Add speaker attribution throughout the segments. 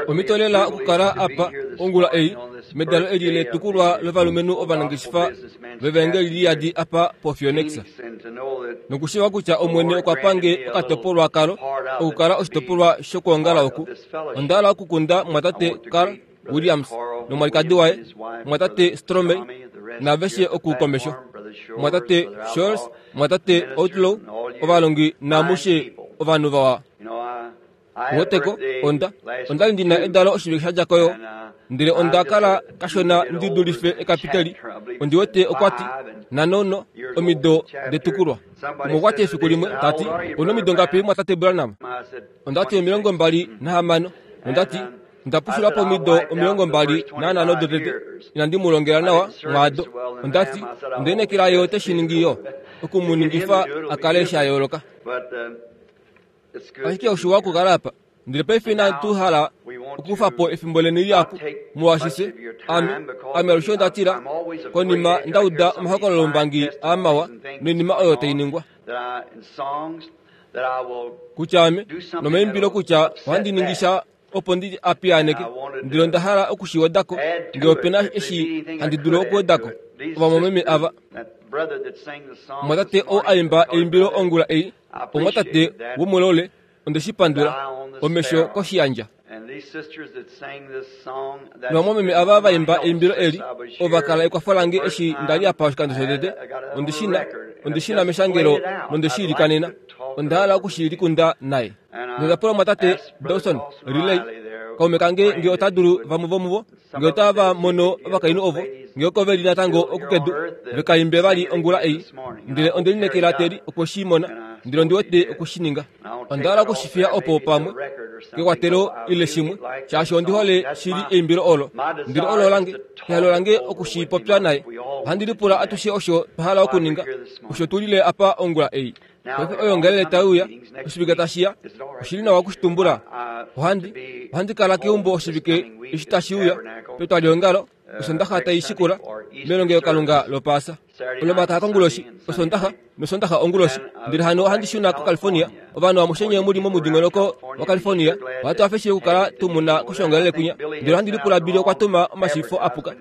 Speaker 1: Omhito lela okukala apa ongula ei medalo eli letukulwa lovalumenhu ovanangeshefa vevaengeli liyadi apa poPhoenix. Nokushiiva kutya Omwene okwa pange okatopolwa kalo okukala oshitopolwa shokwoongala oku. Onda hala okukunda mumwatate Carl Williams nomwalikadi waye, mumwatate Stromei, naaveshe oku komesho, mumwatate Shores, mumwatate Outlaw, ovalongi naamushe ovanhu vawa. Weteko, onda, onda li ndi na edalo oshivike sha dja ko yo, ndele onda kala kashona ndi dulife ekapiteli, ondi wete okwa ti, nhano omido detukulwa. Umwe okwa ti efiku limwe, ta ti, Ou na omido ngapi, mumwatate Branham? Onda ti 26. Nonda ti, Onda pushula po omido 25 dotete, inandi mu longela nawa mwaado. Onda ti, Onda inekela ye ote shi ningi yo, oku mu ningifa a kale sha yooloka. Ashike oshiwa okukala apa. Ndele paife inatu hala okukufa po efimbo leni lihapu, molwaashi fye, ame, ame alushe onda tila, konima nda uda omahokololombangi aa mawa noinima oyo tai ningwa, kutya ame, nomaimbilo kutya ohandi ningi sha opo ndi a piyaaneke, ndele onda hala oku shi weda ko, ngee ope na eshi handi dulu okuweda ko. Ovamwameme ava. Omumwatate oo a imba eimbilo ongula ei, omumwatate womulole, onde shi pandula, omesho koshiyandja. Novamwameme ava va imba eimbilo eli, ova kala ekwafo lange eshi nda li apa oshikando shotete. Ondi shi na, ondi shi na meshangelo nonde shi ilikanena. Onda hala oku shi likunda naye. Nonda pula omumwatate Dawson Riley, kaume kange, nge ota dulu vamwe vomuvo, nge otava mono ovakainhu ovo, nge oko ve li natango oku kedu, ve ka imbe vali ongula ei. Ndele onde lineekela Terry okwe shi mona, ndele ondi wete okwe shi ninga. Onda hala oku shi fiya opo pamwe kekwatelo ile shimwe, shaashi ondi hole shili eimbilo olo. Ndele olo lange, ehalo lange oku shi popya naye. Ohandi lipula atushe osho twa hala okuninga, osho tu lile apa ongula ei. Paife oyoongalele tai uya, oshivike tashi ya, oshi li nawa oku shi tumbula. Ohandi, ohandi kala keumbo oshivike eshi tashi uya, petwaliongalo, Osondaxa tai shikula, melongelokalunga lOpaasa. Olomakaya konguloshi, Osondaxa, nOsondaxa onguloshi. Ndele hano ohandi shuna koCalifornia. Ovanhu amushe nye mu li momudingonoko waCalifornia, ohatu hafe shili okukala tu mu na koshoongalele kwinya. Ndele ohandi lipula Billy okwa tuma omashiifo a puka.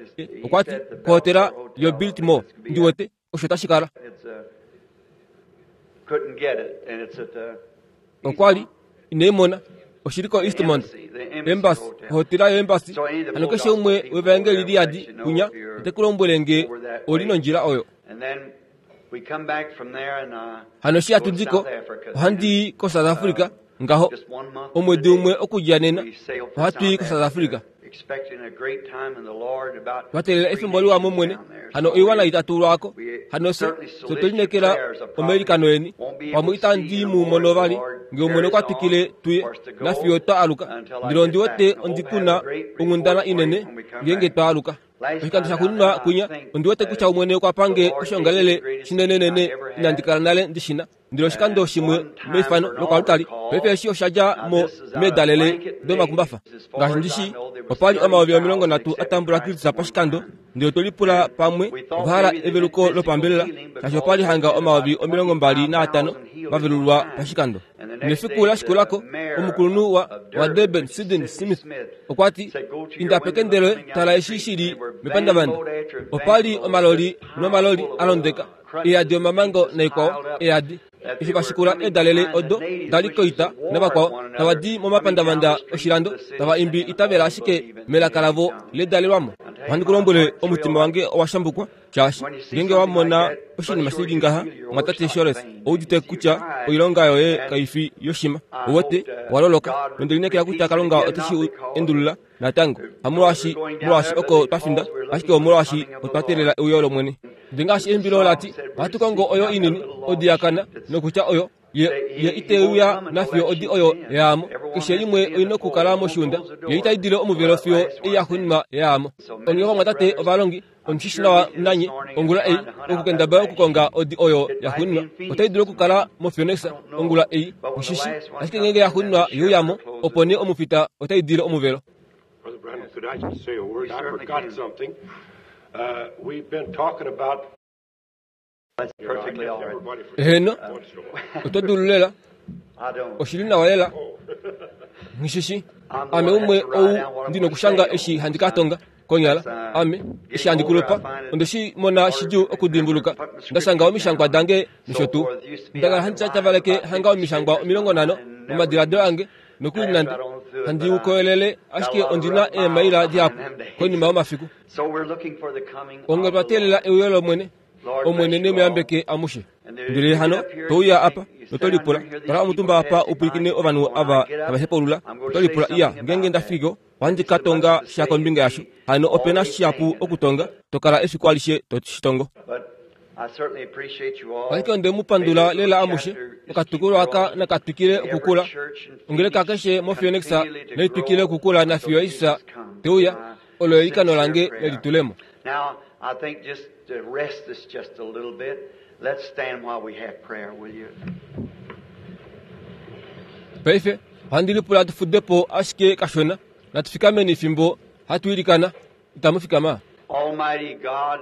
Speaker 1: Okwa ti, kohotela yoBiltmore, ndi wete, osho tashi kala. Okwa li inei mona. Oshi li koEastmont Embassy, ohotela yoEmbassy. Hano keshe umwe wevaengeli liyadi kwinya ote ku lombwele nge oli nondjila oyo. Hano eshi hatu di ko, ohandi i koSouth Africa ngaho. Omwedi umwe okudja nena, ohatu i koSouth Africa. Twa teelela efimbo liwa mOmwene, hano oiwana itatu lwaako. Hano fye, fye otwe lineekela omailikano eni. Pamwe itandi mu mono vali, nge Omwene okwa twikile tuye, nafiyo twa aluka. Ndele ondi wete ondi ku na onghundana inene ngeenge twa aluka. Oshikando shaxuuninwa kwinya, ondi wete kutya Omwene okwa pange oshiongalele shinenenene inandi kala nale ndi shi na. Ndele oshikando shimwe meifano lokoaltari, paife eshi osha dja mo meedalele domakumbafa. Ngaashi ndi shii, opa li 30,000 a tambula Kristus pashikando, ndele otwe lipula pamwe ova hala eveluko lopambelela, shaashi opa li hanga 25,000 va velulwa pashikando. Nefiku la shikula ko, omukulunhu wa, waDurban, Sidney Smith, okwa ti, Inda pekende loye, tala eshi shi li mepandavanda. Opa li omaloli nomaloli a londeka, eyadi omamango naikwao, eyadi. Eshi va shikula eedalele odo da li koita navakwao, tava di momapandavanda oshilando, tava imbi itavela ashike melaka lavo ledalelwamo. Ohandi ku lombwele, omutima wange owa shambukwa, shaashi ngeenge wa mona oshinima shi li ngaha, mwatate Shores, ou udite kutya oilonga yoye kai fi yoshima. Ou wete, owa loloka. Nonde lineekela kutya Kalunga ote shi endulula natango, hamolwaashi molwaashi oko twa finda, ashike omolwaashi otwa teelela euyo lOmwene. Ndele ngaashi eimbilo la ti, Ohatu kongo oyo inini, odi ya kana, nokutya oyo, ye, ye ite uya nafiyo odi oyo yaamo. Keshe limwe oi nokukala moshiunda, ye itai dile omuvelo fiyo ei ya xuuninwa yaamo. Onghee ovamwatate ovalongi, omushi shi nawa nanye, ongula ei, okukendabala okukonga odi oyo ya xuuninwa. Otai dulu okukala moPhoenix ongula ei, nghi shi, ashike ngeenge ya xuuninwa ye uya mo, opo nee omufita otai dile omuvelo.
Speaker 2: Brother Branham, could I just say a word? I forgot something. We've been talking about
Speaker 1: Eheno, oto dulu lela. Oshi li nawa lela. Nghi shi shi. Ame umwe ou ndi nokushanga eshi handi ka tonga konyala ame eshi handi kulupa onde shi mona shidjuu okudimbuluka nda shanga omishangwa dange nosho tuu. Nda kala handi tyatyavaleke hanga omishangwa 50 momadiladilo ange nokuli nande handi u koyelele ashike ondi na eemaila dihapu konima yomafiku. Onghee otwa teelela euyo lOmwene. Omwene ne mu yambeke amushe. Ndele hano to uya apa noto lipula, kala omutumba apa u pwilikine ovanhu ava tava hepaulula, oto lipula, Iya, ngeenge nda fiki ko, ohandi ka tonga sha kombinga yasho. Hano ope na shihapu okutonga, to kala efiku alishe to shi tongo. Ashike onde mu pandula lela amushe. Okatukulwa aka naka twikile okukula. Ongeleka keshe moPhoenix nai twikile okukula nafiyo Jesus te uya. Olo eilikano lange lelitulemo.
Speaker 3: Now, I think just to rest this just a little bit, let's stand while we have prayer, will you?
Speaker 1: Paife, ohandi lipula tu fude po ashike kashona. Natu fikameni fimbo hatu ilikana. Itamu fikama?
Speaker 3: Almighty God,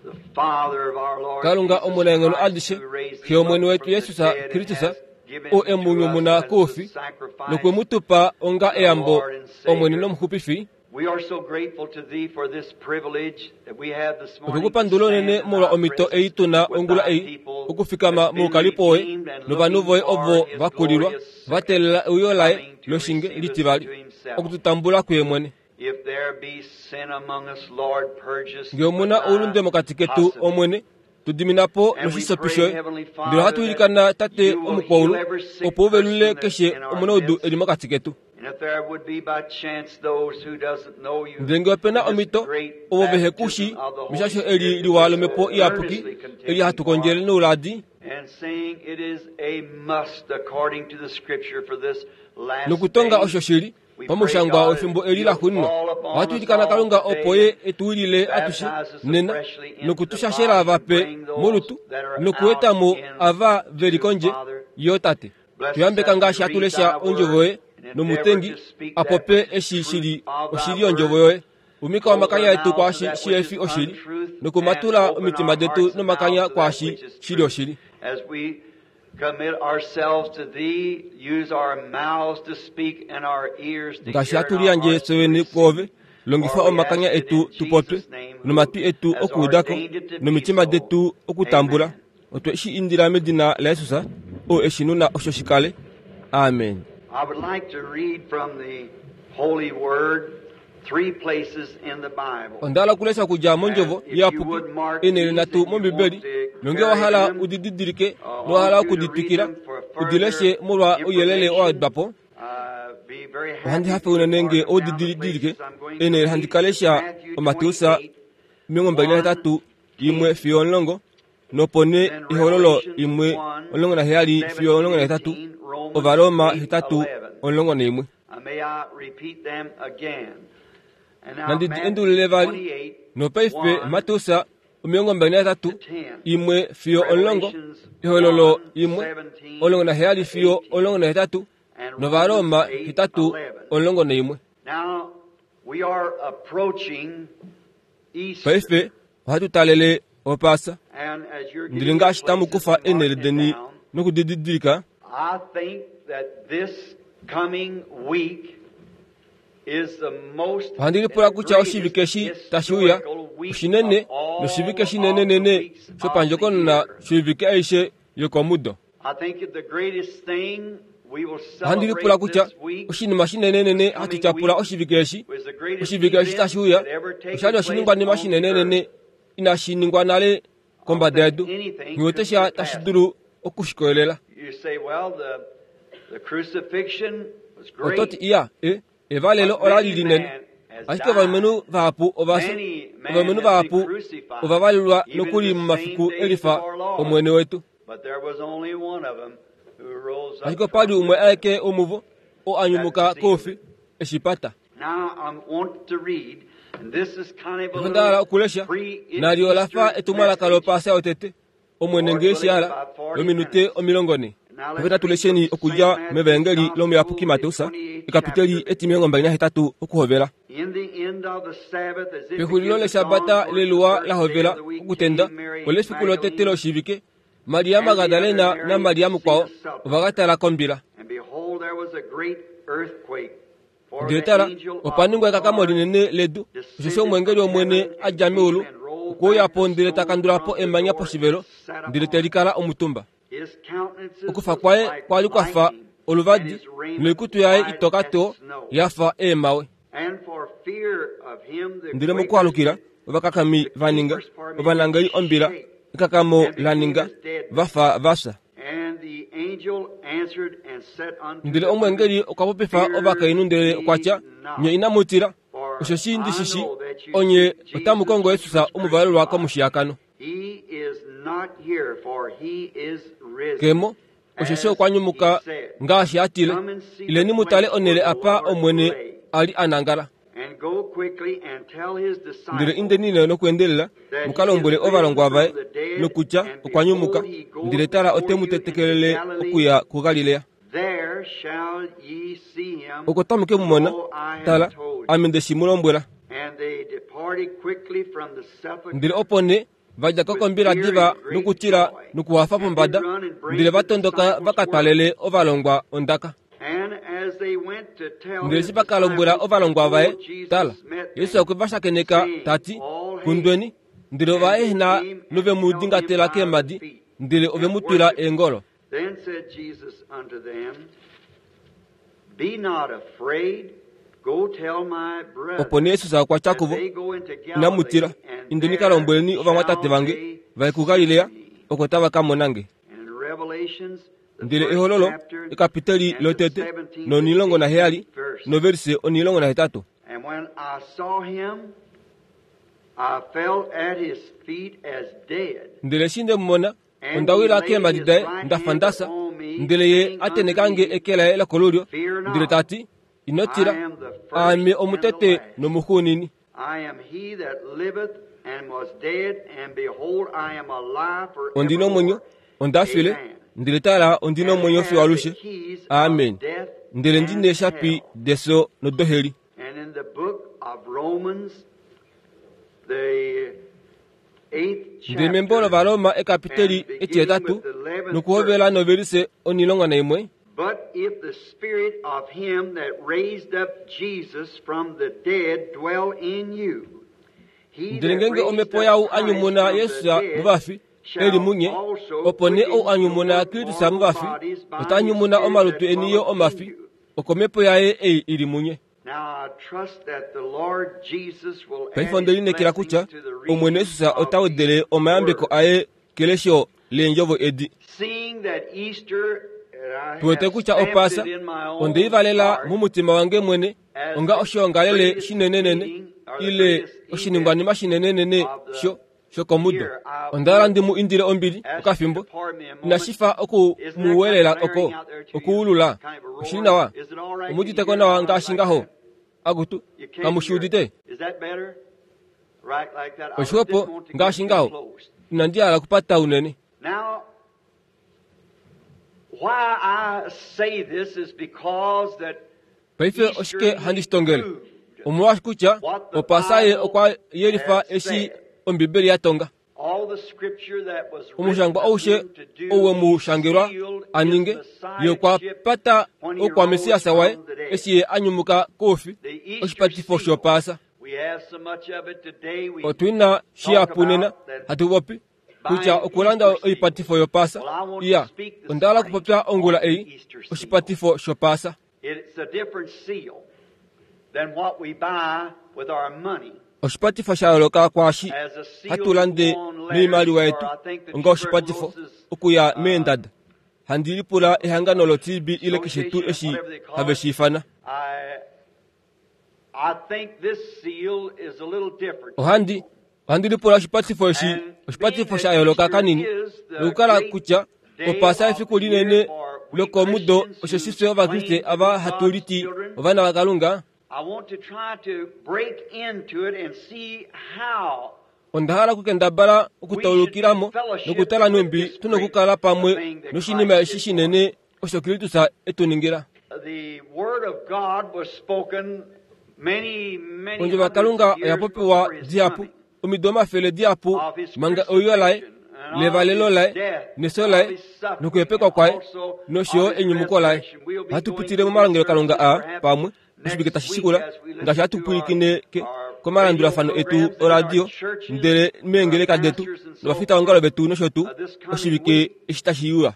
Speaker 3: the Father of our Lord
Speaker 1: Kalunga
Speaker 3: Jesus
Speaker 1: omunaenghono
Speaker 3: Christ,
Speaker 1: adishe,
Speaker 3: who raised
Speaker 1: Xe
Speaker 3: him
Speaker 1: yOmwene
Speaker 3: up
Speaker 1: wetu
Speaker 3: from the
Speaker 1: Jesus
Speaker 3: dead and
Speaker 1: Kristus,
Speaker 3: has given
Speaker 1: oo e
Speaker 3: him
Speaker 1: mu
Speaker 3: to us
Speaker 1: nyumuna
Speaker 3: as a
Speaker 1: koufi,
Speaker 3: sacrifice,
Speaker 1: nokwe mu tu pa onga
Speaker 3: the
Speaker 1: eyambo
Speaker 3: Lord and Savior.
Speaker 1: Omwene nOmuxupifi,
Speaker 3: We are so grateful to thee for this privilege that we have this
Speaker 1: Otwe
Speaker 3: morning
Speaker 1: ku
Speaker 3: to
Speaker 1: pandula
Speaker 3: stand
Speaker 1: unene
Speaker 3: in
Speaker 1: molwa
Speaker 3: thy
Speaker 1: omhito ei
Speaker 3: presence
Speaker 1: tu na
Speaker 3: with
Speaker 1: ongula
Speaker 3: thy
Speaker 1: ei
Speaker 3: people
Speaker 1: okufikama
Speaker 3: that's been
Speaker 1: moukalipo woye
Speaker 3: redeemed and
Speaker 1: novanhu
Speaker 3: looking
Speaker 1: voye
Speaker 3: for
Speaker 1: ovo
Speaker 3: his
Speaker 1: va kulilwa
Speaker 3: glorious
Speaker 1: va
Speaker 3: second
Speaker 1: teelela euyo laye
Speaker 3: coming to
Speaker 1: loshinge
Speaker 3: receive us
Speaker 1: litivali
Speaker 3: unto himself.
Speaker 1: oku tu tambula kuye mwene.
Speaker 3: If there be sin among us, Lord, purge us
Speaker 1: Ngee omu
Speaker 3: with
Speaker 1: na
Speaker 3: thy
Speaker 1: oulunde mokati ketu,
Speaker 3: hyssop.
Speaker 1: Omwene, tu dimina po
Speaker 3: And we
Speaker 1: noshisopi
Speaker 3: pray,
Speaker 1: shoye.
Speaker 3: Heavenly
Speaker 1: Ndele
Speaker 3: Father,
Speaker 1: ohatu
Speaker 3: that
Speaker 1: ilikana, Tate
Speaker 3: you will
Speaker 1: Omukwaulu,
Speaker 3: heal every sick
Speaker 1: opo u velule
Speaker 3: person that's
Speaker 1: keshe
Speaker 3: in our
Speaker 1: omunaudu
Speaker 3: midst.
Speaker 1: e li mokati ketu.
Speaker 3: And if there would be by chance those who doesn't know you
Speaker 1: Ndele ngee ope na
Speaker 3: in this
Speaker 1: omhito
Speaker 3: great
Speaker 1: ovo vehe ku shii
Speaker 3: baptism of the Holy
Speaker 1: meshasho eli
Speaker 3: Spirit
Speaker 1: liwa
Speaker 3: that
Speaker 1: lOmhepo
Speaker 3: we're
Speaker 1: Iyapuki,
Speaker 3: earnestly
Speaker 1: eli
Speaker 3: contending
Speaker 1: hatu
Speaker 3: for,
Speaker 1: kondjele nouladi,
Speaker 3: and saying it is a must according to the scripture for this last
Speaker 1: nokutonga
Speaker 3: day,
Speaker 1: osho shili
Speaker 3: we pray,
Speaker 1: pamushangwa
Speaker 3: God,
Speaker 1: wefimbo
Speaker 3: that
Speaker 1: eli la
Speaker 3: you'll
Speaker 1: xuuninwa.
Speaker 3: fall upon
Speaker 1: Ohatu
Speaker 3: us
Speaker 1: ilikana
Speaker 3: all
Speaker 1: Kalunga
Speaker 3: today
Speaker 1: opo ye e tu wilile atushe
Speaker 3: baptize us
Speaker 1: nena
Speaker 3: afreshly into
Speaker 1: noku
Speaker 3: the
Speaker 1: tu shashela
Speaker 3: body and
Speaker 1: vape
Speaker 3: bring those
Speaker 1: molutu
Speaker 3: that are
Speaker 1: nokueta
Speaker 3: out
Speaker 1: mo
Speaker 3: in
Speaker 1: ava ve li
Speaker 3: to
Speaker 1: kondje
Speaker 3: Father.
Speaker 1: yo Tate.
Speaker 3: Bless
Speaker 1: Tu
Speaker 3: us
Speaker 1: yambeka
Speaker 3: as we
Speaker 1: ngaashi hatu
Speaker 3: read
Speaker 1: lesha
Speaker 3: thy
Speaker 1: ondjovo
Speaker 3: word
Speaker 1: yoye
Speaker 3: and endeavor
Speaker 1: nomutengi
Speaker 3: to speak
Speaker 1: a
Speaker 3: that
Speaker 1: popye
Speaker 3: which is
Speaker 1: eshi shi
Speaker 3: truth
Speaker 1: li
Speaker 3: of thy
Speaker 1: oshili yondjovo
Speaker 3: word.
Speaker 1: yoye. Umika
Speaker 3: Close our
Speaker 1: omakanya etu
Speaker 3: mouths to
Speaker 1: kwaashi
Speaker 3: that
Speaker 1: shi
Speaker 3: which
Speaker 1: efi
Speaker 3: is
Speaker 1: oshili,
Speaker 3: untruth and
Speaker 1: nokumatula
Speaker 3: open
Speaker 1: omitima
Speaker 3: our
Speaker 1: detu
Speaker 3: hearts and
Speaker 1: nomakanya
Speaker 3: mouths to that
Speaker 1: kwaashi
Speaker 3: which is
Speaker 1: shi li
Speaker 3: truth.
Speaker 1: oshili.
Speaker 3: As we commit ourselves to thee, use our mouths to speak and our ears to
Speaker 1: Ngaashi
Speaker 3: hear
Speaker 1: hatu
Speaker 3: and our
Speaker 1: liyandje
Speaker 3: hearts to
Speaker 1: fye vene
Speaker 3: receive.
Speaker 1: kwoove, longifa
Speaker 3: For we
Speaker 1: omakanya
Speaker 3: ask it
Speaker 1: etu
Speaker 3: in
Speaker 1: tu popye,
Speaker 3: Jesus' name, who
Speaker 1: nomatwi etu
Speaker 3: has
Speaker 1: okuudako,
Speaker 3: ordained it to be
Speaker 1: nomitima
Speaker 3: so.
Speaker 1: detu okutambula.
Speaker 3: Amen.
Speaker 1: Otwe shi indila medina laJesus, oo e shi nuna osho shi kale. Amen.
Speaker 3: I would like to read from the Holy Word three places in the Bible.
Speaker 1: Onda hala okulesha okudja mondjovo
Speaker 3: And if you
Speaker 1: iyapuki
Speaker 3: would mark
Speaker 1: eenhele
Speaker 3: these
Speaker 1: nhatu
Speaker 3: and you
Speaker 1: mOmbibeli,
Speaker 3: want to
Speaker 1: nongee wa
Speaker 3: carry
Speaker 1: hala
Speaker 3: them,
Speaker 1: u di didilike
Speaker 3: I
Speaker 1: nowa hala
Speaker 3: want you
Speaker 1: oku
Speaker 3: to
Speaker 1: di
Speaker 3: read
Speaker 1: twikila,
Speaker 3: them for
Speaker 1: u di leshe
Speaker 3: further
Speaker 1: molwa ouyelele wa
Speaker 3: information.
Speaker 1: wedwa po.
Speaker 3: Be very
Speaker 1: Ohandi
Speaker 3: happy
Speaker 1: hafe
Speaker 3: if you would
Speaker 1: unene
Speaker 3: mark
Speaker 1: ngee
Speaker 3: them
Speaker 1: ou di
Speaker 3: down the
Speaker 1: didilike
Speaker 3: places I'm going to
Speaker 1: eenhele handi
Speaker 3: read.
Speaker 1: ka lesha
Speaker 3: Matthew
Speaker 1: oMateus
Speaker 3: 28,
Speaker 1: 28,
Speaker 3: 1,
Speaker 1: 1
Speaker 3: 10,
Speaker 1: fiyo 10, nopo nee
Speaker 3: then
Speaker 1: Ehololo
Speaker 3: Revelations
Speaker 1: 1,
Speaker 3: 1,
Speaker 1: 17 fiyo
Speaker 3: 17,
Speaker 1: 18,
Speaker 3: 18, Romans
Speaker 1: Ovaroma
Speaker 3: 8,
Speaker 1: 8,
Speaker 3: 11.
Speaker 1: 11.
Speaker 3: May I repeat them again? And now
Speaker 1: Nandi di
Speaker 3: Matthew
Speaker 1: endulule vali
Speaker 3: 28,
Speaker 1: nopaife
Speaker 3: 1
Speaker 1: Mateus 28,
Speaker 3: to 10,
Speaker 1: 1 fiyo 10,
Speaker 3: Revelations
Speaker 1: Ehololo
Speaker 3: 1,
Speaker 1: 1,
Speaker 3: 17
Speaker 1: 17
Speaker 3: to
Speaker 1: fiyo
Speaker 3: 18,
Speaker 1: 18,
Speaker 3: and
Speaker 1: nOvaroma
Speaker 3: Romans 8,
Speaker 1: 8,
Speaker 3: 11.
Speaker 1: 11.
Speaker 3: Now, we are approaching Easter.
Speaker 1: Paife ohatu talele Opaasa.
Speaker 3: And as you're
Speaker 1: Ndele
Speaker 3: getting your
Speaker 1: ngaashi tamu
Speaker 3: places
Speaker 1: kufa
Speaker 3: and
Speaker 1: eenhele
Speaker 3: marking it
Speaker 1: deni
Speaker 3: down,
Speaker 1: nokudididilika,
Speaker 3: I think that this coming week is the most
Speaker 1: ohandi
Speaker 3: and
Speaker 1: lipula
Speaker 3: the
Speaker 1: kutya oshivike
Speaker 3: greatest
Speaker 1: eshi tashi uya
Speaker 3: historical week
Speaker 1: oshinene
Speaker 3: of all
Speaker 1: noshivike
Speaker 3: of the
Speaker 1: shinenenene
Speaker 3: weeks of the
Speaker 1: shopandjokonona
Speaker 3: year.
Speaker 1: shoivike aishe yokomudo.
Speaker 3: I think that the greatest thing we will
Speaker 1: Ohandi lipula
Speaker 3: celebrate
Speaker 1: kutya
Speaker 3: this week
Speaker 1: oshinima shinenenene
Speaker 3: this
Speaker 1: hatu
Speaker 3: coming
Speaker 1: tyapula
Speaker 3: week
Speaker 1: oshivike eshi
Speaker 3: was the greatest
Speaker 1: oshivike eshi
Speaker 3: event
Speaker 1: tashi uya
Speaker 3: that ever taken
Speaker 1: osha li
Speaker 3: place
Speaker 1: oshiningwanima
Speaker 3: on the
Speaker 1: shinenenene
Speaker 3: earth.
Speaker 1: inashi ningwa nale
Speaker 3: I don't
Speaker 1: kombada
Speaker 3: think
Speaker 1: yedu
Speaker 3: anything
Speaker 1: nghiwete
Speaker 3: could
Speaker 1: sha tashi
Speaker 3: surpass it.
Speaker 1: dulu okushikolelela.
Speaker 3: You say, well, the crucifixion was
Speaker 1: Oto ti
Speaker 3: great,
Speaker 1: iya e evalelo
Speaker 3: but
Speaker 1: ola li
Speaker 3: many
Speaker 1: linene
Speaker 3: man has
Speaker 1: ashike
Speaker 3: died.
Speaker 1: ovalumenhu vahapu ova fya
Speaker 3: Many man
Speaker 1: ovalumenhu
Speaker 3: has been
Speaker 1: vahapu
Speaker 3: crucified,
Speaker 1: ova valelwa
Speaker 3: even
Speaker 1: nokuli
Speaker 3: the same
Speaker 1: momafiku
Speaker 3: days of
Speaker 1: elifa
Speaker 3: our Lord.
Speaker 1: Omwene wetu.
Speaker 3: But there was only one of them who rose
Speaker 1: Ashike
Speaker 3: up
Speaker 1: opa li
Speaker 3: from
Speaker 1: umwe
Speaker 3: the dead.
Speaker 1: aeke womuvo oo a
Speaker 3: That
Speaker 1: nyumuka
Speaker 3: sealed
Speaker 1: koufi
Speaker 3: it.
Speaker 1: eshi pata.
Speaker 3: Now I want to read, and this is kind of a
Speaker 1: Onda hala
Speaker 3: little
Speaker 1: okulesha nalyo ola fa
Speaker 3: pre-Easter
Speaker 1: etumwalaka
Speaker 3: message.
Speaker 1: lopaasa yotete Omwene
Speaker 3: Lord
Speaker 1: ngee
Speaker 3: willing,
Speaker 1: shi hala
Speaker 3: about 40
Speaker 1: lominute
Speaker 3: minutes.
Speaker 1: 40.
Speaker 3: Now
Speaker 1: Paife
Speaker 3: let's
Speaker 1: natu
Speaker 3: read from
Speaker 1: lesheni
Speaker 3: St.
Speaker 1: okudja
Speaker 3: Matthew's
Speaker 1: mEvaengeli
Speaker 3: Gospel,
Speaker 1: lomuyapuki
Speaker 3: the
Speaker 1: Mateus
Speaker 3: 28th
Speaker 1: ekapiteli
Speaker 3: chapter.
Speaker 1: eti28 okuhovela.
Speaker 3: In the end of the Sabbath, as it
Speaker 1: Pexulilo
Speaker 3: began to dawn
Speaker 1: leshabata
Speaker 3: towards the
Speaker 1: leluwa
Speaker 3: first
Speaker 1: la
Speaker 3: day
Speaker 1: hovela
Speaker 3: of the week,
Speaker 1: okutenda
Speaker 3: came Mary
Speaker 1: olefiku lotete
Speaker 3: Magdalene
Speaker 1: loshivike, Maria
Speaker 3: and the other
Speaker 1: Magdalena
Speaker 3: Mary
Speaker 1: naMaria
Speaker 3: to see
Speaker 1: mukwao
Speaker 3: the sepulchre.
Speaker 1: ova ka tala kombila.
Speaker 3: And behold, there
Speaker 1: Ndele tala, opa ningwa ekakamo linene ledu, osheshi omweengeli wOmwene a dja meulu okwe uya po ndele ta kandula po emanya poshivelo, ndele te likala omutumba. Okufa kwaye kwa li kwa fa oluvadi, noikutu yaye itoka too ya fa eemhawe. Ndele mokualukila, ovakakami va ninga ovanangeli ombila, ekakamo la ninga va fa va fya. Ndele omweengeli okwa popifa ovakainhu ndele okwa tya, Nye inamu tila, osheshi ndi shi shii, onye otamu kongo Jesus omuvalelwa komushiyakano. Ke mo, osheshi okwa nyumuka ngaashi a tile, Ileni mu tale onhele apa Omwene a li a nangala. Ndele indeni nee nokweendelela mu ka lombwele ovalongwa vaye nokutya okwa nyumuka, ndele tala ote mu tetekelele okuya kuGalilea. Oko tamu ke mu mona. Tala, ame nde shi mu lombwela. Ndele opo nee va dja ko kombila diva nokutila nokuhafa pombada, ndele va tondoka va ka twalele ovalongwa ondaka. Ndele eshi va ka lombwela ovalongwa vaye, tala, Jesus okwe va shakeneka ta ti, Kundweni! Ndele ova ehena nove mu dingatela keemhadi, ndele ove mu twila eengolo.
Speaker 3: Then said Jesus unto them, Be not afraid, go tell my
Speaker 1: Opo nee
Speaker 3: brethren
Speaker 1: Jesus okwa tya
Speaker 3: that
Speaker 1: kuvo,
Speaker 3: they go into
Speaker 1: Inamu tila,
Speaker 3: Galilee, and
Speaker 1: indeni ka
Speaker 3: there
Speaker 1: lombweleni ovamwatate
Speaker 3: shall
Speaker 1: vange
Speaker 3: they
Speaker 1: va ye
Speaker 3: see
Speaker 1: kuGalilea,
Speaker 3: me.
Speaker 1: oko tava ka mona nge.
Speaker 3: And in Revelations, the
Speaker 1: Ndele
Speaker 3: first
Speaker 1: Ehololo,
Speaker 3: chapter,
Speaker 1: ekapiteli
Speaker 3: and the
Speaker 1: lotete,
Speaker 3: 17th and
Speaker 1: nonilongo naheyali,
Speaker 3: 18th verse.
Speaker 1: noverise onilongo nahetatu.
Speaker 3: And when I saw him, I fell at his feet as dead.
Speaker 1: Ndele eshi nde mu mona,
Speaker 3: And
Speaker 1: onda
Speaker 3: he
Speaker 1: wila
Speaker 3: laid
Speaker 1: keemhadi
Speaker 3: his
Speaker 1: daye
Speaker 3: right
Speaker 1: nda fa
Speaker 3: hand
Speaker 1: nda fya.
Speaker 3: upon me,
Speaker 1: Ndele ye
Speaker 3: saying
Speaker 1: a
Speaker 3: unto
Speaker 1: tenheka nge
Speaker 3: me,
Speaker 1: eke laye lokolulyo,
Speaker 3: Fear
Speaker 1: ndele
Speaker 3: not,
Speaker 1: ta ti, Ino
Speaker 3: I
Speaker 1: tila,
Speaker 3: am the first
Speaker 1: aame
Speaker 3: and the
Speaker 1: omutete
Speaker 3: last.
Speaker 1: nomuxuunini.
Speaker 3: I am he that liveth and was dead, and behold, I am alive
Speaker 1: Ondi na omwenyo,
Speaker 3: forevermore.
Speaker 1: onda file,
Speaker 3: Amen.
Speaker 1: ndele tala, ondi na
Speaker 3: And
Speaker 1: omwenyo fiyo
Speaker 3: have the
Speaker 1: alushe.
Speaker 3: keys of
Speaker 1: Amen.
Speaker 3: death
Speaker 1: Ndele ndi
Speaker 3: and
Speaker 1: neeshapi
Speaker 3: hell.
Speaker 1: defyo nodoheli.
Speaker 3: And in the book of Romans, the eighth
Speaker 1: Ndele membo
Speaker 3: chapter,
Speaker 1: lOvaroma ekapiteli
Speaker 3: and beginning
Speaker 1: etihetatu
Speaker 3: with the 11th
Speaker 1: nokuhovela
Speaker 3: verse.
Speaker 1: novelise onilongo naimwe,
Speaker 3: But if the spirit of him that raised up Jesus from the dead dwell in you, he
Speaker 1: ndele
Speaker 3: that
Speaker 1: ngeenge
Speaker 3: raised
Speaker 1: omhepo
Speaker 3: up
Speaker 1: yaau a
Speaker 3: Christ
Speaker 1: nyumuna
Speaker 3: from the
Speaker 1: Yesus
Speaker 3: dead
Speaker 1: movafi e li
Speaker 3: shall
Speaker 1: munye,
Speaker 3: also
Speaker 1: opo nee ou a
Speaker 3: quicken
Speaker 1: nyumuna
Speaker 3: your
Speaker 1: Kristus
Speaker 3: mortal
Speaker 1: movafi,
Speaker 3: bodies by
Speaker 1: ota
Speaker 3: his
Speaker 1: nyumuna
Speaker 3: spirit
Speaker 1: omalutu
Speaker 3: that
Speaker 1: eni yo
Speaker 3: dwelleth in
Speaker 1: omafi
Speaker 3: you.
Speaker 1: okomhepo yaye ei i li munye.
Speaker 3: Now I trust that the Lord Jesus will
Speaker 1: Paife
Speaker 3: add
Speaker 1: onde
Speaker 3: his
Speaker 1: lineekela
Speaker 3: blessings
Speaker 1: kutya
Speaker 3: to the
Speaker 1: Omwene
Speaker 3: reading
Speaker 1: Jesus
Speaker 3: of
Speaker 1: ota wedele
Speaker 3: these
Speaker 1: omayambeko
Speaker 3: words.
Speaker 1: aye kelesho leendjovo edi.
Speaker 3: Seeing that Easter, and I
Speaker 1: Tu wete
Speaker 3: have
Speaker 1: kutya
Speaker 3: stamped
Speaker 1: Opaasa
Speaker 3: it in my
Speaker 1: onde i
Speaker 3: own
Speaker 1: valela
Speaker 3: heart
Speaker 1: momutima wange mwene
Speaker 3: as
Speaker 1: onga
Speaker 3: the
Speaker 1: oshoongalele
Speaker 3: greatest
Speaker 1: shinenenene
Speaker 3: meeting or the
Speaker 1: ile
Speaker 3: greatest event
Speaker 1: oshiningwanima shinenenene
Speaker 3: of the
Speaker 1: sho shokomudo.
Speaker 3: year. I
Speaker 1: Onda hala
Speaker 3: want
Speaker 1: ndi mu indile ombili
Speaker 3: ask you to
Speaker 1: okafimbo.
Speaker 3: pardon me a moment.
Speaker 1: Inashi fa oku
Speaker 3: Isn't that
Speaker 1: mu
Speaker 3: kind of
Speaker 1: welela
Speaker 3: blaring
Speaker 1: oko
Speaker 3: out there to you?
Speaker 1: okuulula.
Speaker 3: Kind of a
Speaker 1: Oshili
Speaker 3: roar?
Speaker 1: nawa.
Speaker 3: Is it all right? Can you
Speaker 1: Omuditeko
Speaker 3: hear it
Speaker 1: nawa
Speaker 3: all right
Speaker 1: ngaashi
Speaker 3: like
Speaker 1: ngaho.
Speaker 3: that?
Speaker 1: Akutu,
Speaker 3: You can't
Speaker 1: kamu shi
Speaker 3: hear it.
Speaker 1: udite?
Speaker 3: Is that better? Right like that? I
Speaker 1: Oshixwepo
Speaker 3: didn't want to get
Speaker 1: ngaashi
Speaker 3: too
Speaker 1: ngaho.
Speaker 3: close.
Speaker 1: Inandi hala okupata unene.
Speaker 3: Now, why I say this is because that
Speaker 1: Paife
Speaker 3: Easter
Speaker 1: oshike handi shi tongele?
Speaker 3: proved
Speaker 1: Omolwaashi kutya
Speaker 3: what the
Speaker 1: Opaasa ye
Speaker 3: Bible
Speaker 1: okwa yelifa
Speaker 3: had
Speaker 1: eshi
Speaker 3: said.
Speaker 1: Ombibeli ya tonga.
Speaker 3: All the scripture that was written
Speaker 1: Omushangwa
Speaker 3: of
Speaker 1: aushe
Speaker 3: him to do,
Speaker 1: ou we mu
Speaker 3: he
Speaker 1: shangelwa
Speaker 3: sealed
Speaker 1: a
Speaker 3: his
Speaker 1: ninge, ye okwa
Speaker 3: messiahship
Speaker 1: pata
Speaker 3: when he
Speaker 1: okwa
Speaker 3: rose
Speaker 1: Mesiasa waye
Speaker 3: from the dead.
Speaker 1: eshi ye a nyumuka koufi,
Speaker 3: The Easter
Speaker 1: oshipatifo
Speaker 3: seal.
Speaker 1: shopaasa.
Speaker 3: We have so much of it today. We
Speaker 1: Otu na
Speaker 3: talk
Speaker 1: shihapu nena
Speaker 3: about that
Speaker 1: hatu popi kutya
Speaker 3: buying
Speaker 1: okulanda
Speaker 3: Easter seals.
Speaker 1: oipatifo yopaasa.
Speaker 3: Well, I want to
Speaker 1: Iya,
Speaker 3: speak this
Speaker 1: onda hala
Speaker 3: morning
Speaker 1: okupopya ongula
Speaker 3: on the
Speaker 1: ei
Speaker 3: Easter seal.
Speaker 1: oshipatifo shopaasa.
Speaker 3: It's a different seal than what we buy with our money.
Speaker 1: Oshipatifo sha yooloka kwaashi
Speaker 3: As a seal
Speaker 1: hatu
Speaker 3: to
Speaker 1: lande
Speaker 3: go on letters,
Speaker 1: noimaliwa
Speaker 3: or
Speaker 1: yetu
Speaker 3: I think the
Speaker 1: onga oshipatifo
Speaker 3: tuberculosis
Speaker 1: okuya meendada. Handi lipula ehangano lo-TB ile keshe tuu
Speaker 3: association,
Speaker 1: eshi
Speaker 3: whatever they call
Speaker 1: have
Speaker 3: it.
Speaker 1: shi ifana.
Speaker 3: I I think this seal is a little different.
Speaker 1: Ohandi ohandi lipula oshipatifo eshi
Speaker 3: And being
Speaker 1: oshipatifo
Speaker 3: that
Speaker 1: sha yooloka
Speaker 3: Easter
Speaker 1: kanini
Speaker 3: is the
Speaker 1: nokukala
Speaker 3: great
Speaker 1: kutya
Speaker 3: day
Speaker 1: Opaasa
Speaker 3: of
Speaker 1: efiku
Speaker 3: the year
Speaker 1: linene
Speaker 3: for we
Speaker 1: lokomudo
Speaker 3: Christians
Speaker 1: osheshi
Speaker 3: who
Speaker 1: fye Ovakriste
Speaker 3: claim to
Speaker 1: ava
Speaker 3: be
Speaker 1: hatu
Speaker 3: God's
Speaker 1: liti
Speaker 3: children,
Speaker 1: ovana vaKalunga,
Speaker 3: I want to try to break into it and see how
Speaker 1: onda hala okukendabala
Speaker 3: we should do
Speaker 1: okutaulukilamo
Speaker 3: fellowship
Speaker 1: nokutala
Speaker 3: with
Speaker 1: nhumbi
Speaker 3: this
Speaker 1: tu na
Speaker 3: great
Speaker 1: okukala pamwe
Speaker 3: thing that
Speaker 1: noshinima
Speaker 3: Christ
Speaker 1: eshi
Speaker 3: did for us.
Speaker 1: shinene osho Kristus e tu ningila.
Speaker 3: The Word of God was spoken many, many
Speaker 1: Ondjovo
Speaker 3: hundreds
Speaker 1: yaKalunga
Speaker 3: of
Speaker 1: oya
Speaker 3: years
Speaker 1: popiwa
Speaker 3: before his
Speaker 1: dihapu
Speaker 3: coming,
Speaker 1: omido omafele dihapu
Speaker 3: of his
Speaker 1: manga euyo laye
Speaker 3: crucifixion
Speaker 1: levalelo laye nefyo laye nokuhepekwa kwaye nosho yo enyumuko laye. Ohatu pitile momalongelokalunga aa pamwe oshivike tashi shikula ngaashi hatu pwilikine komalandulafano etu oradio ndele meengeleka detu novafitaongalo vetu nosho tuu oshivike eshi tashi uya.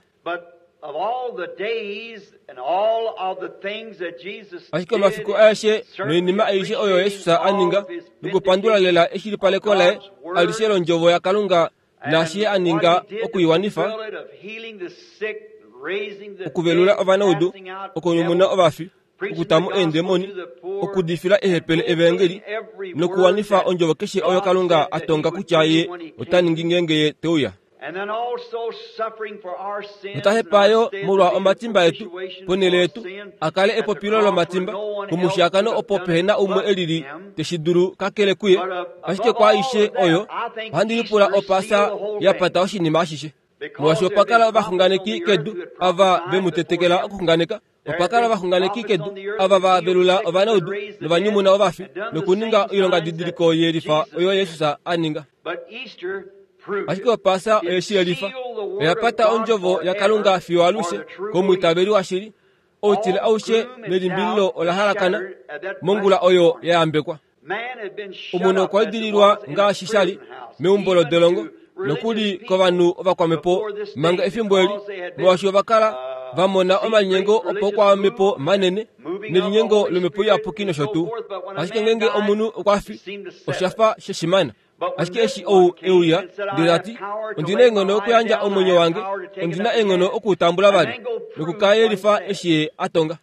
Speaker 1: Ashike omafiku aeshe noinima aishe oyo Jesus a ninga nokupandula lela eshilipaleko laye alishe londjovo yaKalunga naashi ye a ninga oku i wanifa, okuvelula ovanaudu, okunyumuna ovafi, okuta mo eendemoni, okudifila ehepele evaengeli nokuwanifa ondjovo keshe oyo Kalunga a tonga kutya ye ota ningi ngeenge ye te uya. Nota hepa yo molwa omatimba etu ponhele yetu, a kale epopilo lomatimba komushiyakano opo pehe na umwe e lili te shi dulu kakele kuye. Ashike kwaaishe oyo, ohandi lipula Opaasa ya pata oshinima ashishe. Molwaashi opa kala ovaxunganeki kedu ava ve mu tetekela okuxunganeka, Opa kala ovaxunganeki kedu ava va velula ovanaudu novanyumuna ovafi nokuninga oilongadidiliko ye lifa oyo Jesus a ninga. Ashike Opaasa oye shi yelifa. Oya pata ondjovo yaKalunga fiyo alushe komwiitaveli washili. Outile aushe nelimbililo ola halakana mongula oyo ya yambekwa. Omunhu okwa idililwa ngaashi sha li meumbo lodolongo nokuli kovanhu ovakwamhepo manga efimbo eli, molwaashi ova kala va mona omalinyengo opaukwamhepo manene nelinyengo lomhepo iyapuki nosho tuu. Ashike ngeenge omunhu okwa fi, osha fa sheshimana. Ashike eshi ou e uya ndele ta ti, Ondi na eenghono okuyandja omwenyo wange, ondi na eenghono oku u tambula vali, noku ka yelifa eshi ye a tonga.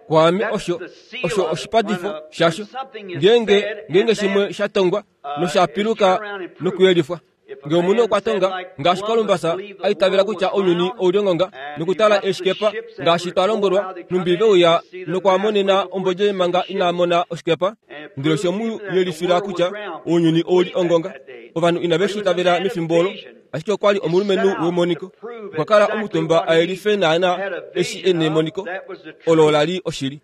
Speaker 1: Kwaame osho, osho oshipatifo shasho, ngeenge, ngeenge shimwe sha tongwa nosha piluka nokuyelifwa. Nge omunhu okwa tonga, ngaashi Columbus a itavela kutya ounyuni ou li ongonga, nokutala eeshikepa, ngaashi twa lombwelwa, nhumbi ve uya nokwa monena ombodje manga ina mona oshikepa, ndele oshe mu yelifila kutya ounyuni ou li ongonga. Ovanhu inave shi itavela mefimbo olo. Ashike okwa li omulumenhu wemoniko. Okwa kala omutumba a yelife naanaa eshi e nemoniko. Olo ola li oshili.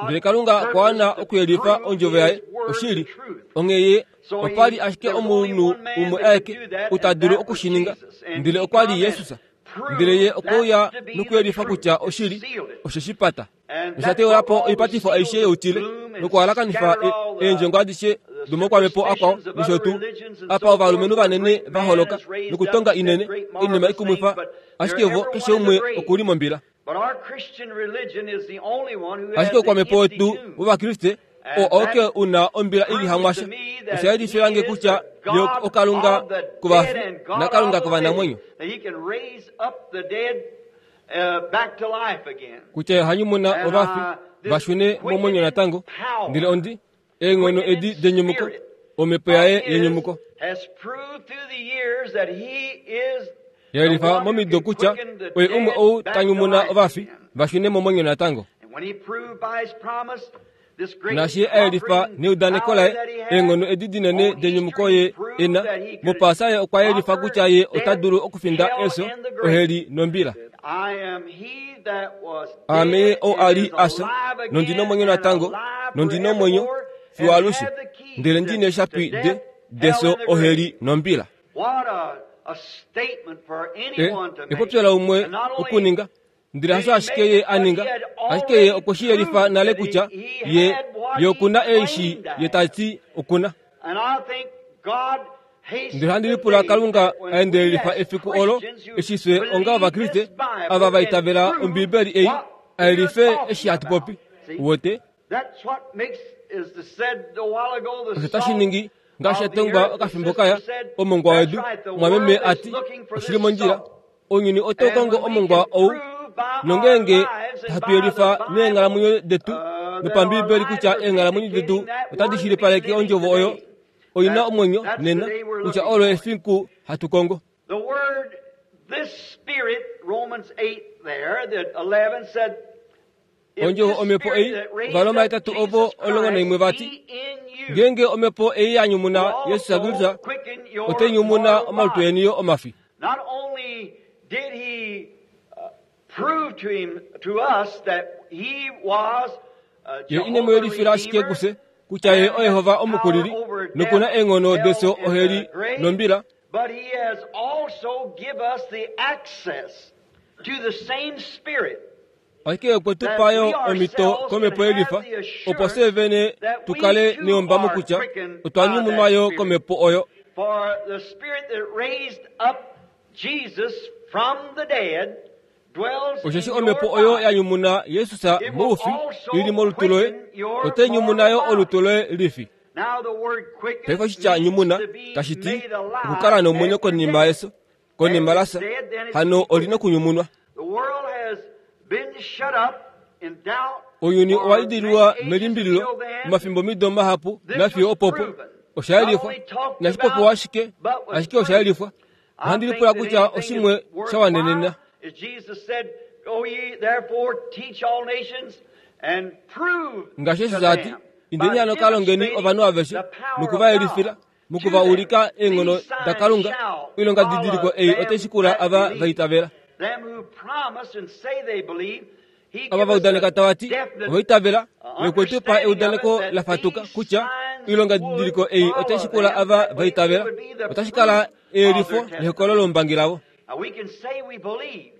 Speaker 1: Ndele Kalunga okwa wana okuyelifa ondjovo yaye, oshili. Onghee ye opa li ashike omunhu umwe aeke ou ta dulu oku shi ninga, ndele okwa li Jesus. Ndele ye okwe uya nokuyelifa kutya oshili, oshe shi pata. Nosha teula po oipatifo aishe youtile nokuhalakanifa eendjongo adishe domoukwamhepo akwao nosho tuu. Apa ovalumenhu vanene va holoka nokutonga inene, oinima ikumwifa, ashike vo keshe umwe oku li mombila. Ashike oukwamhepo wetu wOvakriste oo auke u na ombila i li hamwasha. Osha yelifila nge kutya ye oKalunga kovafi naKalunga kovanamwenyo. Kutya oha nyumuna ovafi va shune momwenyo natango, ndele ondi eenghono edi denyumuko, omhepo yaye yenyumuko. Yelifa momido kutya oye umwe ou ta nyumuna ovafi va shune momwenyo natango. Naashi ye a yelifa neudaneko laye eenghono edi dinene denyumuko ye e na, mOpaasa ye okwa yelifa kutya ye ota dulu okufinda efyo, oheli nombila. Aame ye ou a li a fya, nondi nomwenyo natango, nondi nomwenyo fiyo alushe, ndele ndi neeshapi de, defyo, oheli nombila. E, epopyo laumwe okuninga, Ndele hasho ashike ye a ninga, ashike ye okwe shi yelifa nale kutya ye, ye oku na eshi ye ta ti oku na. Ndele ohandi lipula Kalunga a endelelifa efiku olo eshi fye onga Ovakriste ava va itavela Ombibeli ei a yelife eshi hatu popi. Uwete? Osho tashi ningi ngaashi etongwa okafimbo kaya omongwa wedu, mwameme a ti, oshi li mondjila. Ounyuni otau kongo omongwa ou, nongeenge hatu yelifa meenghalamwenyo detu nopambiibeli kutya eenghalamwenyo detu otadi shilipaleke ondjovo oyo oi na omwenyo nena, kutya olo efiku hatu kongo. Ondjovo omhepo ei, Ovaroma 8 ovo 11 vati, Ngeenge omhepo ei ya nyumuna Jesus Kristus, otai nyumuna omalutu eni yo omafi. Ye ine mu yelifila ashike kufye kutya ye oYehova Omukulili noku na eenghono defyo, oheli nombila.
Speaker 3: But he has also give us the access to the same Spirit.
Speaker 1: Ashike okwe tu pa yo omhito komhepo yelifa opo fye vene tu kale neyombamo kutya otwa nyumunwa yo komhepo oyo.
Speaker 3: For the Spirit that raised up Jesus from the dead dwells
Speaker 1: Osheshi
Speaker 3: in
Speaker 1: omhepo
Speaker 3: your
Speaker 1: oyo ya
Speaker 3: body.
Speaker 1: nyumuna Jesus moufi ili molutu loye, otai nyumuna yo olutu loye lifi.
Speaker 3: Now the word quicken
Speaker 1: Paife oshitya
Speaker 3: means
Speaker 1: nyumuna
Speaker 3: to be
Speaker 1: tashi ti
Speaker 3: made alive
Speaker 1: okukala nomwenyo
Speaker 3: after
Speaker 1: konima
Speaker 3: death.
Speaker 1: yeso, konima lasa, hano olina okunyumunwa.
Speaker 3: The world has been shut up in doubt
Speaker 1: Ounyuni
Speaker 3: for
Speaker 1: owa idililwa
Speaker 3: many ages
Speaker 1: melimbililo
Speaker 3: till then.
Speaker 1: omafimbo mido mahapu
Speaker 3: This
Speaker 1: nafiyo
Speaker 3: was
Speaker 1: opopo
Speaker 3: proven.
Speaker 1: osha yelifwa
Speaker 3: Not only talked
Speaker 1: inashi popiwa
Speaker 3: about,
Speaker 1: ashike
Speaker 3: but was
Speaker 1: ashike osha
Speaker 3: proven.
Speaker 1: yelifwa.
Speaker 3: I
Speaker 1: Ohandi
Speaker 3: think
Speaker 1: lipula
Speaker 3: that
Speaker 1: kutya
Speaker 3: anything
Speaker 1: oshimwe
Speaker 3: is
Speaker 1: sha wanenena.
Speaker 3: worthwhile, as Jesus said, Go ye therefore teach all nations and prove
Speaker 1: Ngaashi
Speaker 3: to
Speaker 1: Jesus a ti,
Speaker 3: them
Speaker 1: indeni
Speaker 3: by
Speaker 1: hano ka longeni
Speaker 3: demonstrating
Speaker 1: ovanhu aveshe
Speaker 3: the power
Speaker 1: noku
Speaker 3: of
Speaker 1: va
Speaker 3: God
Speaker 1: yelifila
Speaker 3: to
Speaker 1: moku va
Speaker 3: them.
Speaker 1: ulika eenghono
Speaker 3: These signs
Speaker 1: da Kalunga.
Speaker 3: shall
Speaker 1: Oilonga
Speaker 3: follow
Speaker 1: didiliko ei
Speaker 3: them
Speaker 1: otai shikula
Speaker 3: that
Speaker 1: ava
Speaker 3: believe.
Speaker 1: va itavela.
Speaker 3: Them who promise and say they believe, he
Speaker 1: Ava va
Speaker 3: giveth
Speaker 1: udaneka
Speaker 3: a
Speaker 1: tava ti
Speaker 3: definite
Speaker 1: ova itavela nokwe tu pa
Speaker 3: understanding of
Speaker 1: eudaneko
Speaker 3: it that
Speaker 1: la fatuka
Speaker 3: these
Speaker 1: kutya
Speaker 3: signs
Speaker 1: oilonga
Speaker 3: would
Speaker 1: didiliko ei otai
Speaker 3: follow
Speaker 1: shikula
Speaker 3: them
Speaker 1: ava
Speaker 3: that
Speaker 1: va
Speaker 3: believe.
Speaker 1: itavela.
Speaker 3: It would be the
Speaker 1: Otashi kala
Speaker 3: proof of
Speaker 1: eyelifo
Speaker 3: their testimony.
Speaker 1: nehokolo lombangi lavo.
Speaker 3: Now we can say we believe,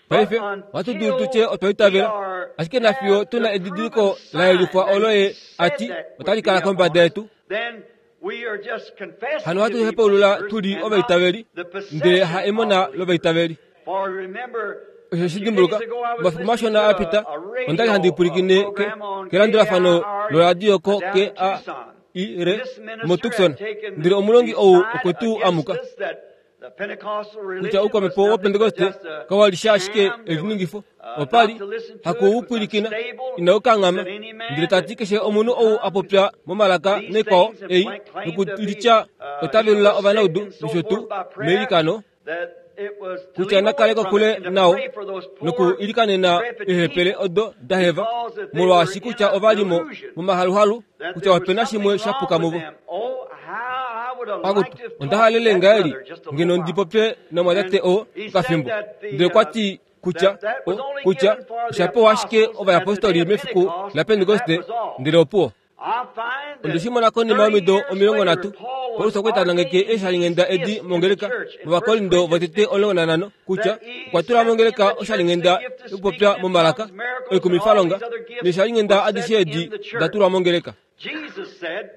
Speaker 1: Paife
Speaker 3: but
Speaker 1: ohatu dulu
Speaker 3: until
Speaker 1: tutye otwa
Speaker 3: we
Speaker 1: itavela,
Speaker 3: are
Speaker 1: ashike nafiyo
Speaker 3: have
Speaker 1: tuna
Speaker 3: the
Speaker 1: edidiliko
Speaker 3: proven
Speaker 1: la yelifwa
Speaker 3: sign
Speaker 1: olo
Speaker 3: that
Speaker 1: ye
Speaker 3: he said
Speaker 1: ati
Speaker 3: that would
Speaker 1: otali
Speaker 3: be
Speaker 1: kala
Speaker 3: upon
Speaker 1: kombada
Speaker 3: us,
Speaker 1: yetu.
Speaker 3: then we are just confessing
Speaker 1: Hano
Speaker 3: to
Speaker 1: ohatu
Speaker 3: be
Speaker 1: hepaulula
Speaker 3: believers
Speaker 1: tuli
Speaker 3: and not
Speaker 1: ovaitaveli
Speaker 3: the
Speaker 1: ndele ha
Speaker 3: possession
Speaker 1: emona
Speaker 3: of believers.
Speaker 1: lovaitaveli.
Speaker 3: For remember,
Speaker 1: Osho
Speaker 3: a
Speaker 1: shi
Speaker 3: few
Speaker 1: dimbuluka,
Speaker 3: days ago I was
Speaker 1: omafiku
Speaker 3: listening
Speaker 1: mashona
Speaker 3: to
Speaker 1: a pita
Speaker 3: a
Speaker 1: onda li handi
Speaker 3: radio
Speaker 1: pwilikine
Speaker 3: program on
Speaker 1: kelandulafano
Speaker 3: KIRE
Speaker 1: loradio ko
Speaker 3: down in Tucson.
Speaker 1: KAIR
Speaker 3: This minister
Speaker 1: moTucson
Speaker 3: had taken
Speaker 1: ndele omulongi
Speaker 3: the
Speaker 1: ou
Speaker 3: side
Speaker 1: okwe tu
Speaker 3: against
Speaker 1: amuka
Speaker 3: us that the Pentecostal
Speaker 1: kutya
Speaker 3: religion was
Speaker 1: oukwamhepo
Speaker 3: nothing but
Speaker 1: wopentekoste
Speaker 3: just a
Speaker 1: kawa li sha ashike
Speaker 3: sham. It was
Speaker 1: eliningifo
Speaker 3: not
Speaker 1: opali
Speaker 3: to listen to it,
Speaker 1: haku
Speaker 3: it
Speaker 1: u
Speaker 3: was
Speaker 1: pwilikina
Speaker 3: unstable.
Speaker 1: inau kanghama
Speaker 3: Said any man
Speaker 1: ndele tati
Speaker 3: that
Speaker 1: keshe omunhu ou a popya momalaka
Speaker 3: these
Speaker 1: naikwao
Speaker 3: things and
Speaker 1: ei
Speaker 3: claimed to be
Speaker 1: nokulitya ota
Speaker 3: heal
Speaker 1: velula
Speaker 3: the sick
Speaker 1: ovanaudu
Speaker 3: and so
Speaker 1: nosho tuu
Speaker 3: forth by prayer,
Speaker 1: meilikano
Speaker 3: that it was to
Speaker 1: kutya
Speaker 3: leave
Speaker 1: na kale
Speaker 3: away from
Speaker 1: kokule
Speaker 3: it and to
Speaker 1: nao
Speaker 3: pray for those poor
Speaker 1: noku ilikanena
Speaker 3: decrepit
Speaker 1: eehepele
Speaker 3: people
Speaker 1: odo da heva
Speaker 3: because that they were
Speaker 1: molwaashi
Speaker 3: in
Speaker 1: kutya
Speaker 3: a
Speaker 1: ova li mo
Speaker 3: delusion
Speaker 1: momahaluhalu
Speaker 3: that
Speaker 1: kutya
Speaker 3: there was
Speaker 1: opena
Speaker 3: something
Speaker 1: shimwe sha
Speaker 3: wrong
Speaker 1: puka
Speaker 3: with
Speaker 1: muvo.
Speaker 3: them. Oh, how I would have
Speaker 1: Pakutu
Speaker 3: liked to have
Speaker 1: onda
Speaker 3: talked to
Speaker 1: halele
Speaker 3: that
Speaker 1: ngaheli
Speaker 3: brother just a
Speaker 1: ngeno
Speaker 3: little
Speaker 1: ndi
Speaker 3: while.
Speaker 1: popye namwatate
Speaker 3: And
Speaker 1: oo
Speaker 3: he said
Speaker 1: okafimbo
Speaker 3: that the
Speaker 1: ndele okwa ti kutya
Speaker 3: that that was only
Speaker 1: kutya
Speaker 3: given for the
Speaker 1: osha pewa ashike
Speaker 3: apostles at the day
Speaker 1: ovayapostoli
Speaker 3: of
Speaker 1: mefiku
Speaker 3: Pentecost,
Speaker 1: la
Speaker 3: and that
Speaker 1: Pentekoste
Speaker 3: was all.
Speaker 1: ndele opuwo.
Speaker 3: I find
Speaker 1: Onde
Speaker 3: that
Speaker 1: shi mona konima
Speaker 3: 30
Speaker 1: yomido
Speaker 3: years
Speaker 1: omilongo
Speaker 3: later,
Speaker 1: nhatu
Speaker 3: Paul
Speaker 1: Paulus
Speaker 3: was
Speaker 1: okwa li ta nangeke
Speaker 3: ordaining
Speaker 1: eeshalinghenda
Speaker 3: these
Speaker 1: edi
Speaker 3: gifts in the
Speaker 1: mongeleka
Speaker 3: church in 1
Speaker 1: mOvakorindo
Speaker 3: Corinthians
Speaker 1: votete
Speaker 3: 15,
Speaker 1: 15 kutya
Speaker 3: that he
Speaker 1: okwa tula
Speaker 3: set in
Speaker 1: mongeleka
Speaker 3: the church the
Speaker 1: oshalinghenda
Speaker 3: gift of
Speaker 1: yokupopya
Speaker 3: speaking in
Speaker 1: momalaka
Speaker 3: tongues, miracles, and all
Speaker 1: oikumifalonga
Speaker 3: these other gifts
Speaker 1: neeshalinghenda
Speaker 3: was set
Speaker 1: adishe edi
Speaker 3: in the church.
Speaker 1: da tulwa mongeleka.
Speaker 3: Jesus said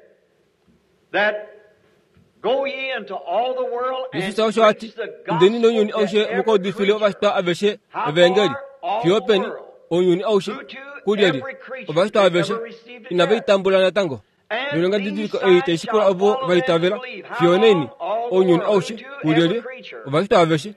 Speaker 3: that go ye into all the world and
Speaker 1: Jesus osho a ti
Speaker 3: preach the
Speaker 1: indeni
Speaker 3: gospel
Speaker 1: nounyuni
Speaker 3: to
Speaker 1: aushe
Speaker 3: every
Speaker 1: mukaudifile
Speaker 3: creature.
Speaker 1: ovashitwa aveshe
Speaker 3: How
Speaker 1: evangeli
Speaker 3: far? All
Speaker 1: fiyo
Speaker 3: the
Speaker 1: peni
Speaker 3: world.
Speaker 1: ounyuni aushe
Speaker 3: Who to
Speaker 1: kulyelye
Speaker 3: every creature
Speaker 1: ovashitwa
Speaker 3: that
Speaker 1: aveshe
Speaker 3: ever received a
Speaker 1: inava
Speaker 3: death.
Speaker 1: itambula natango.
Speaker 3: And
Speaker 1: Noilonga
Speaker 3: these
Speaker 1: didiliko ei
Speaker 3: signs
Speaker 1: tai shikula
Speaker 3: shall
Speaker 1: ovo
Speaker 3: follow
Speaker 1: va
Speaker 3: them that
Speaker 1: itavela
Speaker 3: believe. How
Speaker 1: fiyo neni
Speaker 3: long? All the
Speaker 1: ounyuni
Speaker 3: world. Who
Speaker 1: aushe
Speaker 3: to every
Speaker 1: kulyelye
Speaker 3: creature.
Speaker 1: ovashitwa aveshe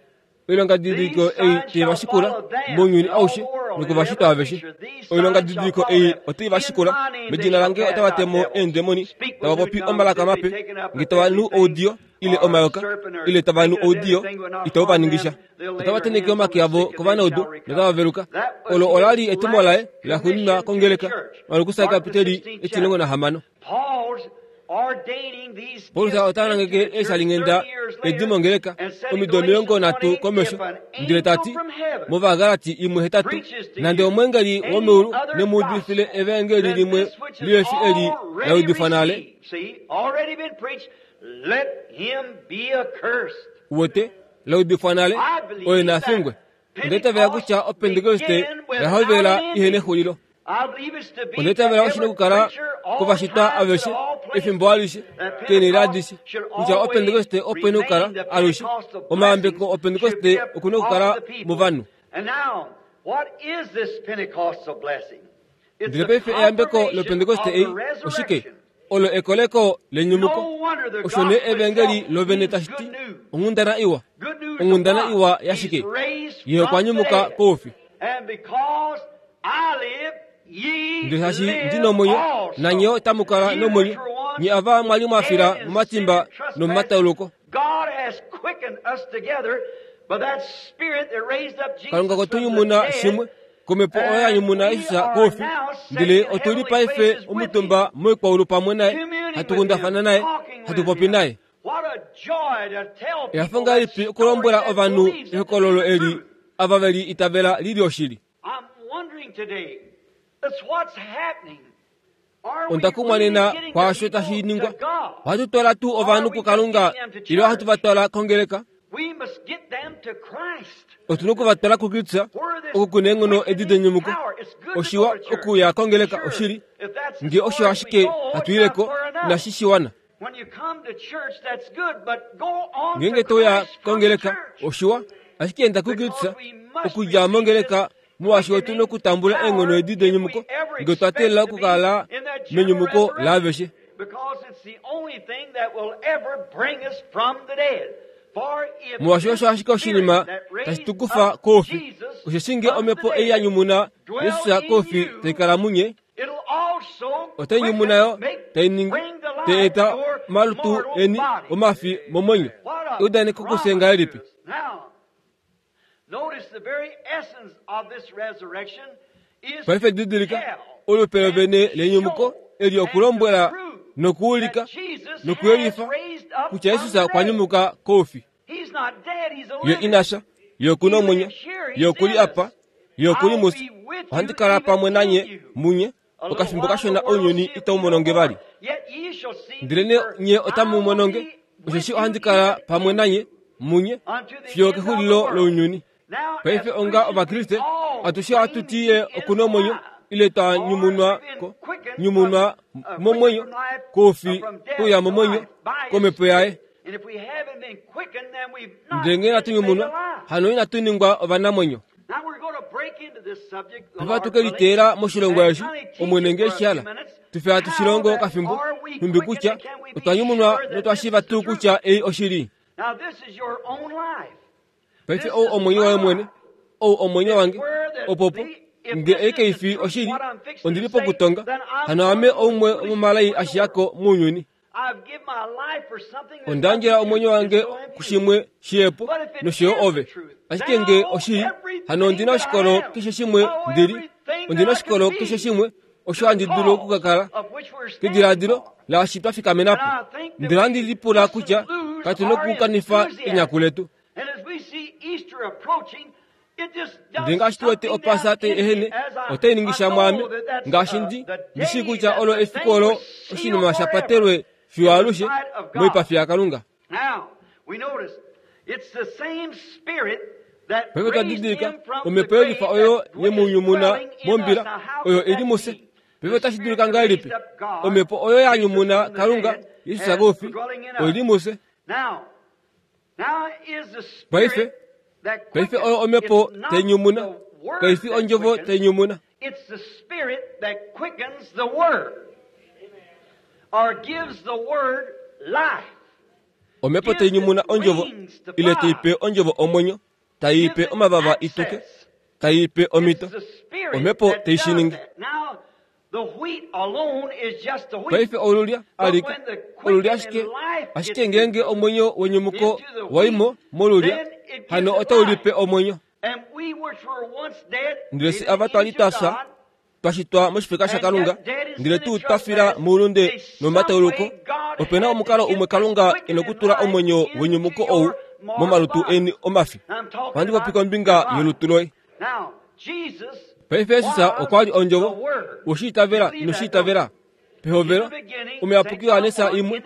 Speaker 1: oilonga
Speaker 3: These
Speaker 1: didiliko ei
Speaker 3: signs
Speaker 1: tai va
Speaker 3: shall
Speaker 1: shikula
Speaker 3: follow them
Speaker 1: mounyuni
Speaker 3: in all
Speaker 1: aushe
Speaker 3: the world and
Speaker 1: nokovashitwa
Speaker 3: every
Speaker 1: aveshe
Speaker 3: creature. These
Speaker 1: oilonga
Speaker 3: signs shall
Speaker 1: didiliko
Speaker 3: follow
Speaker 1: ei
Speaker 3: them.
Speaker 1: otai va
Speaker 3: In
Speaker 1: shikula
Speaker 3: my name they
Speaker 1: medina
Speaker 3: shall
Speaker 1: lange
Speaker 3: cast
Speaker 1: otava
Speaker 3: out
Speaker 1: temo
Speaker 3: devils,
Speaker 1: eendemoni
Speaker 3: speak
Speaker 1: tava
Speaker 3: with new
Speaker 1: popi
Speaker 3: tongues,
Speaker 1: omalaka
Speaker 3: if they
Speaker 1: mape
Speaker 3: taken up
Speaker 1: nge
Speaker 3: a
Speaker 1: tava
Speaker 3: deadly
Speaker 1: nu
Speaker 3: thing
Speaker 1: oudiyo ile
Speaker 3: or a
Speaker 1: omayoka
Speaker 3: serpent or
Speaker 1: ile tava nu
Speaker 3: drinking of
Speaker 1: oudiyo
Speaker 3: anything will not
Speaker 1: itau va
Speaker 3: harm
Speaker 1: ningisha
Speaker 3: them. They'll lay
Speaker 1: otava
Speaker 3: their
Speaker 1: teneke
Speaker 3: hands on
Speaker 1: omake
Speaker 3: the
Speaker 1: avo
Speaker 3: sick and they
Speaker 1: kovanaudu
Speaker 3: shall recover.
Speaker 1: notava veluka
Speaker 3: That was
Speaker 1: olo ola li
Speaker 3: his
Speaker 1: etumo laye
Speaker 3: last
Speaker 1: la xuuninwa
Speaker 3: commission to the
Speaker 1: kongeleka
Speaker 3: church.
Speaker 1: Markus
Speaker 3: Mark the
Speaker 1: kapiteli
Speaker 3: 16th
Speaker 1: etilongo
Speaker 3: chapter.
Speaker 1: nahamano
Speaker 3: Paul's ordaining these
Speaker 1: Paulus
Speaker 3: gifts
Speaker 1: ota
Speaker 3: into
Speaker 1: nangeke
Speaker 3: the church 30
Speaker 1: eeshalinghenda
Speaker 3: years
Speaker 1: edi
Speaker 3: later
Speaker 1: mongeleka
Speaker 3: and said in
Speaker 1: omido omilongo
Speaker 3: Galatians
Speaker 1: nhatu
Speaker 3: 1:8,
Speaker 1: komesho
Speaker 3: if an
Speaker 1: ndele
Speaker 3: angel
Speaker 1: tati
Speaker 3: from heaven
Speaker 1: mOvagalati imwe hetatu
Speaker 3: preaches to
Speaker 1: nande
Speaker 3: you
Speaker 1: omweengeli
Speaker 3: any
Speaker 1: womeulu
Speaker 3: other
Speaker 1: nemuudifile
Speaker 3: gospel
Speaker 1: evangeli
Speaker 3: than
Speaker 1: limwe
Speaker 3: this which is
Speaker 1: lihefi eli la
Speaker 3: already
Speaker 1: udifwa nale
Speaker 3: received, see, already been preached, let him be accursed.
Speaker 1: wote la udifwa nale
Speaker 3: I
Speaker 1: oye
Speaker 3: believe
Speaker 1: nafingwe
Speaker 3: that
Speaker 1: onda itavela
Speaker 3: Pentecost
Speaker 1: kutya opentekoste
Speaker 3: began
Speaker 1: oya
Speaker 3: without
Speaker 1: hovela
Speaker 3: an
Speaker 1: ihena
Speaker 3: ending.
Speaker 1: exulilo
Speaker 3: I believe it's to
Speaker 1: Onda
Speaker 3: be to
Speaker 1: itavela oshina
Speaker 3: every
Speaker 1: okukala
Speaker 3: creature, all
Speaker 1: kovashitwa
Speaker 3: times, at
Speaker 1: aveshe
Speaker 3: all
Speaker 1: efimbo
Speaker 3: places,
Speaker 1: alishe
Speaker 3: that
Speaker 1: keenhele
Speaker 3: Pentecost
Speaker 1: adishe
Speaker 3: should
Speaker 1: kutya
Speaker 3: always
Speaker 1: opentekoste ope na okukala
Speaker 3: remain the
Speaker 1: alushe
Speaker 3: Pentecostal
Speaker 1: omayambeko
Speaker 3: blessings should
Speaker 1: opentekoste
Speaker 3: be up
Speaker 1: okuna
Speaker 3: off
Speaker 1: okukala
Speaker 3: the people.
Speaker 1: movanhu.
Speaker 3: And now, what is this Pentecostal blessing? It's
Speaker 1: Ndele
Speaker 3: the
Speaker 1: paife eyambeko
Speaker 3: confirmation
Speaker 1: lopentekoste
Speaker 3: of
Speaker 1: ei
Speaker 3: the
Speaker 1: oshike
Speaker 3: resurrection.
Speaker 1: olo ekoleko lenyumuko
Speaker 3: No wonder the
Speaker 1: osho nee
Speaker 3: gospel
Speaker 1: evangeli
Speaker 3: itself
Speaker 1: lovene
Speaker 3: means
Speaker 1: tashi ti
Speaker 3: good news.
Speaker 1: onghundana iwa
Speaker 3: Good news of
Speaker 1: onghundana
Speaker 3: what?
Speaker 1: iwa
Speaker 3: He's
Speaker 1: yashike
Speaker 3: raised
Speaker 1: ye okwa
Speaker 3: from the
Speaker 1: nyumuka
Speaker 3: dead.
Speaker 1: koufi.
Speaker 3: And because I live, ye
Speaker 1: Ndele shaashi
Speaker 3: live
Speaker 1: ndi nomwenyo
Speaker 3: also.
Speaker 1: nanye otamu kala
Speaker 3: Ye
Speaker 1: nomwenyo
Speaker 3: which were once
Speaker 1: nye ava mwali mwafila
Speaker 3: dead in
Speaker 1: momatimba
Speaker 3: sin and
Speaker 1: nomomatauluko.
Speaker 3: trespasses, God has quickened us together by that Spirit that raised up Jesus
Speaker 1: Kalunga
Speaker 3: from the
Speaker 1: kwetunyumuna
Speaker 3: dead,
Speaker 1: shimwe komhepo oyo ya
Speaker 3: and
Speaker 1: nyumuna
Speaker 3: we
Speaker 1: Jesus
Speaker 3: are
Speaker 1: koufi
Speaker 3: now set
Speaker 1: ndele
Speaker 3: in
Speaker 1: otuli
Speaker 3: heavenly
Speaker 1: paife
Speaker 3: places with him,
Speaker 1: omutumba moikwaulu pamwe naye
Speaker 3: communing with
Speaker 1: hatu
Speaker 3: him,
Speaker 1: kundafana naye
Speaker 3: talking
Speaker 1: hatu
Speaker 3: with
Speaker 1: popi
Speaker 3: him.
Speaker 1: naye.
Speaker 3: What a joy to tell
Speaker 1: Ehafo
Speaker 3: people that
Speaker 1: ngahelipi
Speaker 3: story
Speaker 1: okulombwela
Speaker 3: that
Speaker 1: ovanhu
Speaker 3: believes it to be
Speaker 1: ehokololo
Speaker 3: the
Speaker 1: eli
Speaker 3: truth.
Speaker 1: ava veli itavela lili oshili.
Speaker 3: I'm wondering today, that's what's happening.
Speaker 1: Onda kumwa nena kwaasho tashi ningwa. Ohatu twala tuu ovanhu kuKalunga ile ohatu va twala kongeleka? Otu na oku va twala kuKristus oku ku na eenghono edi denyumuko. Oshiwa okuya kongeleka, oshili. Nge osho ashike hatu ile ko, inashi shiwana. Ngeenge to uya kongeleka, oshiwa, ashike enda kuKristus okudja mongeleka molwaashi otu na okutambula eenghono edi denyumuko nge otwa teelela okukala menyumuko laaveshe. Molwaashi osho ashike oshinima tashi tu kufa koufi, osheshi nge omhepo ei ya nyumuna Jesus koufi tai kala munye, otai nyumuna yo tai ningi tai eta omalutu eni omafi momwenyo. Eudaneko kufye ngahelipi? Paife didilika, olupe lovene lenyumuko eli okulombwela nokuulika nokuyelifa kutya Jesus okwa nyumuka koufi. Ye ina fya, ye oku na omwenyo, ye oku li apa, ye oku li mufye. Ohandi kala pamwe nanye munye okafimbo kashona ounyuni itau mono nge vali. Ndelenee nye otamu mono nge, osheshi ohandi kala pamwe nanye munye fiyo okexulilo lounyuni. Paife onga Ovakriste, atushe ohatu ti ye oku na omwenyo ile twa nyumunwa ko, nyumunwa momwenyo koufi kuya momwenyo komhepo yaye. Ndele ngee inatu nyumunwa, hano inatu ningwa ovanamwenyo. Paife ohatu ke liteela moshilongo eshi, Omwene nge shi hala, tu fe hatu shi longo okafimbo, nhumbi kutya otwa nyumunwa notwa shiiva tuu kutya ei oshili. Paife ou omwenyo waye mwene, ou omwenyo wange, opopo, nge ei kai fi oshili, ondi li pokutonga, hano ame oumwe womomalai a shiya ko mounyuni. Onda yandjela omwenyo wange kushimwe shiyepo nosho yo ove. Ashike nge oshili, hano ondi na oshikolo keshe shimwe ndi li. Ondi na oshikolo keshe shimwe osho handi dulu oku ka kala. Kediladilo laashi twa fikamena po, ndele handi lipula kutya katu na okukanifa enyaku letu. Ndele ngaashi tu wete Opaasa tai ehene, otai ningi sha mwaame, ngaashi ndi, ndi shii kutya olo efiku olo oshinima sha patelwe fiyo alushe moipafi yaKalunga. Paife twa didilika omhepo yelifa oyo ye mu nyumuna mombila, oyo i li mufye. Paife otashi dulika ngahelipi omhepo oyo ya nyumuna Kalunga, Jesus koufi, oi li mufye? Paife, paife oyo omhepo tai nyumuna, kai fi ondjovo tai nyumuna. Omhepo tai nyumuna ondjovo, ile tai pe ondjovo omwenyo, tai i pe omavava i tuke, tai i pe omhito. Omhepo tai shi ningi. Paife olulya alike, olulya ashike, ashike ngeenge omwenyo wenyumuko wa i mo molulya, hano otau li pe omwenyo. Ndele fye ava twa li twa fya, twa shitwa moshifeka shaKalunga, ndele tuu twa fila moulunde nomomatauluko, ope na omukalo umwe Kalunga e nokutula omwenyo wenyumuko ou momalutu eni omafi. Ohandi popi kombinga yolutu loye. Paife Jesus okwa li Ondjovo. We shi itavela? Ino shi itavela? Pehovelo, Omuyapuki Johannes imwe,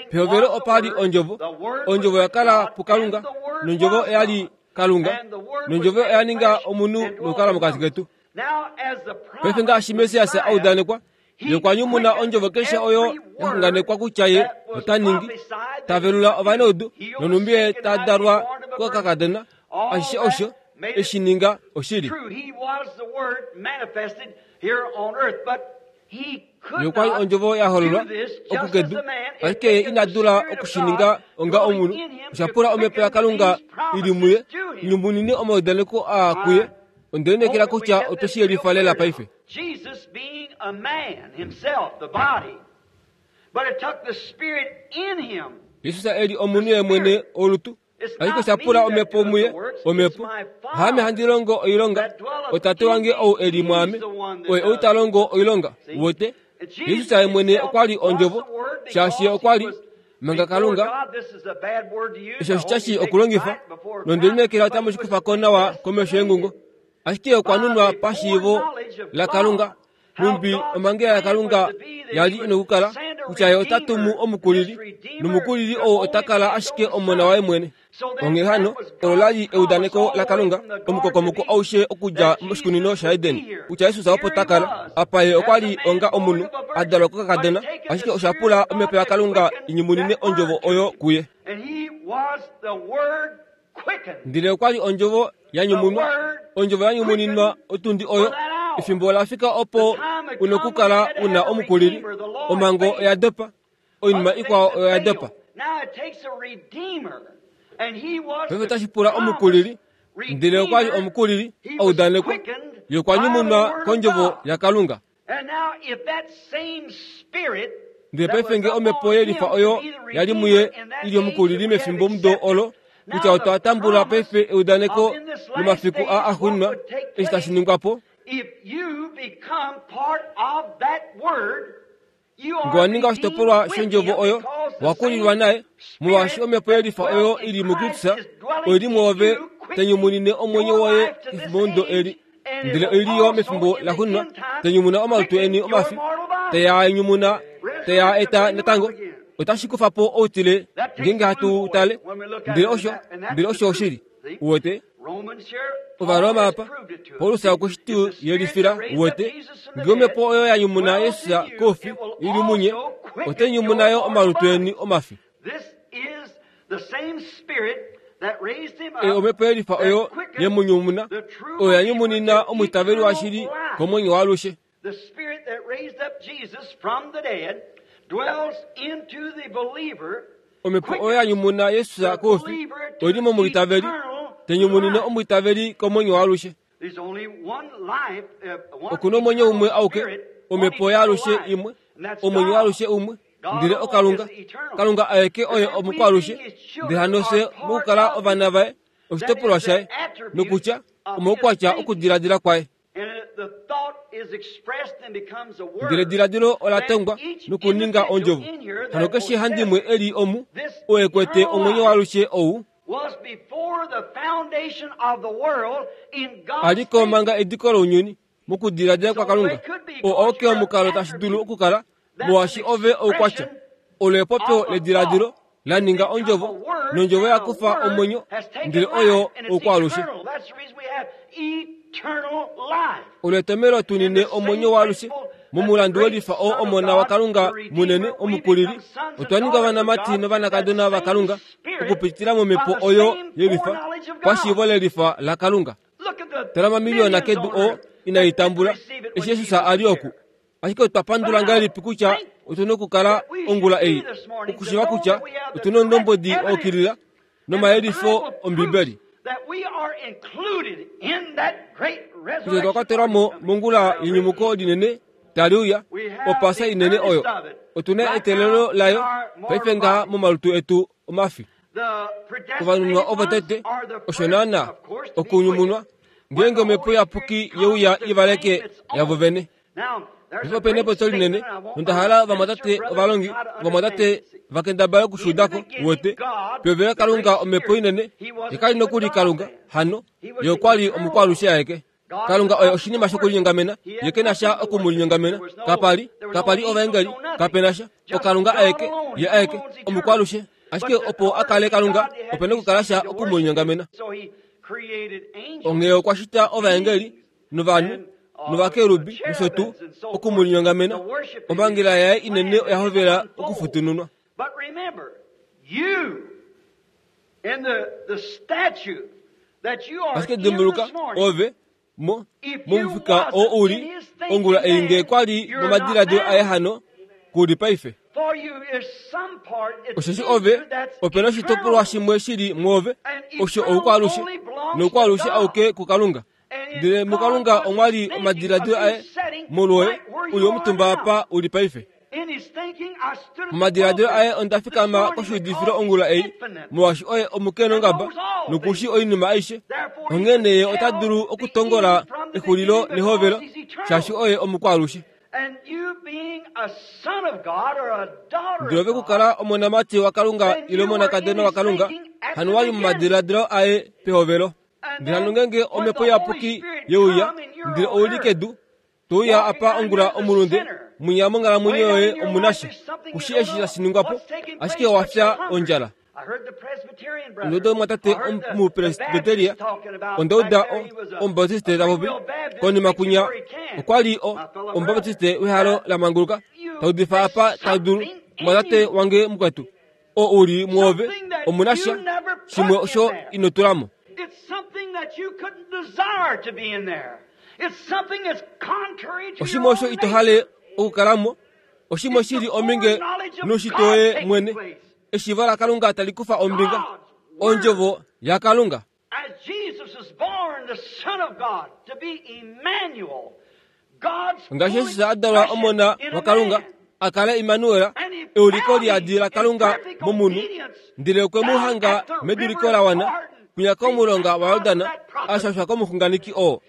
Speaker 1: pehovelo opa li Ondjovo. Ondjovo oya kala puKalunga, nOndjovo oya li Kalunga, nOndjovo oya ninga omunhu nokukala mokati ketu. Paife ngaashi Messias a udanekwa, Ye okwa nyumuna ondjovo keshe oyo ya xunganekwa kutya ye ota ningi, ta velula ovanaudu, nonhumbi ye ta dalwa kokakadona, ashishe osho e shi ninga oshili. Ye okwa li ondjovo ya hololwa oku kedu, ashike ye ina dula oku shi ninga onga omunhu. Osha pula Omhepo yaKalunga i li muye, i nyumunine omaudaneko aa kuye. Onde lineekela kutya otwe shi yelifa lela paife.
Speaker 3: Jesus being a man himself, the body, but it took the spirit in him.
Speaker 1: Jesus e li omunhu ye mwene olutu, ashike osha pula omhepo muye, omhepo. Haame handi longo oilonga, oTate wange ou e li mwaame, oye ou ta longo oilonga. Uwete? Jesus ye mwene okwa li Ondjovo, shaashi ye okwa li manga Kalunga. Eshi oshitya shii okulongifa, nonde lineekela otamu shi kufa ko nawa komesho yengungo. Ashike okwa nunwa pashiivo laKalunga Nhumbi omhangela yaKalunga ya li ina okukala, kutya Ye ota tumu omukulili, nomukulili ou ota kala ashike Omona waye mwene. Onghee hano, olo la li eudaneko laKalunga, omukokomoko aushe okudja moshikunino shaEden, kutya Jesus opo ta kala. Apa Ye okwa li onga omunhu, a dalwa kokakadona, ashike osha pula Omhepo yaKalunga i nyumunine Ondjovo oyo kuye. Ndele okwa li Ondjovo ya nyumunwa, Ondjovo ya nyumuninwa otundi oyo. Efimbo ola fika opo u nokukala u na omukulili. Omhango oya dopa. Oinima ikwao oya dopa. Paife otashi pula omukulili, ndele okwa li omukulili a udanekwa. Ye okwa nyumunwa kOndjovo yaKalunga. Ndele paife nge omhepo yelifa oyo ya li muye i li omukulili mefimbomudo olo, kutya otwa tambula paife eudaneko lomafiku aa axuuninwa, eshi tashi ningwa po, Nge wa ninga oshitopolwa shondjovo oyo, wa kulilwa naye, molwaashi omhepo yelifa oyo i li muKristus oi li mwoove, ta nyumunine omwenyo woye efimbomudo eli, ndele oi li yo mefimbo laxuuninwa, ta nyumuna omalutu eni omafi, te a nyumuna, te a eta natango. Otashi kufa po outile ngeenge hatu u tale, ndele osho, ndele osho oshili. Uwete? Ovaroma apa, Paulus okwe shi tu yelifila, uwete, nge omhepo oyo ya nyumuna Jesus koufi i li munye, otai nyumuna yo omalutu eni omafi. Ei omhepo yelifa oyo ye mu nyumuna, oyo ya nyumunina omwiitaveli washili komwenyo waalushe. Omhepo oyo ya nyumuna Jesus koufi oi li momwiitaveli, ta nyumunine omwiitaveli komwenyo waalushe. Oku na omwenyo umwe auke, omhepo yaalushe imwe, omwenyo waalushe umwe, ndele oKalunga. Kalunga aeke oye omukwaalushe, ndele hano fye mokukala ovana vaye, oshitopolwa shaye, nokutya omaukwatya okudiladila kwaye. Ndele ediladilo ola tongwa nokuninga ondjovo. Hano keshe handimwe e li omu, oo e kwete omwenyo waalushe ou, a li ko manga ediko lounyuni, mokudiladila kwaKalunga, oo auke omukalo tashi dulu okukala, molwaashi ove oukwatya. Olo epopyo lediladilo la ninga ondjovo, nondjovo ya kufa omwenyo, ndele oyo oukwaalushe. Olo etomhelo tu nine omwenyo waalushe momulandu welifa oo Omona waKalunga munene Omukulili. Otwa ninga ovanamati novanakadona vaKalunga okupitila momhepo oyo yelifa pashiivo lelifa laKalunga. Tala omamiliyona kedu oo inai tambula eshi Jesus a li oku. Ashike otwa pandula ngahelipi kutya otu na okukala ongula ei, okushiiva kutya otu na oundombwedi wa yukilila nomayelifo Ombibeli, kutya otwa kwatelwa mo mongula yenyumuko linene tali uya, Opaasa inene oyo. Otu na eteelelo layo paife ngaha momalutu etu omafi. Ovanunwa ovo tete, osho naanaa, okunyumunwa, ngeenge omhepo iyapuki ye uya i valeke yavo vene. Paife ope na epopyo linene, nonda hala ovamwatate ovalongi, ovamwatate va kendabale oku shi uda ko, uwete. Pehovelo Kalunga omhepo inene, ye ka li nokuli Kalunga, hano, ye okwa li omukwaalushe aeke. Kalunga oye oshinima shokulinyongamena, ye ke na sha oku mu linyongamena. Kapa li, kapa li ovaengeli, kape na sha. OKalunga aeke, ye aeke, omukwaalushe. Ashike opo a kale Kalunga, ope na okukala sha oku mu linyongamena. Onghee okwa shita ovaengeli novanhu novakerubi nosho tuu oku mu linyongamena. Omhangela yaye inene oya hovela okufutununwa. Ashike dimbuluka, ove, mo, momufika oo u li, ongula ei nge kwa li momadiladilo aye hano, ku li paife. Osheshi ove, ope na oshitopolwa shimwe shi li mwoove, osho oukwaalushe, noukwaalushe auke kuKalunga. Ndele muKalunga omwa li omadiladilo aye molwoye, u li omutumba apa u li paife. Momadiladilo aye onda fikama koshuudifilo ongula ei, molwaashi oye omukenongaba noku shii oinima aishe. Onghee nee ye ota dulu okutongola exulilo nehovelo, shaashi oye omukwaalushe. Ndele ove kukala omonamati waKalunga ile omonakadona waKalunga, hano wa li momadiladilo aye pehovelo. Ndele hano ngeenge omhepo iyapuki ye uya, ndele ou li kedu. To uya apa ongula omulunde, mwinya monghalamwenyo yoye omu na sha. Ku shii eshi tashi ningwa po, ashike owa fya ondjala. Onda uda omumwatate Omupresbiteria, onda uda o, Omubaptiste ta popi, konima kwinya okwa li o, Omubaptiste wehalo la manguluka, ta udifa apa ta dulu, Omumwatate wange mukwetu, oo u li mwoove, omu na sha shimwe osho ino tula mo. Oshimwe osho ito hale okukala mo, oshimwe shi li ominge noushitwe woye mwene. Eshiivo laKalunga tali kufa ombinga, Ondjovo yaKalunga. Ngaashi Jesus a dalwa Omona waKalunga, a kale Immanuel, euliko liyadi laKalunga momunhu, ndele okwe mu hanga meduliko la wana, kwinya komulonga waJordan, a shashwa komuxunganeki oo.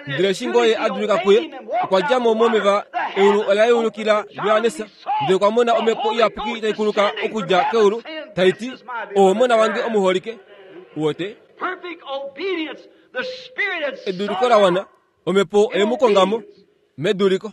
Speaker 1: Ndele eshi ngoo ye a dulika kuye, okwa dja mo momeva, eulu ola yeulukila Johannes, ndele okwa mona Omhepo Iyapuki tai kuluka okudja keulu, tai ti, Ou Omona wange omuholike. Uwete? Eduliko la wana, Omhepo oye mu konga mo, meduliko.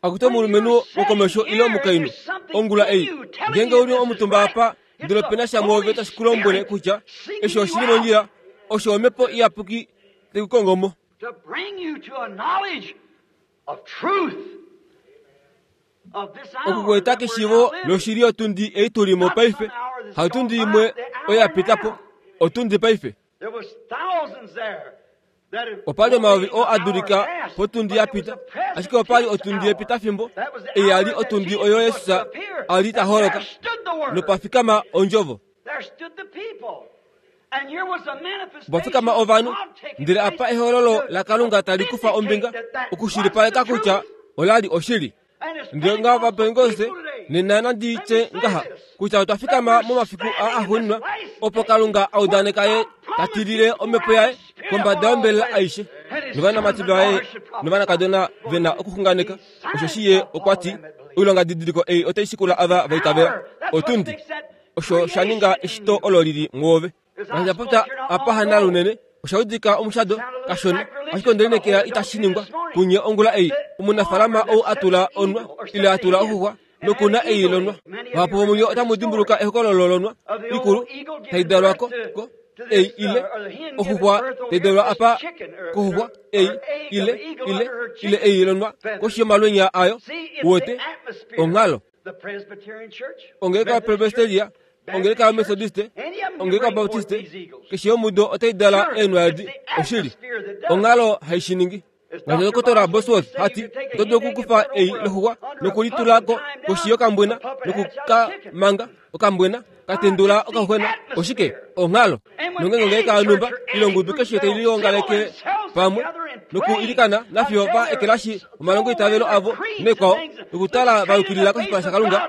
Speaker 1: Akutu omulumenhu wokomesho ile omukainhu, ongula ei, ngeenge u li omutumba apa, ndele ope na sha mwoove tashi ku lombwele kutya eshi oshi li mondjila, osho Omhepo Iyapuki tai ku kongo mo. Oku ku eta keshiivo loshili yotundi ei tu li mo paife, hatundi imwe oyo ya pita po, otundi paife. Opa li omayovi oo a dulika potundi ya pita, ashike opa li otundi yepitafimbo, ei ya li otundi oyo Jesus a li ta holoka, nopa fikama Ondjovo. Opa fikama ovanhu, ndele apa ehololo laKalunga tali kufa ombinga okushilipaleka kutya ola li oshili. Ndele ngaho Ovapentekoste nena nandi tye ngaha kutya otwa fikama momafiku aa axuuninwa opo Kalunga a udaneka Ye ta tilile Omhepo Yaye kombada yombelela aishe, novanamati vaye novanakadona ve na okuxunganeka, osheshi Ye okwa ti, Oilongadidiliko ei otai shikula ava va itavela. Otundi. Osho sha ninga eshito olo li li mwoove. Ngaashi popya apa hana lunene, osha udika omushado kashona, ashike onde lineekela itashi ningwa kunye ongula ei. Omunafaalama ou a tula onwa ile a tula oxuxwa noku na ei lonwa. Vahapu vomunye otamu dimbuluka ehokololo lonwa ikulu tai dalwa ko, ko ei ile oxuxwa tai dalwa apa koxuxwa ei ile ile ile ei lonwa koshi yomalwenya ayo. Uwete? Onghalo. Ongeleka yaPresbyteria, ongeleka yaMethodiste, ongeleka yaBaptiste, keshe yomudo otai dala eenwa edi. Oshili, onghalo hai shi ningi. Ngaashi Ndokotola Bosworth ha ti, oto dulu okukufa ei loxuxwa nokulitula ko koshi yokambwena noku ka manga okambwena ka tendula okaxuxwena. Oshike? Onghalo. Nongeenge ongeleka yonhumba ile ongudu keshe tai liongaleke pamwe nokuilikana nafiyo va ekelashi omalongoitavelo avo nekwao nokutala va yukilila koshipala shaKalunga,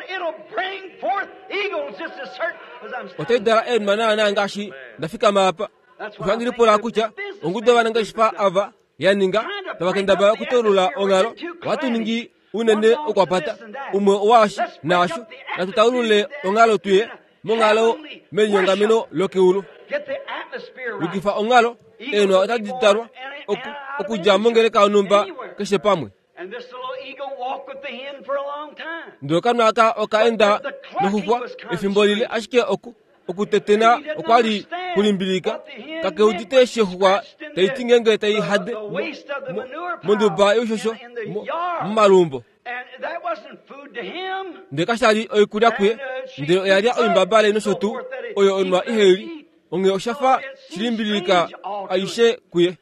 Speaker 1: otai dala eenwa naanaa ngaashi nda fikama apa. Osho handi lipula kutya ongudu yovanangeshefa ava ya ninga tava kendabala okutaulula onghalo, ohatu ningi unene okwapata umwe owaashi naasho, natu taulule onghalo tuye monghalo melinyongameno lokeulu. Yukifa onghalo, eenwa otadi talwa oku, okudja mongeleka yonhumba keshe pamwe. Ndele okanwa aka oka enda noxuxwa efimbo lile, ashike oku, okutetena okwa li kulimbilika kake udite eshi oxuxwa tai ti ngeenge tai hade monduba youshosho momaluumbo. Ndele kasha li oikulya kuye, ndele oya lya oimbabale nosho tuu oyo onwa ihe li, onghee osha fa shilimbililika aishe kuye.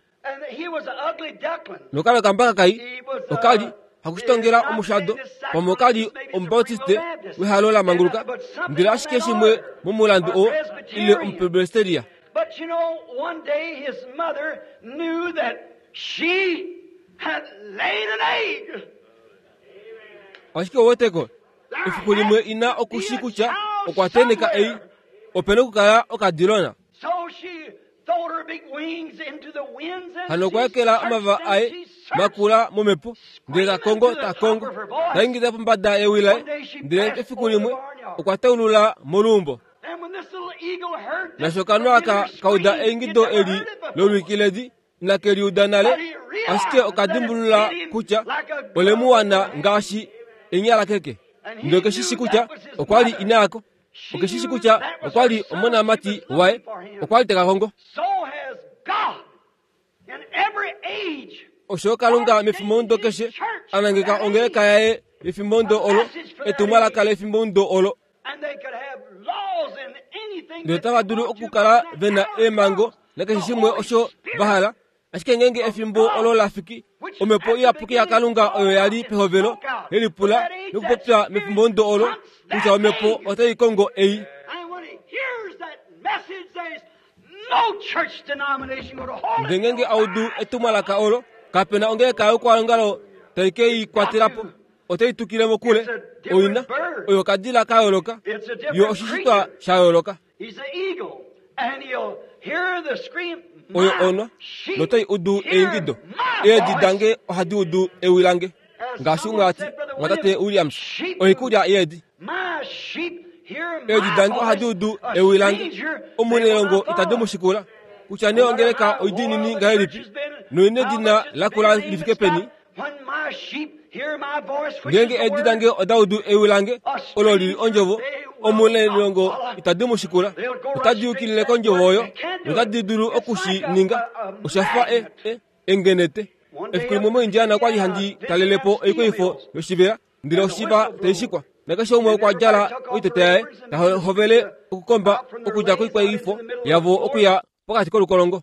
Speaker 1: Nokalo kambaka kai oka li hakushitongela omushado pamwe oka li omubautiste wehalo la manguluka, ndele ashike shimwe momulandu oo ile omupresbiteria.
Speaker 3: But you know, one day his mother knew that she had laid an egg.
Speaker 1: Ashike ouweteko, efiku limwe ina oku shi kutya okwa teneka ei, ope nokukala okadilona.
Speaker 3: So she throwed her big wings into the winds and
Speaker 1: Hano okwa
Speaker 3: she
Speaker 1: ekela omavava
Speaker 3: searched
Speaker 1: aye
Speaker 3: and she searched.
Speaker 1: makula momhepo, ndele ta kongo, ta kongo, ta ingida pombada yewi laye, ndele efiku limwe okwa taulula moluumbo.
Speaker 3: And when this little eagle heard this
Speaker 1: Nasho okanwa aka
Speaker 3: familiar
Speaker 1: ka uda
Speaker 3: scream,
Speaker 1: eingido
Speaker 3: he'd never
Speaker 1: eli
Speaker 3: heard it before.
Speaker 1: lolwiki ledi, Inake liuda nale, ashike oka dimbulula kutya ole mu wana ngaashi enyala keke. Ndele oke shi shi kutya okwa li ina yako. Oke shi shi kutya okwa li omonamati waye. Okwa li te ka kongo. Osho Kalunga mefimbomudo keshe a nangeka ongeleka yaye yefimbomudo olo, etumwalaka lefimbomudo olo. Ndele otava dulu okukala ve na eemhango nakeshe shimwe osho va hala, ashike ngeenge efimbo olo la fiki, omhepo iyapuki yaKalunga oyo ya li pehovelo ye lipula nokupopya mefimbomudo olo kutya omhepo otai kongo ei. Ndele ngeenge a udu etumwalaka olo, kape na ongeleka youkwaongalo tai ke i kwatela po. Otai tukile mokule. Oina oyo okadila ka yooloka. Yo oshishitwa sha yooloka. Oyo onwa, notai udu eingido. Eedi dange ohadi udu ewi lange. Ngaashi umwe a ti, Mwatate Williams, oikulya yeedi. Eedi dange ohadi udu ewi lange. Omunailongo itadi mu shikula. Kutya nee ongeleka oidiinini ngahelipi, noina edina lakula li fike peni, Ngeenge eedi dange oda udu ewi lange, olo li li ondjovo, omunailongo itadi mu shikula. Otadi yukilile kondjovo oyo, notadi dulu oku shi ninga. Osha fa e, e, engenete. Efiku limwe moIndiana okwa li handi talele po oikweyifo yoshivela, ndele oshiva tai shikwa. Nakeshe umwe okwa djala oiteta yaye, ta hovele okukomba okudja koikweyifo yavo okuya pokati kolukolongo.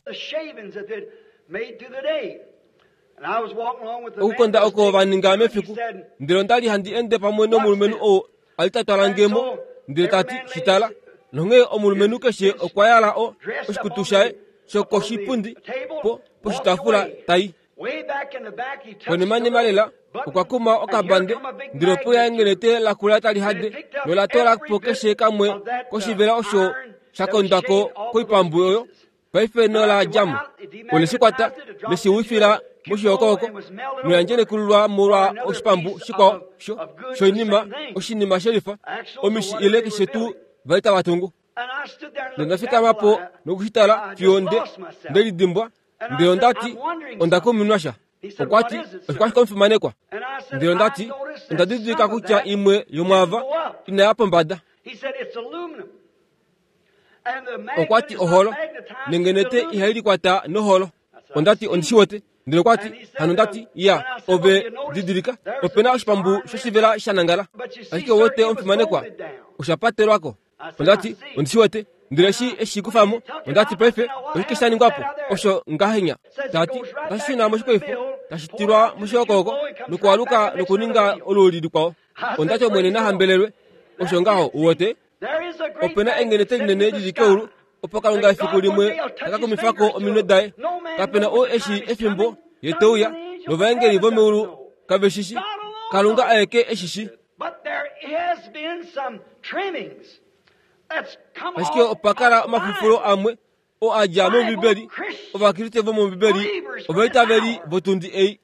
Speaker 1: Okukonda oko va ninga mefiku, ndele onda li handi ende pamwe nomulumenhu oo a li ta twala nge mo, ndele ta ti, Shi tala. Nonghee omulumenhu keshe okwa yala o, oshikutu shaye shokoshipundi po, poshitaafula, ta i. Konimanima lela, okwa kuma okabande, ndele opo ya engelete lakula tali hade, nola toola po keshe kamwe koshivela osho sha kondwa ko koipambu oyo. Paife nola dja mo. Ole shi kwata, le shi wifila moshihokohoko, noya ndjelekululwa molwa oshipambu shikwao sho, shoinima, oshinima shelifa, omishi ile keshe tuu va li tava tungu. Nonda fikama po noku shi tala fiyo nde, nde lidimbwa, ndele onda ti, Onda kuminwa sha. Okwa ti, Oshikwashike omufimanekwa? Ndele onda ti, Onda didilika kutya imwe yomwaava ina ya pombada. Okwa ti, Oholo. Nengenete ihai likwata noholo. Onda ti, Ondi shi wete. Ndele okwa ti, Hano onda ti, Ya, ove didilika, ope na oshipambu shoshivela sha nangala. Ashike ou wete omufimanekwa, osha patelwa ko. Onda ti, Ondi shi wete. Ndele eshi e shi kufa mo, onda ti, Paife, oshike sha ningwa po? Osho ngahenya. Ta ti, Otashi shuna moshikweyifo, tashi tilwa moshihokohoko, nokualuka nokuninga oluuli likwao. Onda ti, Omwene na hambelelwe. Osho ngaho, u wete. Ope na engenete linene li li keulu, opo Kalunga efiku limwe ta ka kumifa ko ominwe daye. Kape na oo e shii efimbo ye te uya, novaengeli vomeulu kave shi shii. Kalunga aeke e shi shii. Ashike opa kala omafufulo amwe oo a dja mOmbibeli, Ovakriste vomOmbibeli, ovaitaveli votundi ei.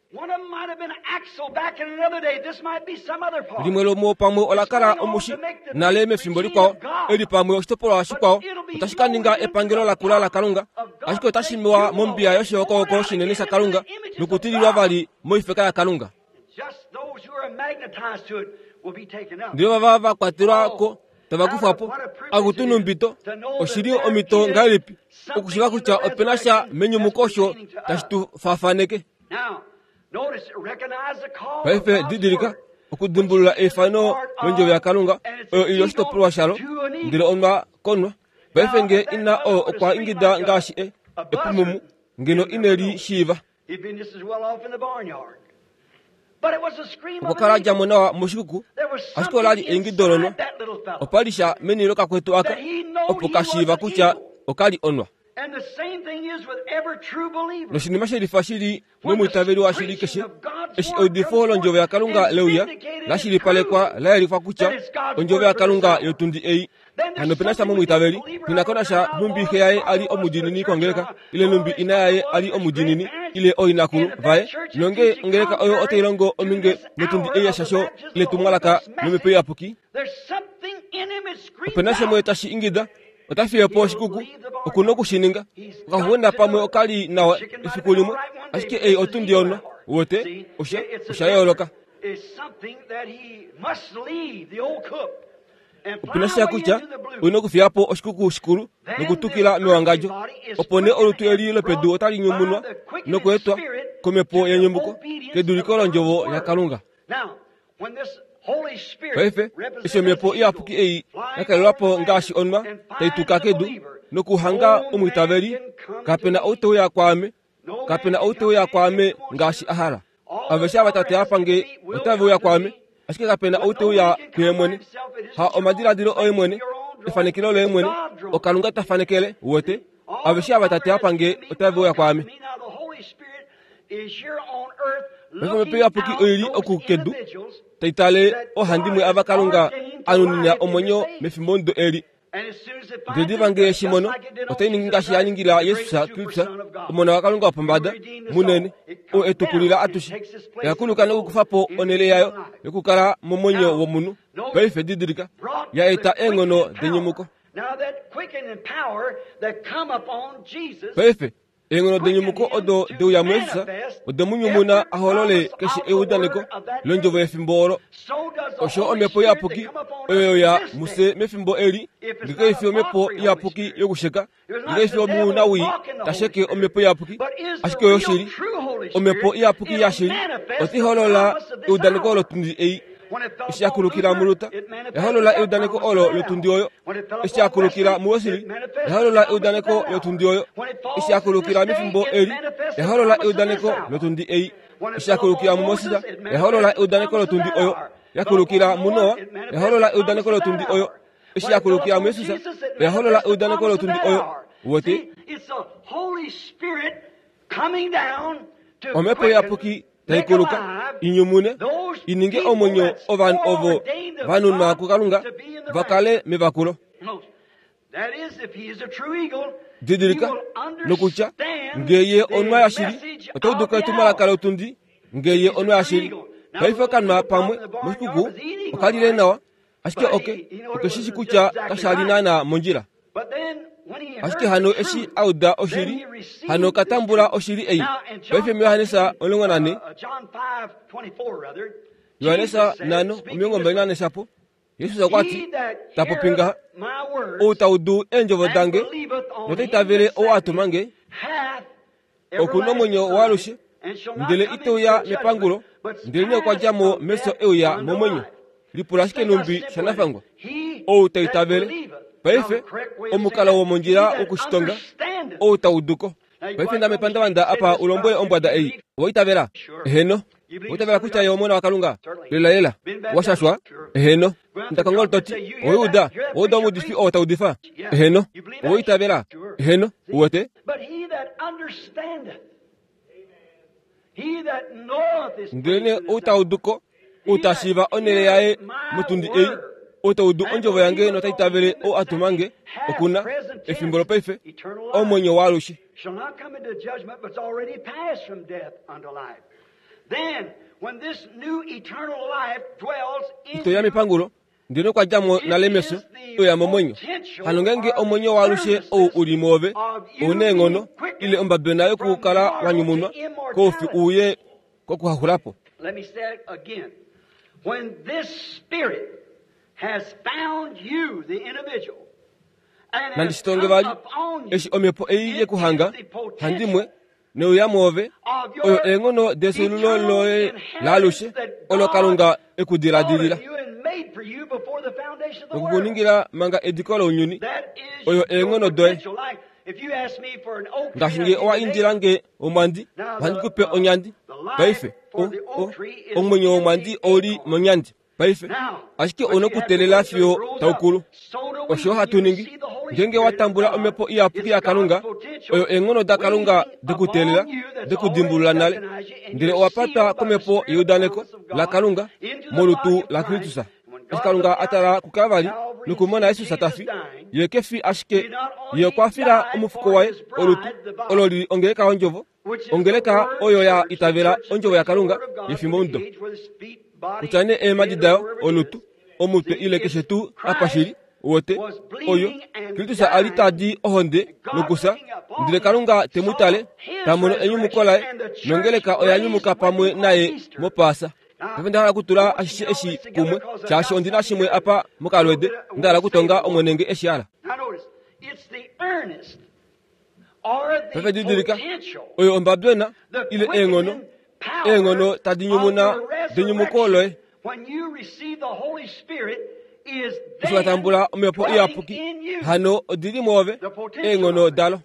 Speaker 1: Limwe lomuo pamwe ola kala omushi nale mefimbo likwao, eli pamwe oshitopolwa shikwao otashi ka ninga epangelo lakula laKalunga, ashike otashi mewa mombiya yoshihokohoko shinene shaKalunga nokutililwa vali moifeka yaKalunga. Ndele vava va kwatelwa ko tava kufwa po. Akutu numbito, oshi li omhito ngahelipi okushiiva kutya ope na sha menyumuko osho tashi tu faafaneke. Paife didilika okudimbulula eifano londjovo yaKalunga oyo i li oshitopolwa shalo, ndele onwa konwa. Paife nge ina oo okwa ingida ngaashi e, epumumu, ngeno ine li shiiva. Okwa kala a dja mo nawa moshikuku, ashike ola li eingido lonwa. Opa li sha meni lokakwetu aka, opo ka shiiva kutya oka li onwa. Noshinima shelifa shi li nomwiitaveli washili keshe, eshi eudifo londjovo yaKalunga le uya, la shilipalekwa la yelifwa kutya ondjovo yaKalunga yotundi ei. Hano ope na sha momwiitaveli, nghi na ko nasha nhumbi xe yaye a li omudiinini kongeleka, ile nhumbi ina yaye a li omudiinini, ile ooinakulu vaye, nonge ongeleka oyo otai longo ominge notundi ei yeshasho letumwalaka lOmhepo Iyapuki, ope na shimwe tashi ingida. Ota fiye po oshikuku, oku na oku shi ninga. Okaxuxwena pamwe oka li nawa efiku limwe, ashike ei otundi yonwa. Uwete, osha, osha yooloka. Opu na sha kutya ou na okufiya po oshikuku shikulu nokutukila mewangadjo. Opo nee olutu eli lopedu otali nyumunwa nokweetwa komhepo yenyumuko keduliko londjovo yaKalunga. Paife, eshi omhepo iyapuki ei ya kalelwa po ngaashi onwa tai tuka kedu nokuhanga omwiitaveli, kape na ou te uya kwaame, kape na ou te uya kwaame ngaashi a hala. Aveshe ava Tate a pa nge otave uya kwaame, ashike kape na ou te uya kuye mwene. Ha omadiladilo oye mwene, efanekelo loye mwene, oKalunga ta fanekele, uwete. Aveshe ava Tate a pa nge otave uya kwaame. Paife Omhepo Iyapuki oi li oku kedu, tai tale oohandimwe ava Kalunga a nunina omwenyo mefimbomudo eli. Ndele diva nge ye shi mono, otai ningi ngaashi ya ningila Jesus Kristus, Omona waKalunga wopombada, munene, oo e tu kulila atushe. Oya kuluka nokukufa po onhele yayo yokukala momwenyo womunhu. Paife didilika, ya eta eenghono denyumuko. Paife, Eenghono denyumuko odo de uya muJesus ode mu nyumuna a holole keshe eudaneko londjovo yefimbo olo. Osho Omhepo Iyapuki oyo ya mufye mefimbo eli, nge kai fi Omhepo Iyapuki yokusheka, nge kai fi omunawii ta sheke Omhepo Iyapuki, ashike oyoshili, Omhepo Iyapuki yashili, otai holola eudaneko lotundi ei. Eshi ya kulukila muLuther, ya holola eudaneko olo lotundi oyo. Eshi ya kulukila muWesley, ya holola eudaneko lotundi oyo. Eshi ya kulukila mefimbo eli, ya holola eudaneko lotundi ei. Eshi ya kulukila muMoses, ya holola eudaneko lotundi oyo. Ya kulukila muNoa, ya holola eudaneko lotundi oyo. Eshi ya kulukila muJesus, oya holola eudaneko lotundi oyo. Uwete? Omhepo Iyapuki tai kuluka i nyumune i ninge omwenyo ovanhu ovo va nunwa kuKalunga va kale mevakulo. Didilika nokutya nge ye onwa yashili ota udu ko etumwalaka lotundi nge ye onwa yashili. Paife okanwa pamwe moshikuku oka lile nawa ashike oke oke shi shi kutya kasha li naanaa mondjila. Ashike hano eshi a uda oshili, hano ka tambula oshili ei. Paife muJohannes 14, Johannes 5:24 shapo, Jesus okwa ti, ta popi ngaha, Ou ta udu eendjovo dange nota itavele ou a tuma nge, oku nomwenyo waalushe, ndele ite uya mepangulo, ndelenee okwa dja mo mefyo e uya momwenyo. Lipula ashike nhumbi shanafangwa. Ou ta itavele. Paife, omukalo womondjila wokushitonga, ou ta udu ko. Paife nda mepandavanda apa u lombwele ombwada ei, Owa itavela? Eheno. Owa itavela kutya Ye Omona waKalunga? Lelalela. Wa shashwa? Eheno. Nda kongolo to ti, Owa uda? Owa uda omuudifi oo ta udifa? Eheno. Owa itavela? Eheno. Uwete? Ndelenee ou ta udu ko, ou ta shiiva onhele yaye motundi ei, ou ta udu ondjovo yange nota itavele ou a tuma nge, oku na, efimbo lopaife, omwenyo waalushe. Ito ya mepangulo, ndele okwa dja mo nale mefyo e uya momwenyo. Hano ngeenge omwenyo waalushe ou u li mwoove ou na eenghono ile ombabena yokukala wa nyumunwa koufi u uye kokuhaxula po. Nandi shi tonge vali, eshi omhepo ei ye ku hanga, handimwe, neuya mwoove, oyo eenghono defyuululo loye laalushe, olo Kalunga e ku diladilila noku ku ningila manga ediko lounyuni, oyo eenghono doye. Ngaashi nge owa indila nge omwandi, ohandi ku pe onyandi. Paife, o, o, omwenyo womwandi ou li monyandi. Paife, ashike ou na okuteelela fiyo tau kulu. Osho hatu ningi. Ngeenge wa tambula omhepo iyapuki yaKalunga, oyo eenghono daKalunga dokuteelela, dokudimbulula nale, ndele owa patwa komhepo yeudaneko laKalunga molutu laKristus. Eshi Kalunga a tala kuKalvari nokumona Jesus ta fi, Ye ke fi ashike Ye okwa fila omufuko waye, olutu, olo li li ongeleka yOndjovo, Ongeleka oyo ya itavela ondjovo yaKalunga yefimbomudo, kutya nee eemhadi dayo, olutu, omutwe ile keshe tuu apa shi li. Uwete, oyo, Kristus a li ta di ohonde nokufya, ndele Kalunga te mu tale, ta mono enyumuko laye, nongeleka oya nyumuka pamwe naye mOpaasa. Paife onda hala okutula ashishe eshi kumwe, shaashi ondi na shimwe apa mokalwede, nda hala okutonga Omwene nge eshi hala. Paife didilika, oyo ombabjona, ile eenghono, eenghono tadi nyumuna denyumuko loye. Eshi wa tambula Omhepo Iyapuki, hano odi li mwoove, eenghono dalo.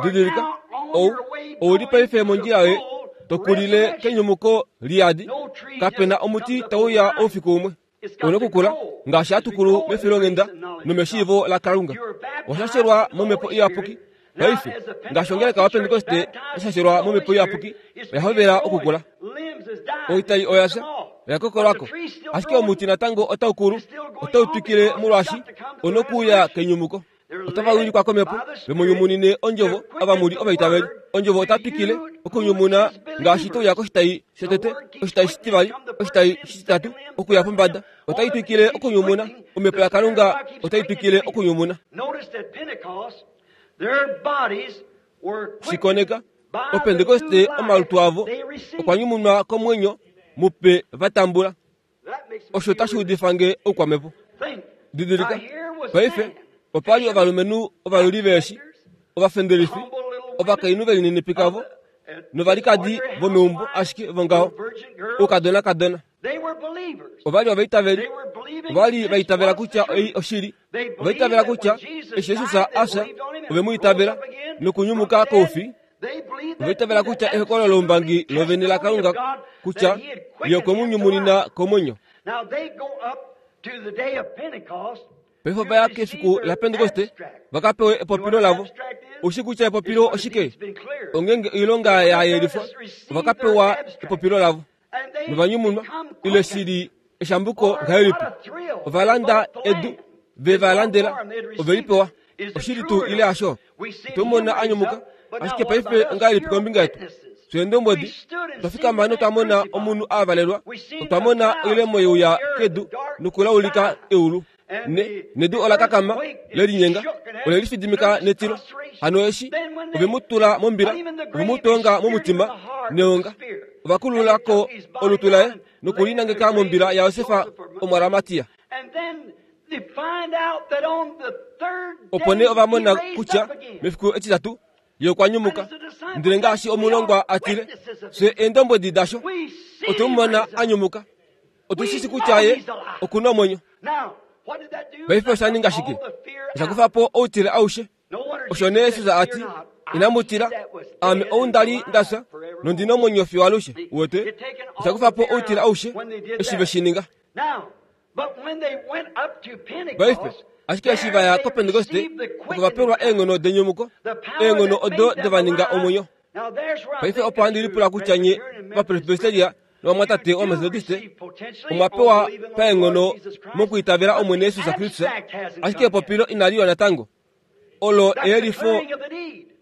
Speaker 1: Didilika, ou, ou li paife mondjila yoye to kulile kenyumuko liyadi. Kape na omuti tau uya oufiku umwe. Ou nokukula ngaashi hatu kulu mefilonghenda nomeshiivo laKalunga. Owa shashelwa mOmhepo Iyapuki paife, ngaashi ongeleka yaPentekoste ya shashelwa mOmhepo Iyapuki, oya hovela okukula. Oitai oya fya, oya kokolwa ko, ashike omuti natango otau kulu, otau twikile molwaashi ou nokuuya kenyumuko. Otava wilikwa komhepo, ve mu nyumunine ondjovo, ava mu li ovaitaveli. Ondjovo ota twikile okunyumuna ngaashi to uya koshitai shotete, oshitai shitivali, oshitai shititatu, okuya pombada. Otai twikile okunyumuna. Omhepo yaKalunga otai twikile okunyumuna. Shi koneka, Opentekoste omalutu avo okwa nyumunwa komwenyo mupe va tambula. Osho otashi udifa nge oukwamhepo. Didilika, paife, opa li ovalumenhu ovayuli veeshi, ovafendelifi, ovakainhu ve lininipika vo, novalikadi vomeumbo ashike vongaho, oukadonakadona. Ova li ovaitaveli. Ova li va itavela kutya ei oshili. Ova itavela kutya eshi Jesus a fya, ove mu itavela nokunyumuka koufi. Ova itavela kutya ehokololo loumbangi lovene laKalunga kutya Ye okwe mu nyumunina komwenyo. Paife ova ya kefiku laPentekoste va ka pewe epopilo lavo. Oushi kutya epopilo oshike? Ongeenge oilonga ya yelifwa, ova ka pewa epopilo lavo. Novanyumunwa, ile shi li eshambuko ngahelipi? Ova landa edu, ve va landela, ove li pewa. Oshili tuu ile hasho? Otwe mu mona a nyumuka, ashike paife ongahelipi kombinga yetu? Fye eendombwedi, otwa fikama notwa mona omunhu a valelwa, otwa mona oilemo ye uya kedu nokulaulika eulu. Ne, nedu ola kakama, le linyenga, ole lifidimika netilo. Hano eshi ove mu tula mombila, ove mu tonga momutima neonga, ova kulula ko olutu laye noku li nangeka mombila yaJosef Omuaramatia. Opo nee ova mona kutya mefiku etitatu ye okwa nyumuka. Ndele ngaashi omulongwa a tile, fye eendombwedi dasho, otwe mu mona a nyumuka. Otu shi shi kutya ye oku na omwenyo. Paife osha ninga shike? Osha kufa po outile aushe. Osho nee Jesus a ti, Inamu tila, aame ou nda li nda fya, nondi na omwenyo fiyo alushe. Uwete? Osha kufa po outile aushe eshi ve shi ninga. Paife, ashike eshi va ya kOpentekoste, oko va pelwa eenghono denyumuko, eenghono odo de va ninga omwenyo. Paife opo handi lipula kutya nye Ovapresbyteria novamwatate Ovametodiste omwa pewa paenghono mokwiitavela Omwene Jesus Kristus, ashike epopilo inali uya natango. Olo eyelifo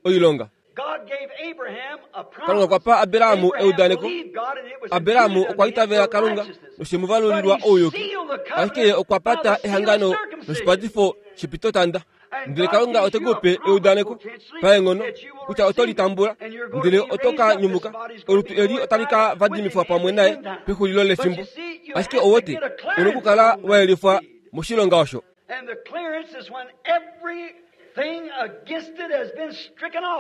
Speaker 1: oilonga. Kalunga okwa pa Abraham eudaneko. Abraham okwa itavela Kalunga noshe mu valulilwa ouyuki, ashike ye okwa pata ehangano noshipatifo shepitotanda. Ndele Kalunga ote ku pe eudaneko paenghono kutya oto li tambula, ndele oto ka nyumuka. Olutu eli otali ka vadimifwa pamwe naye pexulilo lefimbo. Ashike ou wete, u nokukala wa yelifwa moshilonga osho.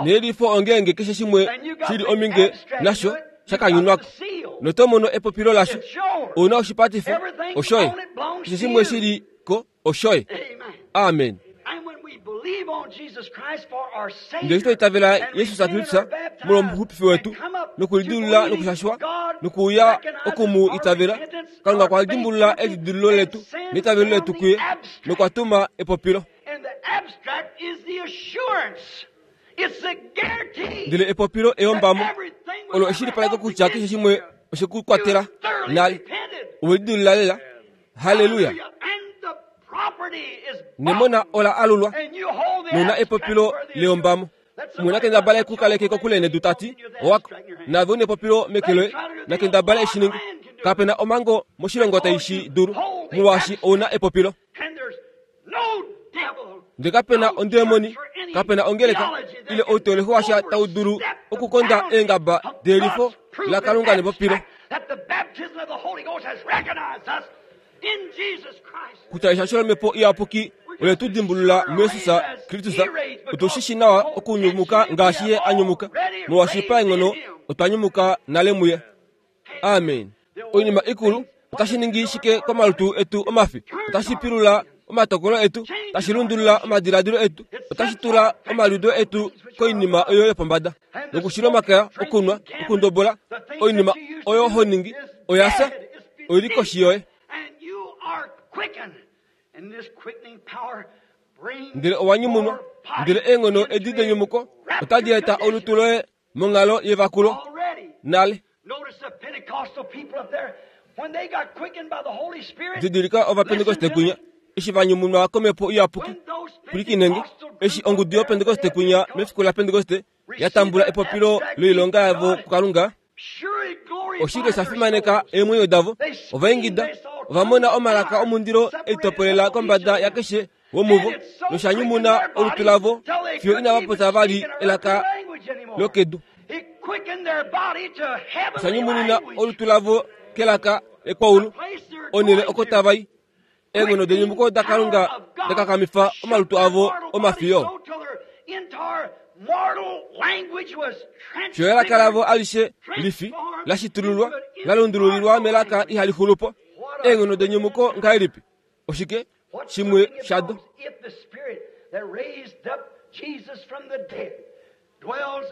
Speaker 1: Neyelifo ongeenge keshe shimwe shi li ominge nasho sha kanyunwa ko, noto mono epopilo lasho. Ou na oshipatifo, oshoye. Keshe shimwe shi li ko, oshoye. Amen. Ndele eshi twa itavela Jesus Kristus molwomuxupifi wetu nokulidilulula nokushashwa nokuuya oku mu itavela, Kalunga okwa dimbulula elidilululo letu neitavelo letu kuye nokwa tuma epopilo. Ndele epopilo eyombamo olo eshilipaleko kutya keshe shimwe oshe ku kwatela nale. Owe lidilulula lela. Halleluya! Nemona ola alulwa nouna epopilo leyombamo. Umwe na kendabala e ku kaleke kokule nedu ta ti, Owako, naave u nepopilo meke loye, na kendabala e shi ninge. Kape na omhango moshilongo tai shi dulu. Molwaashi ou na epopilo. Ndele kape na ondemoni, kape na ongeleka, ile outeolohi washa tau dulu okukonda eengaba deyelifo laKalunga nepopilo. Kutya eshasho lOmhepo Iyapuki ole tu dimbulula muJesus Kristus, otu shi shi nawa okunyumuka ngaashi Ye a nyumuka, molwaashi paenghono otwa nyumuka nale muye. Amen. Oinima ikulu otashi ningi shike komalutu etu omafi? Otashi pilula omatokolo etu, tashi lundulula omadiladilo etu, otashi tula omaliudo etu koinima oyo yopombada nokushila omakaya, okunwa, okundobola, oinima oyo ho ningi oya fya, oi li koshi yoye. Ndele owa nyumunwa, ndele eenghono edi denyumuko otadi eta olutu loye monghalo yevakulo nale. Didilika Ovapentekoste kwinya eshi va nyumunwa komhepo iyapuki. Pwilikinenge, eshi ongudu yOpentekoste kwinya mefiku laPentekoste ya tambula epopilo loilonga yavo kuKalunga, oshike sha fimaneka eemwenyo davo? Ova ingida, ova mona omalaka omundilo e litopolela kombada yakeshe womuvo nosha nyumuna olutu lavo fiyo inava popya vali elaka lokedu. Osha nyumunina olutu lavo kelaka lekwaulu, onhele oko tava i. Eenghono denyumuko daKalunga da kakamifa omalutu avo omafiyo. Fiyo elaka lavo alishe lifi la shitululwa, la lundululilwa melaka ihali xulu po. Eenghono denyumuko ngahelipi? Oshike shimwe shado?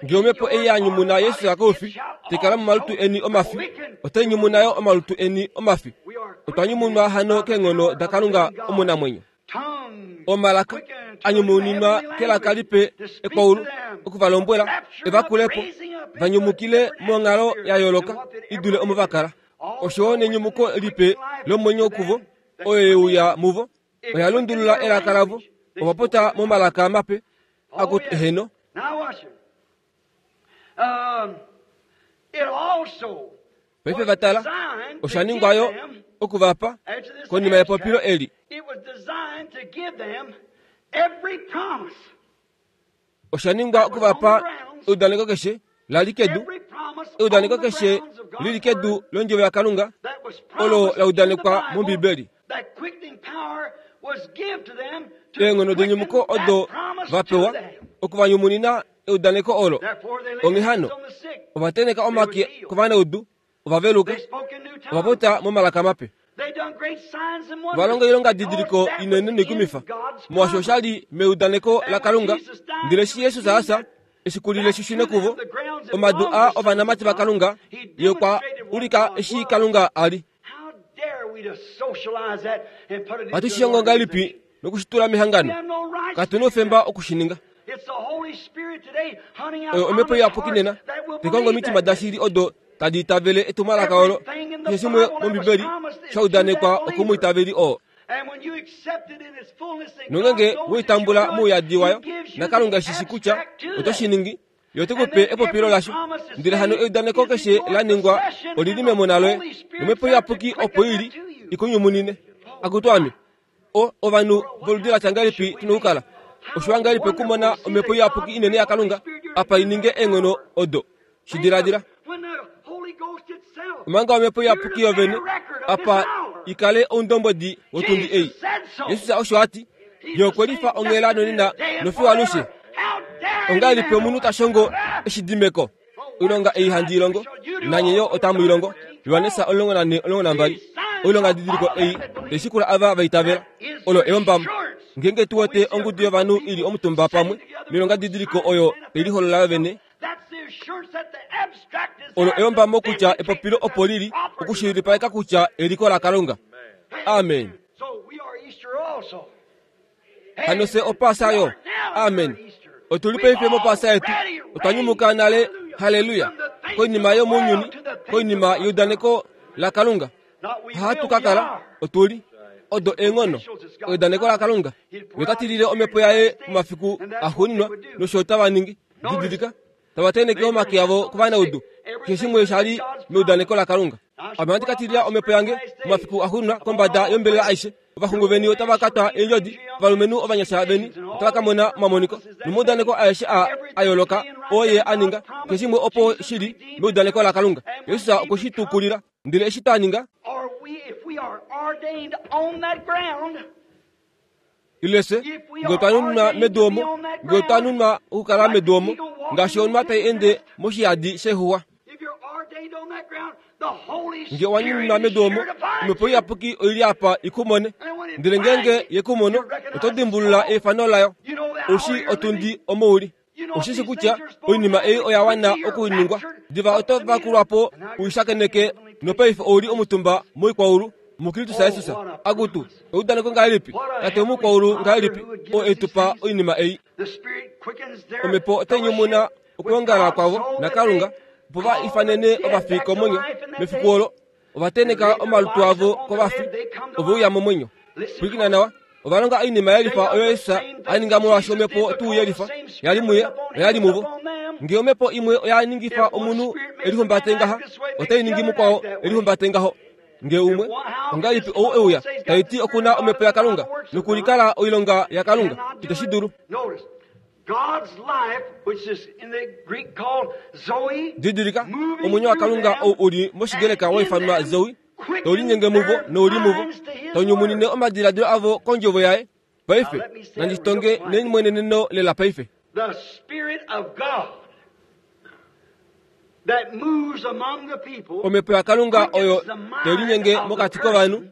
Speaker 1: Ngee omhepo ei ya nyumuna Yesus koufi, tai kala momalutu eni omafi, otai nyumuna yo omalutu eni omafi. Otwa nyumunwa hano keenghono daKalunga omunamwenyo. Omalaka a nyumuninwa kelaka lipe ekwaulu oku va lombwela e va kule po, va nyumukile monghalo ya yooloka i dule omo va kala. Osho yo nenyumuko lipe lomwenyo kuvo oyo ye uya muvo, oya lundulula elaka lavo, ova popya momalaka mape akutu eheno. Paife va tala, osha ningwa yo oku va pa konima yepopilo eli. Osha ningwa oku va pa eudaneko keshe la li kedu, eudaneko keshe li li kedu londjovo yaKalunga olo la udanekwa mOmbibeli. Eenghono denyumuko odo va pewa oku va nyumunina eudaneko olo. Onghee hano, ova tenheka omake kovanaudu, ova veluka, ova popya momalaka mape. Ova longa oilongadidiliko inene noikumifa, molwaashi osha li meudaneko laKalunga. Ndele eshi Jesus a fya, eshi lile shi shune kuvo, omadu aa ovanamati vaKalunga, ye okwa ulika eshi Kalunga a li. Ohatu shi hongo ngahelipi noku shi tula mehangano? Katu na oufemba oku shi ninga. Oyo omhepo iyapuki nena tai kongo omitima dashili odo tadi itavele etumwalaka olo keshe shimwe mOmbibeli sha udanekwa okomwiitaveli oo. Nongenge we i tambula mouyadi wayo, naKalunga eshi shi kutya oto shi ningi, Ye ote ku pe epopilo lasho. Ndele hano eudaneko keshe la ningwa oli li memona loye, nomhepo iyapuki opo i li i ku nyumunine. Akutu ame, o, ovanhu voludi la tya ngahelipi tu na okukala? Oshiwa ngahelipi okumona omhepo iyapuki inene yaKalunga apa i ninge eenghono odo? Shi diladila. Omanga omhepo iyapuki yovene apa i kale oundombwedi wotundi ei. Jesus osho a ti. Ye okwe lifa onghela nonena nofiyo alushe. Ongahelipi omunhu ta shongo eshidimeko? Oilonga ei handi i longo, nanye yo otamu i longo. Johannes 14:12. Oilongadidiliko ei tai shikula ava va itavela. Olo eyombamo. Ngeenge tu wete ongudu yovanhu i li omutumba pamwe noilongadidiliko oyo tai liholola yo vene, olo eyombamo kutya epopilo opo li li okushilipaleka kutya eliko laKalunga. Amen. Hano fye Opaasa yo. Amen. Otu li paife mOpaasa yetu. Otwa nyumuka nale, haleluya, koinima yomounyuni, koinima yeudaneko laKalunga. Hatu ka kala, otu li. Odo eenghono, eudaneko laKalunga. Ye ota tilile omhepo yaye momafiku axuuninwa, nosho otava ningi. Didilika, tava tenheke omake avo kovanaudu. Keshe shimwe sha li meudaneko laKalunga. Ame ohandi ka tilila omhepo yange momafiku axuuninwa kombada yombelela aishe. Ovaxungu veni otava ka twa eendjodi, ovalumenhu ovanyasha veni otava ka mona omamoniko. Nomaudaneko aeshe aa a yooloka oo Ye a ninga, keshe shimwe opo shi li meudaneko laKalunga. Jesus okwe shi tukulila. Ndele eshi twa ninga, ile fye nge otwa nunwa medu omo, nge otwa nunwa okukala medu omo, ngaashi onwa tai ende moshihadi shexuwa. Nge owa nunwa medu omo, Omhepo Iyapuki oi li apa i ku mone. Ndele ngeenge ye ku mono, oto dimbulula eifano layo. Ou shii otundi omo u li. Oshishi kutya oinima ei oya wana okuningwa. Diva oto vakulwa po u shakeneke nopaife ou li omutumba moikwaulu muKristus Jesus. Akutu, eudaneko ngahelipi, Tate womukwaulu ngahelipi, oo e tu pa oinima ei. Omhepo otai nyumuna okwoongala kwavo naKalunga opo va ifanene ovafi komwenyo mefiku olo. Ova tenheka omalutu avo kovafi, ove uya momwenyo. Pwilikina nawa, ova longa oinima ya lifa oyo Jesus a ninga molwaashi omhepo tuu ye lifa ya li muye oya li muvo. Ngee omhepo imwe oya ningifa omunhu e lihumbate ngaha, otai ningi mukwao e lihumbate ngaho. Ngee umwe, ongahelipi ou e uya tai ti oku na omhepo yaKalunga nokulikala oilonga yaKalunga? Itashi dulu. Didilika, omwenyo waKalunga ou u li mOshigreka wa ifanwa Zoe, tau linyenge muvo nou li muvo, tau nyumunine omadiladilo avo kondjovo yaye. Paife, nandi tonge nelimweneneno lela paife. Omhepo yaKalunga oyo tai linyenge mokati kovanhu,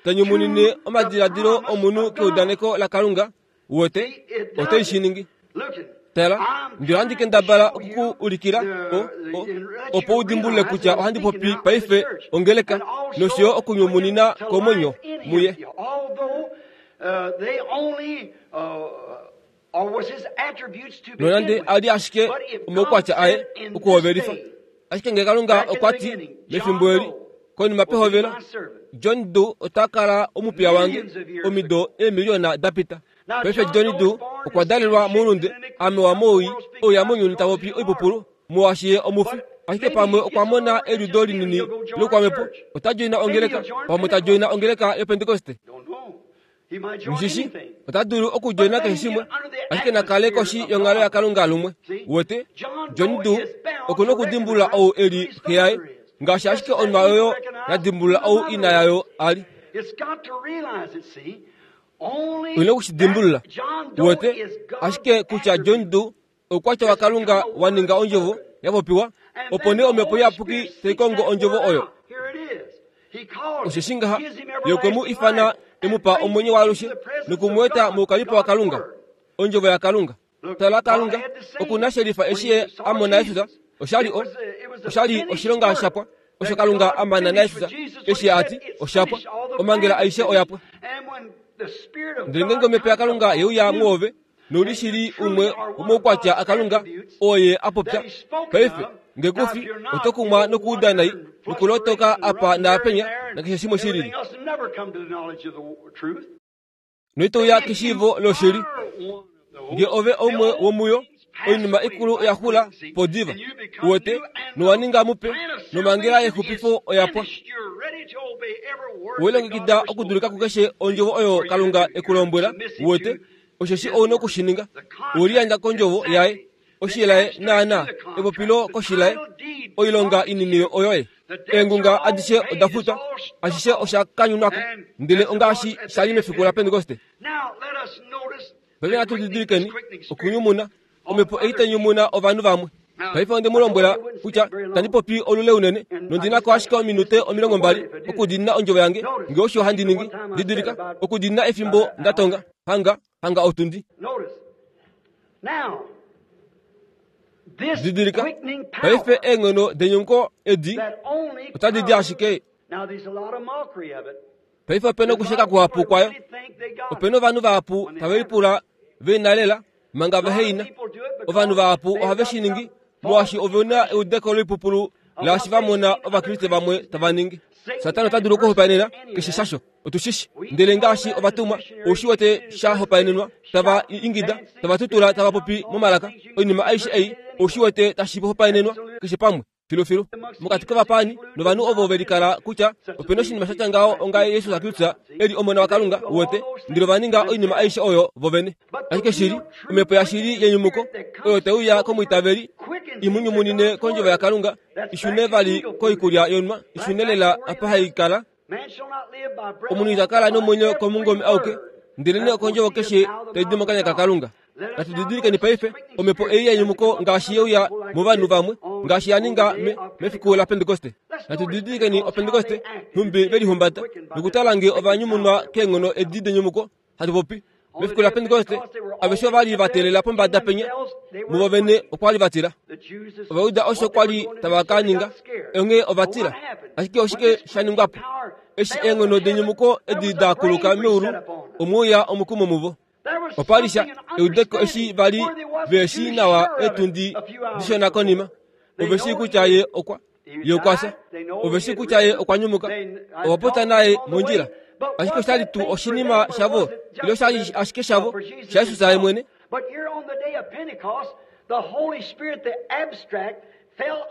Speaker 1: tai nyumunine omadiladilo omunhu keudaneko laKalunga, Uwete, otai shi ningi. Tala, ndele ohandi kendabala oku ku ulikila o, o, opo u dimbulule kutya ohandi popi paife ongeleka nosho yo okunyumunina komwenyo muye. Nonande a li ashike omaukwatya aye okuhovelifa, ashike ngee Kalunga okwa ti mefimbo eli, Konima pehovelo, John Doe ota kala omupiya wange omido eemiliyona da pita. Paife John Doe okwa dalelwa moulunde, ame wa mowii, ouya mounyuni ta popi oipupulu, molwaashi ye omufi. Ashike pamwe okwa mona eliudo linini loukwamhepo, ota djoina ongeleka, pamwe ta djoina ongeleka yOpentekoste. Mushishi, ota dulu okudjoina keshe shimwe, ashike na kale koshi yonghalo yaKalunga lumwe. Uwete? John Doe oku nokudimbulula ou e li xe yaye, ngaashi ashike onwa oyo ya dimbulula ou ina yayo a li. Oi noku shi dimbulula. Uwete? Ashike kutya John Doe oukwatya waKalunga wa ninga ondjovo ya popiwa, opo nee Omhepo Iyapuki tai kongo ondjovo oyo. Osheshi ngaha Ye okwe mu ifana e mu pa omwenyo waalushe noku mu eta moukalipo waKalunga, ondjovo yaKalunga. Tala, Kalunga oku na shelifa eshi Ye a mona Jesus. Osha li o, osha li oshilonga sha pwa osho Kalunga a mana naJesus eshi a ti osha pwa, omhangela aishe oya pwa. Ndele ngeenge Omhepo yaKalunga ye uya mwoove, nouli shili umwe womaukwatya aKalunga oo ye a popya. Paife, nge ku fi, oto kumwa nokuuda nai nokulotoka apa naapenya nakeshe shimwe shi lili. Noito uya keshiivo loshili. Nge ove oumwe womuyo, oinima ikulu oya xula po diva. Uwete, nowa ninga mupe, nomhangela yexupifo oya pwa. Owe longekida okudulika kukeshe ondjovo oyo Kalunga e ku lombwela, uwete, osheshi ou noku shi ninga. Owe liyandja kondjovo yaye, oshilaye naanaa, epopilo koshilaye, oilonga inini oyoye. Eengunga adishe oda futwa, ashishe osha kanyunwa ko, ndele ongaashi sha li mefiku laPentekoste. Paife natu didilikeni okunyumuna omhepo ei tai nyumuna ovanhu vamwe. Paife onde mu lombwela kutya tandi popi olule unene, nondi na ko ashike ominute 20 okudiinina ondjovo yange, nge osho handi ningi. Didilika, okudiinina efimbo nda tonga, hanga, hanga otundi. Didilika, paife eenghono denyumuko edi otadi di ashike Paife ope na okusheka kuhapu kwayo. Ope na ovanhu vahapu tave lipula ve na lela manga vehe i na. Ovanhu vahapu ohave shi ningi molwaashi ove na eudeko loipupulu laashi va mona Ovakriste vamwe tava ningi. Satana ota dulu okuhopaenena keshe shasho, otu shi shi. Ndele ngaashi ovatumwa, ou shi wete sha hopaenenwa, tava ingida, tava tutula, tava popi momalaka, oinima aishe ei, ou shi wete tashi hopaenenwa keshe pamwe. Filufilu mokati kovapaani novanhu ovo ve likala kutya ope na oshinima sha tya ngaho onga Jesus Kristus e li Omona waKalunga, uwete, ndele ova ninga oinima aishe oyo vo vene. Ashike shili, omhepo yashili yenyumuko oyo tai uya komwiitaveli i mu nyumunine kondjovo yaKalunga, i shune vali koikulya yonwa, i shune lela apa hai kala. Omunhu ita kala nomwenyo komungome auke, ndelenee okondjovo keshe tai di mokanya kaKalunga. Natu didilikeni paife omhepo ei yenyumuko ngaashi ye uya movanhu vamwe, ngaashi ya ninga me, mefiku laPentekoste. Natu didilikeni Opentekoste, nhumbi ve lihumbata, nokutala nge ova nyumunwa keenghono edi denyumuko, hatu popi. Mefiku laPentekoste, aveshe ova li va teelela pombada penya, muvo vene okwa li va tila. Ova uda osho kwa li tava ka ninga, onghee ova tila. Ashike oshike sha ningwa po? Eshi eenghono denyumuko edi da kuluka meulu, omwe uya omukumo muvo. Opa li sha eudeko eshi va li ve shii nawa eetundi dishona konima. Ove shii kutya ye okwa ye okwa fya. Ove shii kutya ye okwa nyumuka. Ova popya naye mondjila. Ashike osha li tuu oshinima shavo ile osha li ashike shavo shaJesus ye mwene?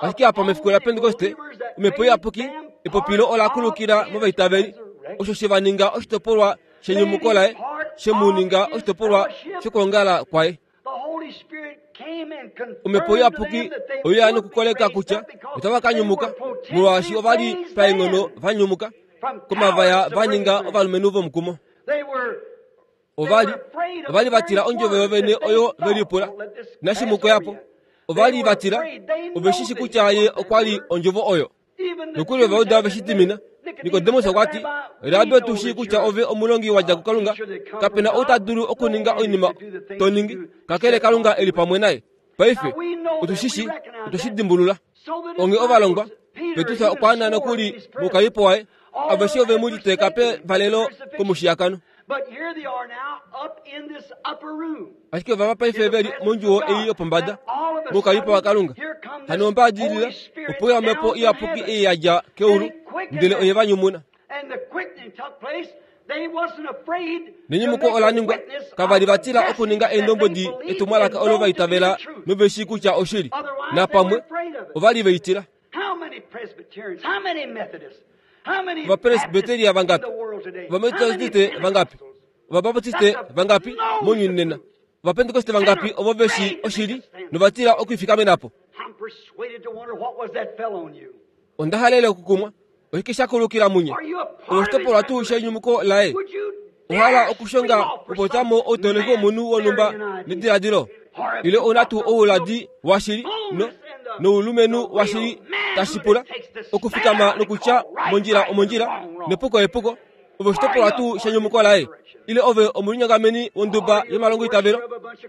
Speaker 1: Ashike apa mefiku laPentekoste, Omhepo Iyapuki, epopilo ola kulukila movaitaveli, osho she va ninga oshitopolwa shenyumuko laye, she mu ninga oshitopolwa shokwoongala kwaye. Omhepo Iyapuki oye ya nokukoleka kutya otava ka nyumuka, molwaashi ova li paenghono va nyumuka komavaya va ninga ovalumenhu vomukumo. Ova li ova li va tila ondjovo yovene oyo ve lipula nashimukoya po. Ova li va tila, ove shi shi kutya ye okwa li ondjovo oyo. Nokuli Ovauda ove shi dimina. Nikodemus okwa ti, Rabi otu shii kutya ove omulongi wa dja kuKalunga. Kape na ou ta dulu okuninga oinima to ningi, kakele Kalunga e li pamwe naye. Paife, otu shi shii, otwe shi dimbulula. Onghee ovalongwa, Petrus okwa ana nokuli moukalipo waye, aveshe ove mu liteeka pevalelo komushiyakano. Ashike ovava paife ve li mondjuwo ei yopombada, moukalipo waKalunga. Hano ombaadilila, opo uya Omhepo Iyapuki ei ya dja keulu, ndele oye va nyumuna. Nenyumuko ola ningwa, kava li va tila okuninga eendombwedi etumwalaka olo va itavela nove shii kutya oshili. Napamwe ova li ve i tila. Ovapresbiteria vangapi? Ovametodiste vangapi? Ovabaptiste vangapi mounyuni nena? Ovapentekoste vangapi ovo ve shii oshili nova tila okuifikamena po? Onda halele okukumwa. Oshike sha kulukila munye? Oshitopolwa tuu shenyumuko laye? Ohala okushonga okupopya mo outoleki womunhu wonhumba nediladilo? Ile ou na tuu ouladi washili no, noulumenhu washili tashi pula okufikama nokutya mondjila omondjila nepuko epuko? Ove oshitopolwa tuu shenyumuko laye? Ile ove omulinyongameni wonduba yomalongoitavelo?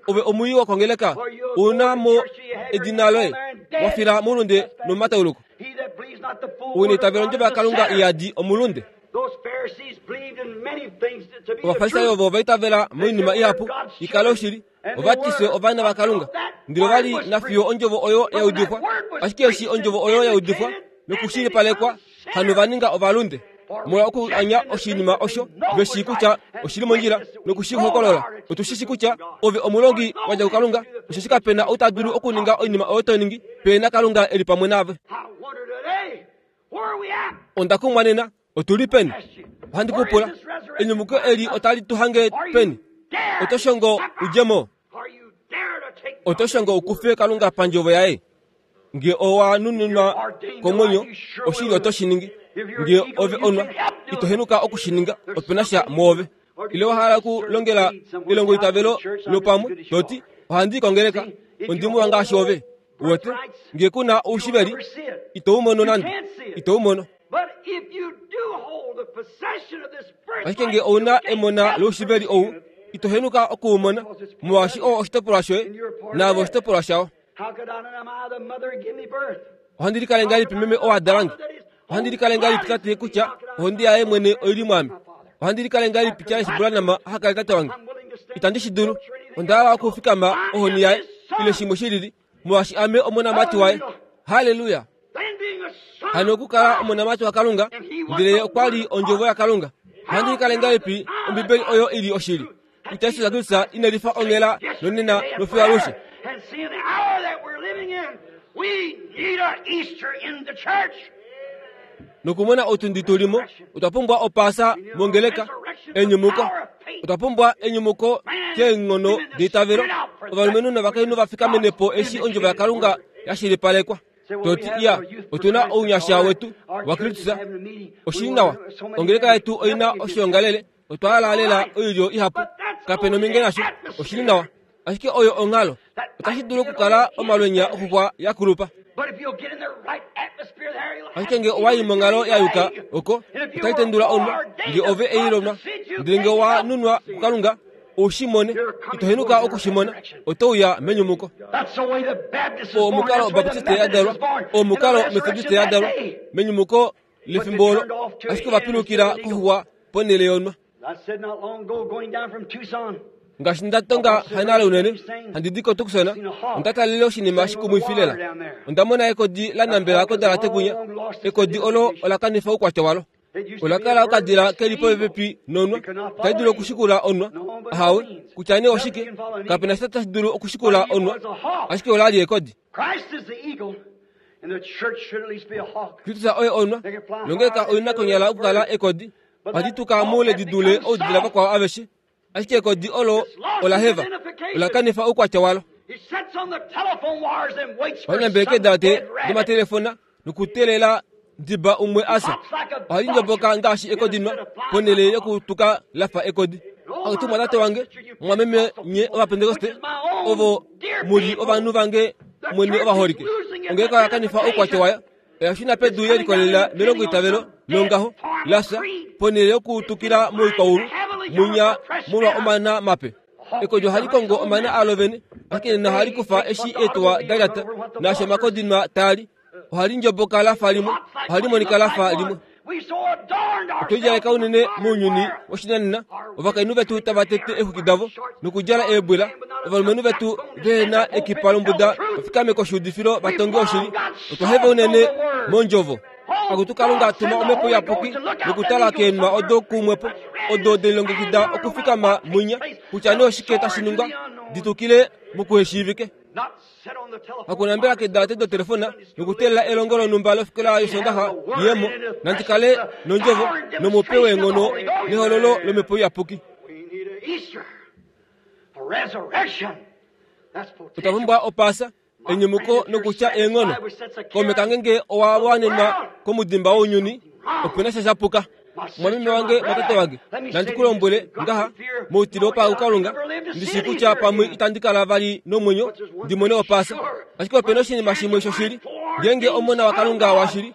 Speaker 1: Ove omwiyi wokongeleka? Ou na mo edina loye wa fila moulunde nomomatauluko? Ounitavelo ondjovo yaKalunga iyadi omulunde. Ovafarisai ovo ova itavela moinima ihapu i kale oshili, ova ti fye ovana vaKalunga. Ndele ova li na fiyo ondjovo oyo ya udifwa. Ashike eshi ondjovo oyo ya udifwa nokushilipalekwa, hano va ninga ovalunde molwa okuanya oshinima osho ve shii kutya oshi li mondjila noku shi hokolola. Otu shi shi kutya ove omulongi wa dja kuKalunga, osheshi kape na ou ta dulu okuninga oinima oyo to ningi pe na Kalunga e li pamwe naave. Onda kumwa nena, otu li peni? Ohandi ku pula, enyumuko eli otali tu hange peni? Oto shongo u dje mo? Oto shongo u kufe Kalunga pandjovo yaye? Nge owa nuninwa komwenyo, oshili oto shi ningi. Nge ove onwa, ito henuka oku shi ninga, ope na sha mwoove. Ile wa hala okulongela elongoitavelo lopamwe, to ti, Ohandi i kongeleka, ondi muwa ngaashi ove. Uwete, nge ku na oushiveli, ito u mono nande. Ito u mono. Ashike nge ou na emona loushiveli ou, ito henuka oku u mona, molwaashi oo oshitopolwa shoye, naave oshitopolwa shao. Ohandi likale ngahelipi meme oo a dala nge? Ohandi likale ngahelipi tate kutya ohonde yaye mwene oi li mwaame? Ohandi likale ngahelipi Charles Branham aha kale tate wange? Itandi shi dulu. Onda hala okufikama ohoni yaye ile shimwe shi lili, molwaashi ame omonamati waye. Halleluya! Hano okukala omonamati waKalunga, ndele ye okwa li Ondjovo yaKalunga. Ohandi likale ngahelipi Ombibeli oyo i li oshili? Kutya Jesus Kristus ine lifa onghela nonena nofiyo alushe. Nokumona otundi tu limo, otwa pumbwa opaasa mongeleka, enyumuko. Otwa pumbwa enyumuko keenghono deitavelo, ovalumenhu novakainhu va fikamene po eshi ondjovo yaKalunga ya shilipalekwa. Toti iya, otu na ounyasha wetu waKristus. Oshi nawa, ongeleka yetu oi na oshiongalele, otwa hala lela oilyo ihapu. Kape nominge nasho, oshi li nawa. Ashike oyo onghalo. Otashi dulu okukala omalwenya oxuxwa ya kulupa. Ashike nge owa i monghalo ya yuka oko, otai tendula onwa, nge ove ei lonwa. Ndele nge owa nunwa kuKalunga, u shi mone, ito henuka oku shi mona, oto uya menyumuko. Oo omukalo Obaptiste ya dalwa, oo omukalo Methodiste ya dalwa, menyumuko lefimbo olo, ashike ova pilukila koxuxwa ponhele yonwa. Ngaashi nda tonga hanale unene, handi di koTucson, onda talele oshinima shikumwifi lela. Onda mona ekodi la nambela kodalate kwinya. Ekodi olo ola kanifa oukwatya walo. Ola kala okadila ke li popepi nonwa, tai dulu okushikula onwa. Ahawe, kutya nee oshike, kape na sha tashi dulu okushikula onwa, ashike ola li ekodi. Kristus oye onwa, nongeleka oi na konyala okukala ekodi. Ohadi tuka moule di dule oudila vakwao aveshe, ashike ekodi olo ola heva, ola kanifa oukwatya walo. Ohali nambele keedalate domatelefona nokuteelela diba umwe a fya. Ohali ndjoboka ngaashi ekodinwa ponhele yokutuka la fa ekodi. Akutu mwatate wange, mwameme nye Ovapentekoste, ovo mu li ovanhu vange mwene ovaholike, ongeleka oya kanifa oukwatya wayo. Oya shuna pedu ye likolelela melongoitavelo longaho la fya, ponhele yokutukila moikwaulu munya molwa omana mape. Ekodi ohali kongo omana alo vene, ashike nena ohali kufa eshi eetuwa da lyata, naashi omakodinwa taa li. Ohali ndjoboka la fa limwe, ohali monika la fa limwe. Otwe lidjaleka unene mounyuni woshinanena, ovakainhu vetu tava tete eexwiki davo nokudjala eebwila, ovalumenhu vetu vehe na ekipa lombuda va fikame koshuudifilo va tonge oshili. Otwa heva unene mondjovo. Akutu Kalunga, tuma Omhepo Iyapuki nokutala keenwa odo kumwepo, odo de lilongekida okufikama mwinya, kutya nee oshike tashi ningwa, di tukile mokuheshiivike. Hakunambela kedalate dotelefona nokuteelela elongo lonhumba lofikola yOsoondaxa yemo, nandi kale nondjovo nomupe weenghono nehololo lOmhepo Iyapuki. Otwa pumbwa Opaasa, enyumuko nokutya eenghono. Kaume kange nge owa wanenwa komudimba wounyuni, ope na sha sha puka. Mwameme wange natate wange, nandi ku lombwele ngaha, moutile wopakalunga, ndi shii kutya pamwe itandi kala vali nomwenyo ndi mone Opaasa. Ashike ope na oshinima shimwe shoshili, ngeenge Omona waKalunga washili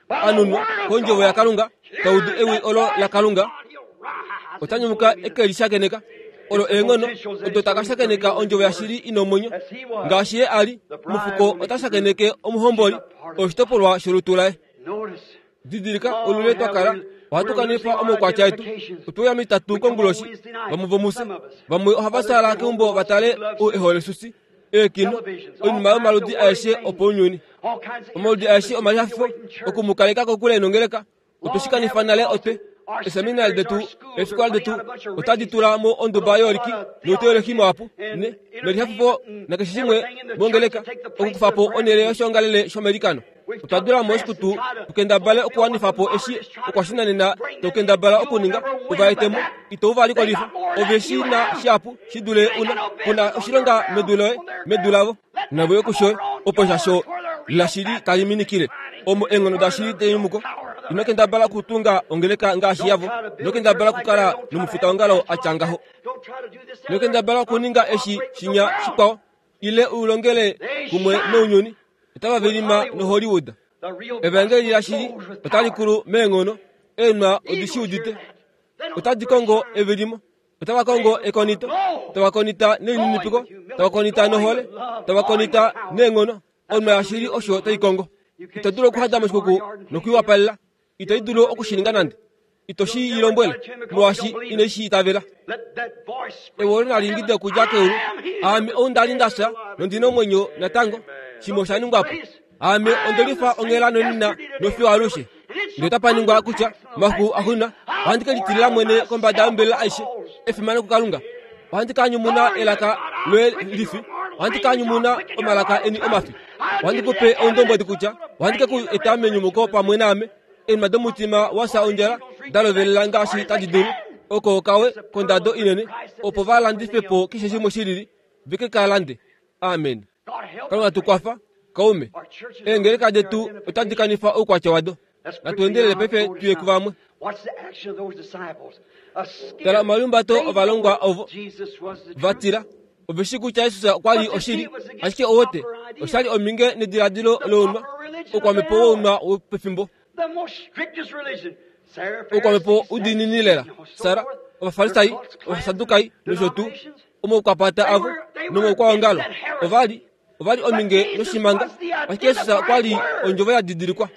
Speaker 1: a nunwa kondjovo yaKalunga, ta udu ewi olo laKalunga, ota nyumuka e ke li shakeneka. Olo eenghono odo ta ka shakeneka ondjovo yashili i na omwenyo. Ngaashi ye a li, omufuko ota shakeneke omuhomboli, oshitopolwa sholutu laye. Didilika olule twa kala ohatu kanifa omaukwatya etu. Otwe uya mitatu konguloshi, vamwe vomufye. Vamwe ohava fyaala keumbo va tale oeholesusi, eekino, oinima yomaludi aeshe opounyuni, omaludi aeshe omalihafifo oku mu kaleka kokule nongeleka. Otwe shi kanifa nale otwe. Eeseminari detu, eefikola detu otadi tula mo onduba yooliki nouteolohi muhapu, ne, nelihafifo nakeshe shimwe mongeleka, okukufa po onhele yoshiongalele shomeilikano. Otwa dula mo oshikutu tu kendabale okuwanifa po eshi okwashinanena to kendabala okuninga, u va ete mo, ito u va likolifa. Ove shi na shihapu shi dule u na. Ku na oshilonga medu loye, medu lavo. Navo yo kusho, opo shasho lashili tali minikile, omo eenghono dashili denyumuko. Ino kendabala okutunga ongeleka ngaashi yavo. Ino kendabala okukala nomufitaongalo a tya ngaho. Ino kendabala okuninga eshi shinya shikwao, ile u longele kumwe nounyuni. Otava vilima noHollywood. Evaengeli lashili otali kulu meenghono. Eenwa odi shi udite. Otadi kongo evilimo. Otava kongo ekonito. Tava konita nelininipiko. Tava konita nohole. Tava konita neenghono. Onwa yashili osho tai kongo. Ito dulu okuhada moshikuku nokuiwapalela. Ito i dulu oku shi ninga nande. Ito shi i lombwele, molwaashi ine shi itavela. Ewi olo nali ingide okudja keulu, Aame ou nda li nda fya, nondi na omwenyo natango. Shimwe osha ningwa po. Aame onde lifa onghela nonena nofiyo alushe. Ndele otapa ningwa kutya, mafiku axuuninwa, ohandi ke litilila mwene kombada yombelela aishe, efimano kuKalunga. Ohandi ka nyumuna elaka loye lifi, ohandi ka nyumuna omalaka eni omafi. Ohandi ku pe oundombwedi kutya ohandi ke ku eta menyumuko pamwe naame. Eenima domutima wa fya ondjala da lovelela ngaashi tadi dulu, oko okawe kondado inene, opo va landife po keshe shimwe shi lili, ve ke ka lande. Amen. Kalunga tu kwafa, kaume. Eengeleka detu otadi kanifa oukwatya wado. Natu endelele paife tu ye kuvamwe. Tala omalihumbato ovalongwa ovo va tila. Ove shii kutya Jesus okwa li oshili, ashike owote osha li ominge nediladilo lounwa, oukwamhepo wounwa wopefimbo. Oukwamhepo udiinini lela. Sara, Ovafarisai, Ovasadukai nosho tuu, omaukwapata avo nomaukwaongalo ova li ova li ominge noshimanga, ashike Jesus okwa li ondjovo ya didilikwa.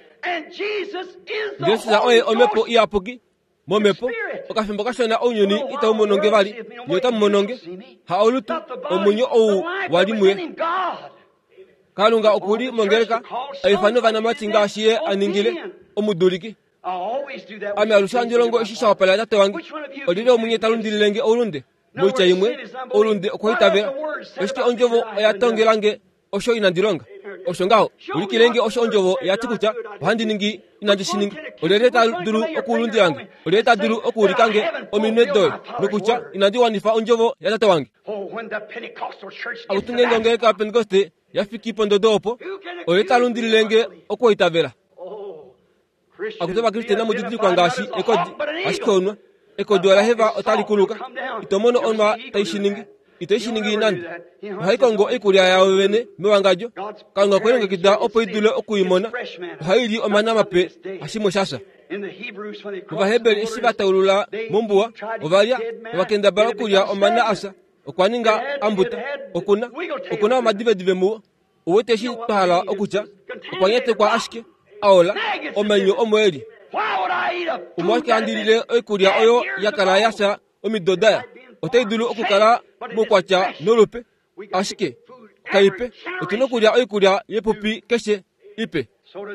Speaker 1: Jesus oye omhepo iyapuki momhepo okafimbo kashona ounyuni itau mono nge vali nye otamu mono nge ha olutu omwenyo ou wa li muye kalunga oku li mongeleka a ifana ovanamati ngaashi ye a ningile omuduliki ame alushe handi longo eshi sha wapalela tate wange olyelye omunye ta lundilile nge oulunde Moitya imwe, oulunde okwaitavela. Ashike ondjovo oya tongela nge osho inandi longa. Osho ngaho, ulikile nge osho ondjovo ya ti kutya ohandi ningi inandi shi ninga. Olyelye ta dulu okulundila nge? Olyelye ta dulu okuulika nge ominwe doye nokutya inandi wanifa ondjovo yatate wange? Akutu ngeenge ongeleka yaPentekoste ya fiki pondodo opo, olyelye ta lundilile nge okwaitavela? Akutu Ovakriste inamu didilikwa ngaashi ekodi, ashike onwa. Ekodi ola heva otali kuluka. Ito mono onwa tai shi ningi. Ito shi ningi nande. Ohai kongo oikulya yayo vene mewangadjo. Kalunga okwe longekida opo i dule oku i mona. Ohai li omana mape hashimwe sha fya. Ovaheberi eshi va taulula mombuwa, ova lya nova kendabala okulya omana a fya. Okwa ninga ambuta. Oku na, oku na omadivedive muwo. U wete eshi twa hala okutya? Okwa nyatekwa ashike, a ola, omainyo omo e li. Omolwashike handi lile oikulya oyo ya kala ya fya omido da ya? Otai dulu okukala moukwatya nolupe, ashike kaipe. Otu na okulya oikulya yepupi keshe ipe.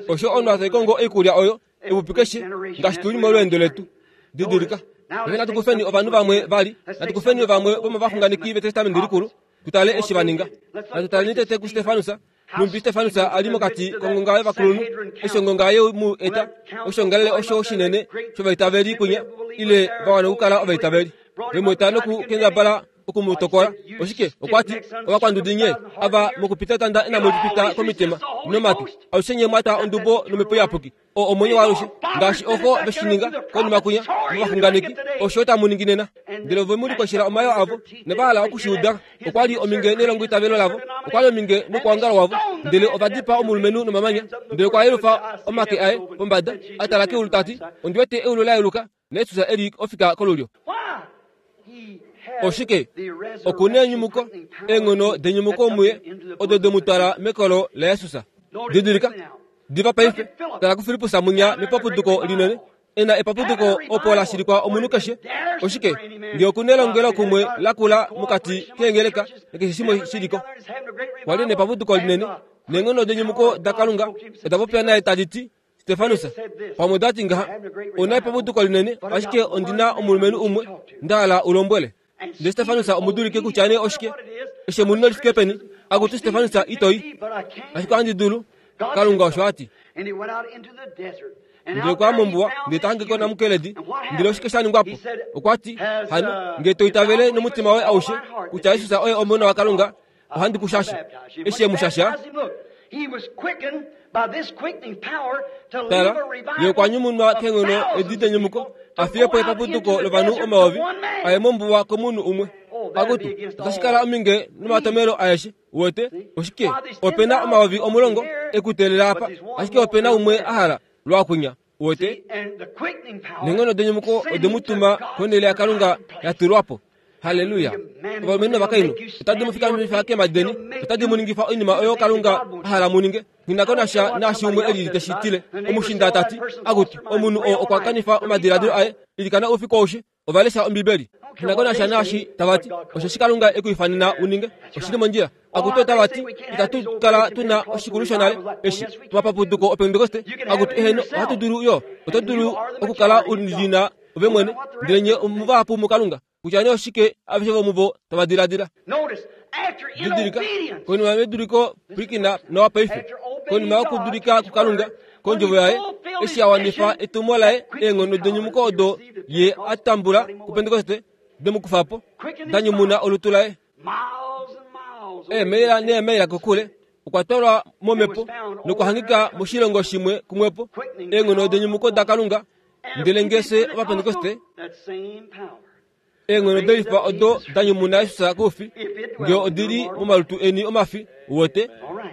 Speaker 1: Osho omunhu tai kongo oikulya oyo epupi keshe ngaashi tu li molweendo letu. Didilika. Paife natu kufeni ovanhu vamwe vali. Natu kufeni vamwe vomovaxunganeki vEtestamenti Likulu. Tu tale eshi va ninga. Natu taleni tete kuStefanus, nhumbi Stefanus a li mokati kongonga yovakulunhu, eshi ongonga ye mu eta, oshiongalele osho shinene shovaitaveli kwinya, ile va wana okukala ovaitaveli. Ve mu eta nokukendabala oku mu tokola. Oshike? Okwa ti, Ovakwandudi nye, ava mokupita etanda inamu li pita komitima nomatwi, alushe nye mwa twa ondubo nOmhepo Iyapuki. O omwenyo waalushe, ngaashi ovo ve shi ninga konima kwinya movaxunganeki, osho tamu ningi nena. Ndele ove mu likoshela omayoo avo, nova hala oku shi uda. Okwa li ominge nelongoitavelo lavo, okwa li ominge nokwoongalo wavo. Ndele ova dipaa omulumenhu nomamanya. Ndele okwa yelufa omake aye pombada, a tala keulu ta ti, Ondi wete eulu la yeluka, naJesus e li ofika kolulyo. Oshike? Oku na enyumuko, eenghono denyumuko muye, odo de mu twala mekolo laJesus. Didilika, diva paife, tala kuFilippus munya mepapuduko linene, e na epapuduko opo la shilikwa omunhu keshe. Oshike? Nge oku nelongelo kumwe lakula mokati keengeleka nakeshe shimwe shi li ko. Kwa li nepapuduko linene, neenghono denyumuko daKalunga oda popya naye tadi ti, Stefanus pamwe ota ti ngaha, Ou na epapuduko linene, ashike ondi na omulumenhu umwe nda hala u lombwele. Ndele Stefanus omudulike kutya nee oshike, eshemunino li fike peni, akutu Stefanus ito i. Ashike ohandi dulu, Kalunga osho a ti. Ndele okwa ya mombuwa, ndele ta hange ko namukeledi. Ndele oshike sha ningwa po? Okwa ti, Hano, nge to itavele nomutima woye aushe kutya Jesus oye Omona waKalunga, ohandi ku shasha. Eshi e mu shasha, tala, ye okwa nyumunwa keenghono edi denyumuko, a fiye po epapuduko lovanhu omayovi, a ye mombuwa komunhu umwe. Akutu, otashi kala ominge nomatomelo aeshe. Uwete? Oshike? Ope na 10,000 e ku teelela apa, ashike ope na umwe a hala lwaakunya. Uwete? Neenghono denyumuko ode mu tuma konhele yaKalunga ya tulwa po. Halleluya! Ovalumenhu novakainhu, otadi mu fikamifa keemhadi deni, otadi mu ningifa oinima oyo Kalunga a hala mu ninge. Nghi na ko nasha naashi umwe e lili te shi tile. Omushinda ta ti, Akutu, omunhu oo okwa kanifa omadiladilo aye. Ilikana oufiku aushe. Ova lesha Ombibeli. Nghi na ko nasha naashi tava ti, osheshi Kalunga e ku ifanena u ninge. Oshi li mondjila. Akutu otava ti, Itatu kala tu na oshikulu shonale eshi, omapapuduko Opentekoste. Akutu, eheno, ohatu dulu yo. Oto dulu okukala u li na ove mwene, ndele nye omuvahapu muKalunga. Kutya nee oshike aveshe vomuvo tava diladila. Didilika, konima meduliko, pwilikina nawa paife. Konima yokudulika kuKalunga, kondjovo yaye, eshi a wanifa etumo laye, eenghono denyumuko odo ye a tambula kuPentekoste de mu kufa po, da nyumuna olutu laye. Eemaila neemaila kokule, okwa twalwa momhepo nokwa hangika moshilongo shimwe kumwepo, eenghono denyumuko daKalunga. Ndele nge fye Ovapentekoste, Eenghono delifa odo da nyumuna Jesus koufi, nge odi li momalutu eni omafi, uwete,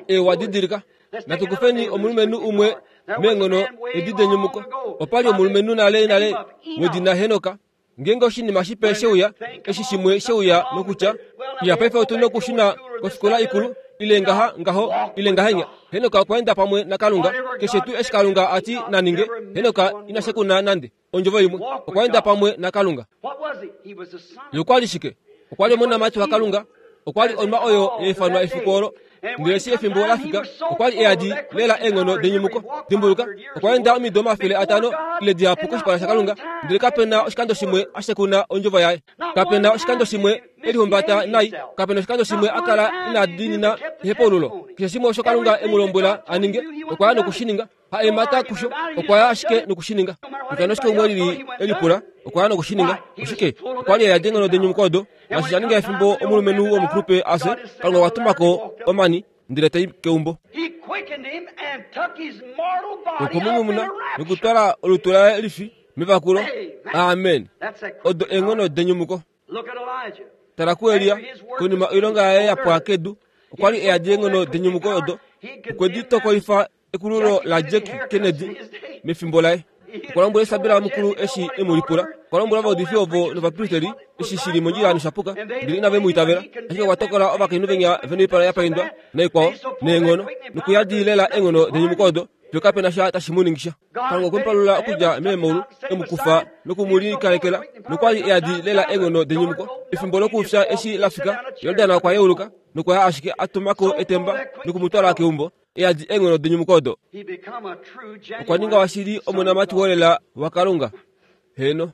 Speaker 1: ewa didilika. Natu kufeni omulumenhu umwe meenghono edi denyumuko. Opa li omulumenhu nale nale wedina Henoka. Ngeenge oshinima shipe she uya, eshi shimwe she uya nokutya, Ya, paife otu nokushuna kofikola ikulu, ile ngaha, ngaho, ile ngahenya. Henoka okwa enda pamwe naKalunga. Keshe tuu eshi Kalunga a ti na ninge, Henoka ina shekuna nande. Ondjovo imwe, okwa enda pamwe naKalunga. Ye okwa li shike? Okwa li omonamati waKalunga. Okwa li onwa oyo ya ifanwa efiku olo. Ndele eshi efimbo la fika, okwa li e yadi lela eenghono denyumuko. Dimbuluka, okwa enda omido 500 ile dihapu koshipala shaKalunga, ndele kape na oshikando shimwe a shekuna ondjovo yaye. Kape na oshikando shimwe e lihumbata nai. Kape na oshikando shimwe a kala ina diinina ehepaululo. Keshe shimwe osho Kalunga e mu lombwela a ninge, okwa ya noku shi ninga. Ha emata kusho, okwa ya ashike noku shi ninga. Kutya oshike umwe lili e lipula, okwa ya noku shi ninga. Oshike? Okwa li e yadi eenghono denyumuko odo. Naashi sha ninga efimbo omulumenhu womukulupe a fye, Kalunga okwa tuma ko omani, ndele ta i keumbo. Okwe mu nyumuna nokutwala olutu laye lifi mevakulo. Amen. Odo eenghono denyumuko. Tala kuElia, konima oilonga yaye ya pwa kedu, okwa li e yadi eenghono denyumuko odo. Okwe di tokolifa ekululo laJack Kennedy mefimbo laye. Okwa lombwela Isabela mukulu eshi e mu lipula. Okwa lombwela ovaudifi ovo novapristeri eshi shi li mondjila nosha puka, ndele inave mu itavela. Ashike okwa tokola ovakainhu venya ve noipala ya paindwa naikwao, neenghono, nokuyadi lela eenghono denyumuko odo, fiyo kape na sha tashi mu ningi sha. Kalunga okwe mu palula okudja meemolu, e mu kufa noku mu likalekela, nokwa li e yadi lela eenghono denyumuko. Efimbo lokufya eshi la fika, Jordan okwa yeuluka, nokwa ya ashike a tuma ko etemba noku mu twala keumbo, e yadi eenghono denyumuko odo. Okwa ninga washili omonamati wolela waKalunga. Heeno.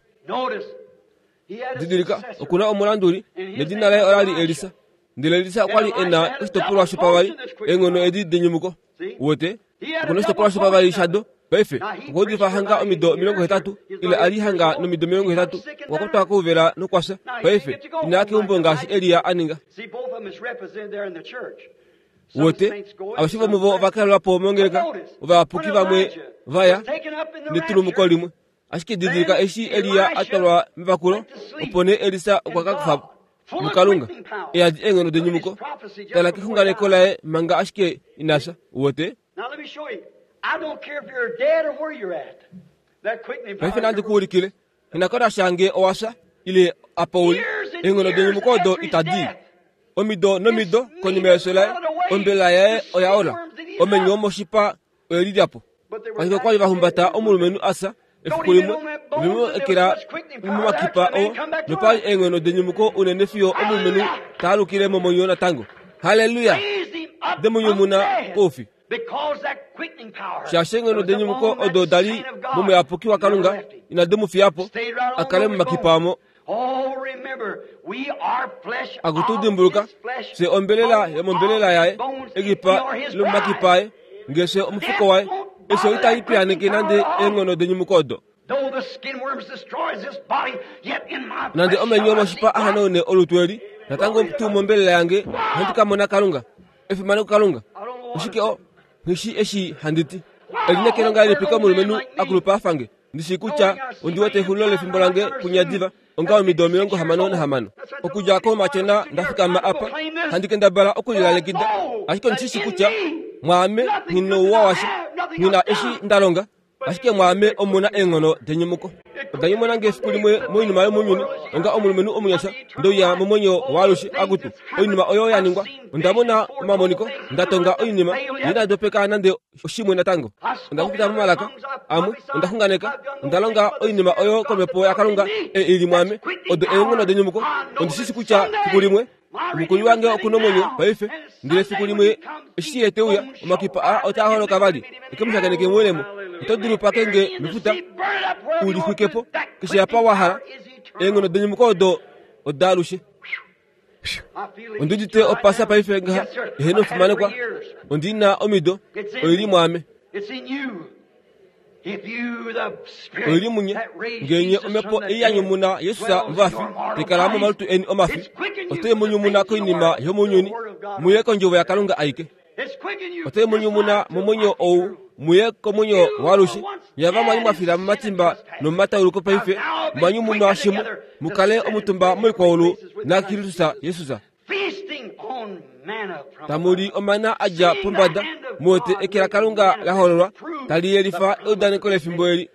Speaker 1: Didilika, oku na omulanduli, nedina laye ola li Elisa. Ndele Elisa okwa li e na oshitopolwa shopavali, eenghono edi denyumuko. Uwete? Oku na oshitopolwa shopavali shado. Paife, okwa udifa hanga omido 80, ile a li hanga nomido 80, okwa kwatwa kouvela nokwa fya. Paife, ina ya keumbo ngaashi Elia a ninga. Uwete, aveshe vomuvo ova kalelwa po mongeleka, ovayapuki vamwe va ya netulumuko limwe. Ashike didilika eshi Elia a twalwa mevakulo, opo nee Elisa okwa ka kufa muKalunga e yadi eenghono denyumuko. Tala kexunganeko laye manga ashike ina fya. Uwete? Paife nandi ku ulikile. Nghi na ko nasha nge owa fya ile apa u li. Eenghono denyumuko odo itadi i. Omido nomido konima yefyo laye, ombelela yaye oya ola. Omenyo womoshipa oye lilya po. Ashike okwa li va humbata omulumenhu a fya efiku limwe, ve mu ekela momakipa oo, nopa li eenghono denyumuko unene fiyo omulumenhu ta alukile momwenyo natango. Halleluya! De mu nyumuna koufi. Shaashi eenghono denyumuko odo da li momuyapuki waKalunga inadi mu fiya po a kale momakipa omo. Akutu dimbuluka, fye ombelela yomombelela yaye, ekipa lomomakipa aye, nge fye omufuko waye. Efyo itali piyaaneke nande eenghono denyumuko odo. Nande omenyo omoshipa a hanaune olutu eli, natango tuu mombelela yange ohandi ka mona Kalunga. Efimano kuKalunga! Oshike o, nghi shii eshi handi ti. Elineekelo ngahelipi komulumenhu a kulupa a fa nge? Ndi shii kutya ondi wete exulilo lefimbo lange punya diva, onga omido 66. Okudja koumatyona nda fikama apa, handi kendabala okulilalekida, ashike ondi shi shii kutya mwaame nghi nouwa washa, nghi na eshi nda longa. Ashike mwaame omu na eenghono denyumuko. Oda nyumuna nge efiku limwe moinima yomounyuni, onga omulumenhu omunyasha, nde uya momwenyo waalushe. Akutu, oinima oyo ya ningwa! Onda mona omamoniko, nda tonga oinima, ndele inandi dopeka nande oshimwe natango. Onda popya momalaka amwe, onda xunganeka, onda longa oinima oyo komhepo yaKalunga e i li mwaame. Odo eenghono denyumuko. Ondi shi shii kutya fiku limwe Omukuli wange oku nomwenyo paife, ndele fiku limwe eshi ye te uya, omakipa aa otaa holoka vali, e ke mu shakeneke moulemo. Oto dulu pake nge mefuta, u li xwike po, keshe apa wa hala. Eenghono denyumuko odo odaalushe. Ondi udite opasa paife ngaha eheno omufimanekwa. Ondi na omido. Oi li mwaame. Oi li munye. Ngee nye omhepo ei ya nyumuna Jesus movafi tai kala momalutu eni omafi, otai mu nyumuna koinima yomounyuni, muye kondjovo yaKalunga aike. Otai mu nyumuna momwenyo ou muye komwenyo waalushe. Nye ava mwa li mwa fila momatimba nomomatauluko paife mwa nyumunwa shimwe, mu kale omutumba moikwaulu naKristus Jesus. Tamu li omana a dja pombada, mu wete eke laKalunga la hololwa, tali yelifa eudaneko lefimbo eli.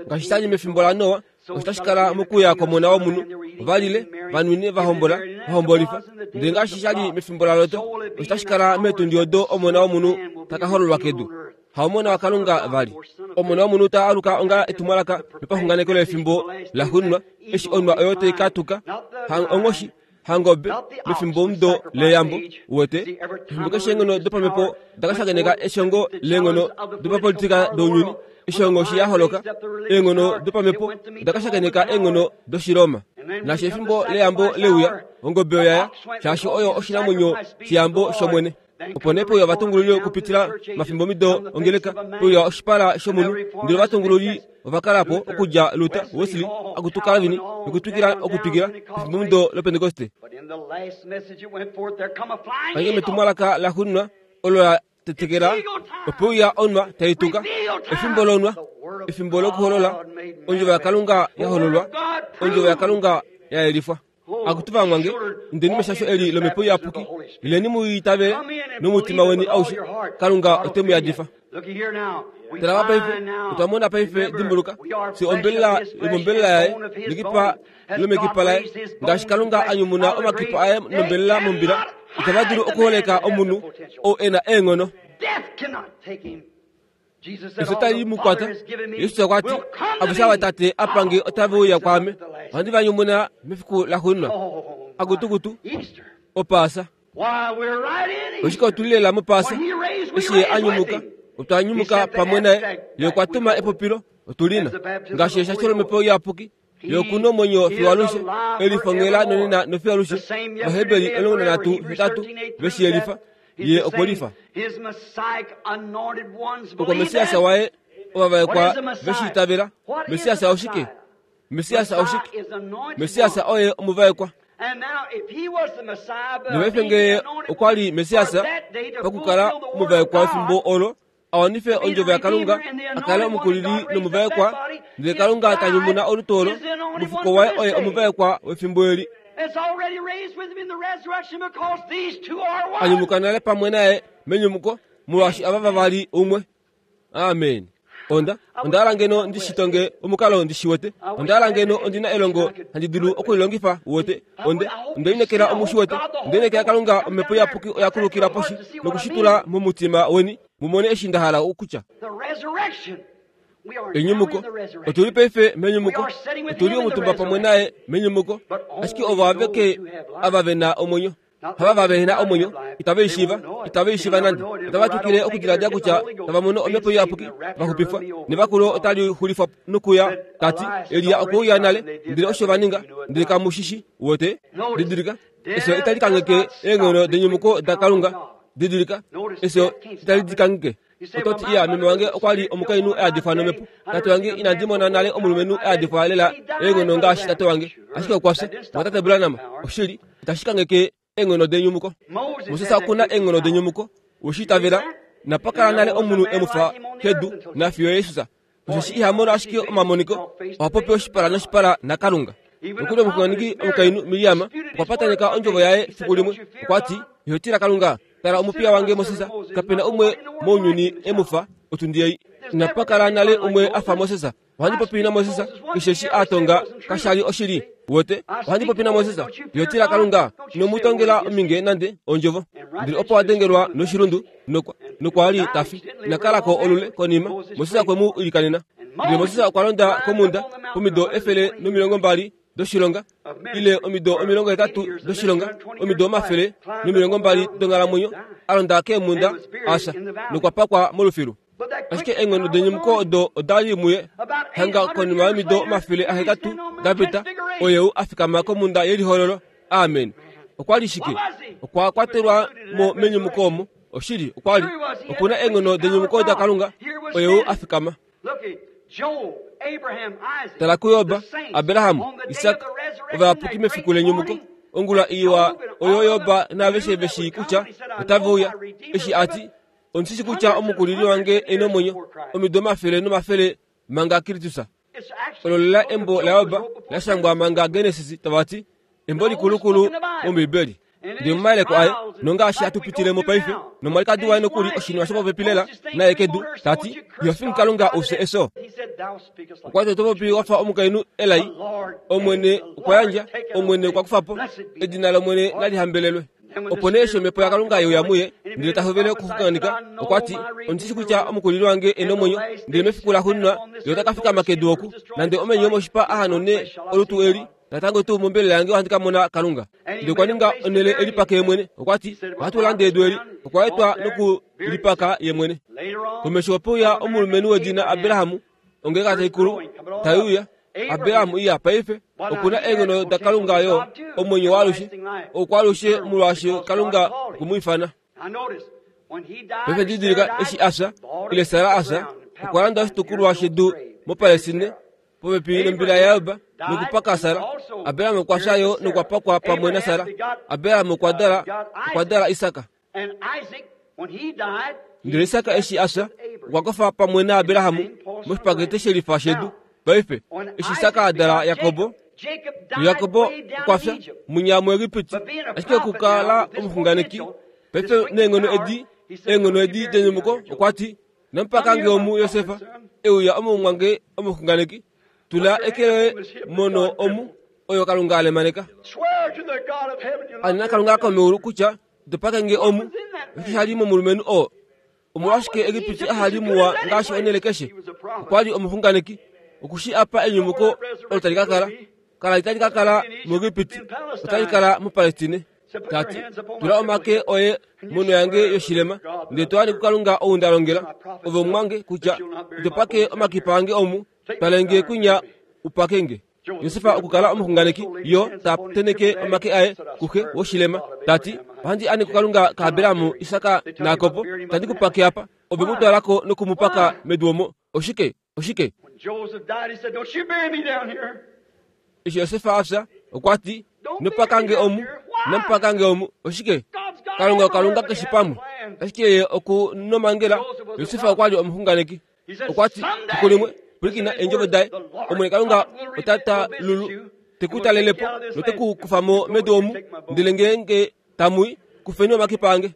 Speaker 1: Ngaashi sha li mefimbo laNoa, osho tashi kala mokuuya kwOmona wOmunhu. Ova lile, va nwine, va hombola, va hombolifa. Ndele ngaashi sha li mefimbo laLot, osho tashi kala meetundi odo Omona wOmunhu ta ka hololwa kedu. Haomona waKalunga vali. Omona wOmunhu ta aluka onga etumwalaka lopaxunganeko lefimbo laxuuninwa, eshi onwa oyo tai ka tuka, ha onghoshi, hangobe, mefimbomudo leyambo. Uwete? Efimbo keshe eenghono dopamhepo da ka shakeneka eshongo leenghono dopapolitika dounyuni, eshi onghoshi ya holoka, eenghono dopamhepo oda ka shakeneka eenghono dOshiroma. Naashi efimbo leyambo leuya, ongobe oya ya, shaashi oyo oshinamwenyo sheyambo shOmwene. Opo nee peuya ovatungululi okupitila mafimbomido ongeleka, peuya oshipala shomunhu, ndele ovatungululi ova kala po okudja Luther, Wesley, akutu Calvin, nokutwikila okutwikila pefimbomido lOpentekoste. Pange metumwalaka laxuuninwa olo la tetekela, ope uya onwa tai tuka, efimbo lonwa, efimbo lokuholola, Ondjovo yaKalunga ya hololwa, Ondjovo yaKalunga ya yelifwa. Akutu vamwange, indeni meshasho eli lOmhepo Iyapuki, ileni mu itavele nomutima weni aushe, Kalunga ote mu yadifa. Tala paife, otwa mona paife, dimbuluka, fye ombelela yomombelela yaye, nekipa lomekipa laye, ngaashi Kalunga a nyumuna omakipa aye nombelela mombila, itava dulu okuholeka omunhu ou e na eenghono. Efyo tali mu kwata. Jesus okwa ti, Aveshe ava Tate a pa nge otave uya kwaame, ohandi va nyumuna mefiku laxuuninwa. Akutukutu, Opaasa. Oshike otu li lela mOpaasa? Eshi Ye a nyumuka, otwa nyumuka pamwe naye. Ye okwa tuma epopilo, otu li na. Ngaashi eshasho lOmhepo Iyapuki, Ye oku na omwenyo fiyo alushe, e lifongela nonena nofiyo alushe. Ovaheberi 13 8 ve shi yelifa, Ye okwe lifa. Okwa Messias waye ovavaekwa ve shi itavela. Messias oshike? Messias oshike? Messias oye omuvaekwa. Nopaife ngee okwa li Messias pakukala omuvaekwa wefimbo olo, a wanife ondjovo yaKalunga, a kale omukulili nomuvaekwa, ndele Kalunga ta nyumuna olutu olo, omufuko waye oye omuvaekwa wefimbo eli. A nyumuka nale pamwe naye menyumuko, molwaashi ava vavali umwe. Amen. Onda, onda hala ngeno ndi shi tonge omukalo ndi shi wete. Onda hala ngeno ondi na elongo handi dulu okulilongifa, uwete. Onde, onde linekela omu shi wete. Onde linekela Kalunga Omhepo Iyapuki oya kulukila poshi nokushitula momutima weni mu mone eshi nda hala okutya. Enyumuko. Otu li paife menyumuko. Otu li omutumba pamwe naye menyumuko. Ashike ovo aveke ava ve na omwenyo. Hava va ve na omwenyo, itave i shiiva, itave i shiiva nande. Otava twikile okudiladila kutya tava mono Omhepo Iyapuki, va xupifwa, nevakulo otali xulifwa nokuya, ta ti, Elia okwe uya nale, ndele osho va ninga, ndele kamu shi shi. Uwete? Didilika, efyo itali kangheke eenghono denyumuko daKalunga. Didilika, efyo itali di kangheke. Oto ti, Iya, meme wange okwa li omukainhu a yadifwa nomhepo. Tate wange, inandi mona nale omulumenhu a yadifwa lela eenghono ngaashi tate wange. Ashike okwa fya. Mwatate Branham, oshili, itashi kangheke eenghono denyumuko. Moses oku na eenghono denyumuko. We shi itavela? Inapa kala nale omunhu e mu fa kedu, nafiyo Jesus. Osheshi iha mono ashike omamoniko, oha popi oshipala noshipala naKalunga. Nokuli omuxunganeki omukainhu Miriam okwa pataneka ondjovo yaye fiku limwe. Okwa ti, Iho tila Kalunga? Tala omupiya wange Moses, kape na umwe mounyuni e mu fa, otundi ei. Inapa kala nale umwe a fa Moses. Ohandi popi naMoses, keshe eshi a tonga kasha li oshili. Uwete? Ohandi popi naMoses. Iho tila Kalunga? Ino mu tongela ominge nande ondjovo. Ndele opo a dengelwa noshilundu, nokwa, nokwa li ta fi. Ina kala ko olule konima, Moses okwe mu ilikanena. Ndele Moses okwa londa komhunda pomido 120 doshilonga, ile omido 80 doshilonga, omido 120 donghalamwenyo, a londa keemhunda, a fya, nokwa pakwa molufilu. Ashike eenghono denyumuko odo oda li muye hanga konima yomido 800 da pita, oye ou a fikama komhunda yelihololo. Amen. Okwa li shike? Okwa kwatelwa mo menyumuko omo. Oshili, okwa li. Oku na eenghono denyumuko daKalunga, oye ou a fikama. Tala kuJob, Abraham, Isak, ovayapuki mefiku lenyumuko. Ongula iwa oyo Job naaveshe ve shii kutya otave uya, eshi a ti, Ondi shi kutya omukulili wange e nomwenyo omido omafele nomafele manga Kristus. Olo lela embo laJob la shangwa manga Genesis tava ti embo likulukulu mOmbibeli. Ndele momayeleko aye, nongaashi hatu pitile mo paife, nomwalikadi waye nokuli oshinima shopopepi lela naye kedu, ta ti, Iho fingi Kalunga u fye efyo. Okwa ti, Oto popi wa fa omukainhu elai. Omwene okwa yandja, Omwene okwa kufa po. Edina lOmwene nali hambelelwe. Opo nee eshi omhepo yaKalunga ye uya muye, ndele ta hovele okuxunganeka, okwa ti, Ondi shi kutya omukulili wange e nomwenyo, ndele mefiku laxuuninwa ye ota ka fikama kedu oku, nande omenyo omoshipa a hanone olutu eli, natango tuu mombelela yange ohandi ka mona Kalunga. Ndele okwa ninga onhele e lipake ye mwene. Okwa ti, Ohatu lande edu eli. Okwa etwa noku lipaka ye mwene. Komesho ope uya omulumenhu wedina Abraham, ongeleka taikulu tai uya. Abraham iya paife oku na eenghono daKalunga yo omwenyo waalushe, okwaalushe molwaashi Kalunga okwe mu ifana. Paife didilika eshi a fya, ile Sara a fya, okwa landa oshitukulwa shedu moPalestine popepi nombila yaJob nokupaka Sara. Abraham okwa fya yo nokwa pakwa pamwe naSara. Abraham okwa dala okwa dala Isak. Ndele Isak eshi a fya, okwa kofa pamwe naAbraham moshipakete shelifa shedu. Paife, eshi Isak a dala Jakob, Jakob okwa fya munya muEgipiti, ashike okukala omuxunganeki. Paife neenghono edi, eenghono edi denyumuko, okwa ti, Namupaka nge omu Josef, e uya omumwange omuxunganeki, tula eke loye mono omu, oyo Kalunga a lemaneka. Anena Kalunga komeulu kutya ito pake nge omu, osho sha li momulumenhu oo. Omolwashike Egipiti aha li muwa ngaashi onhele keshe? Okwa li omuxunganeki. Oku shi apa enyumuko olo tali ka kala. Kala itali ka kala muEgipiti, otali kala muPalestine. Ta ti, Tula omake oye monho yange yoshilema, ndele to ane kuKalunga ou nda longela, ove omumwange, kutya ito pake omakipa ange omu, twale nge kwinya u pake nge. Josef okukala omuxunganeki, yo ta tenheke omake aye kuxe woshilema, ta ti, Ohandi ane kuKalunga kaAbraham, Isak naJakob, itandi ku pake apa. Ove mu twala ko noku mu paka medu omo. Oshike? Oshike? Eshi Josef a fya, okwa ti, Nopaka nge omu, namupaka nge omu. Oshike? Kalunga oKalunga keshe pamwe. Ashike ye oku nomangela. Josef okwa li omuxunganeki. Okwa ti, Fiku limwe, pwilikina eendjovo daye, Omwene Kalunga ota talulu, te ku talele po note ku kufa mo medu omu, ndele ngeenge tamu i, kufeni omakipa ange.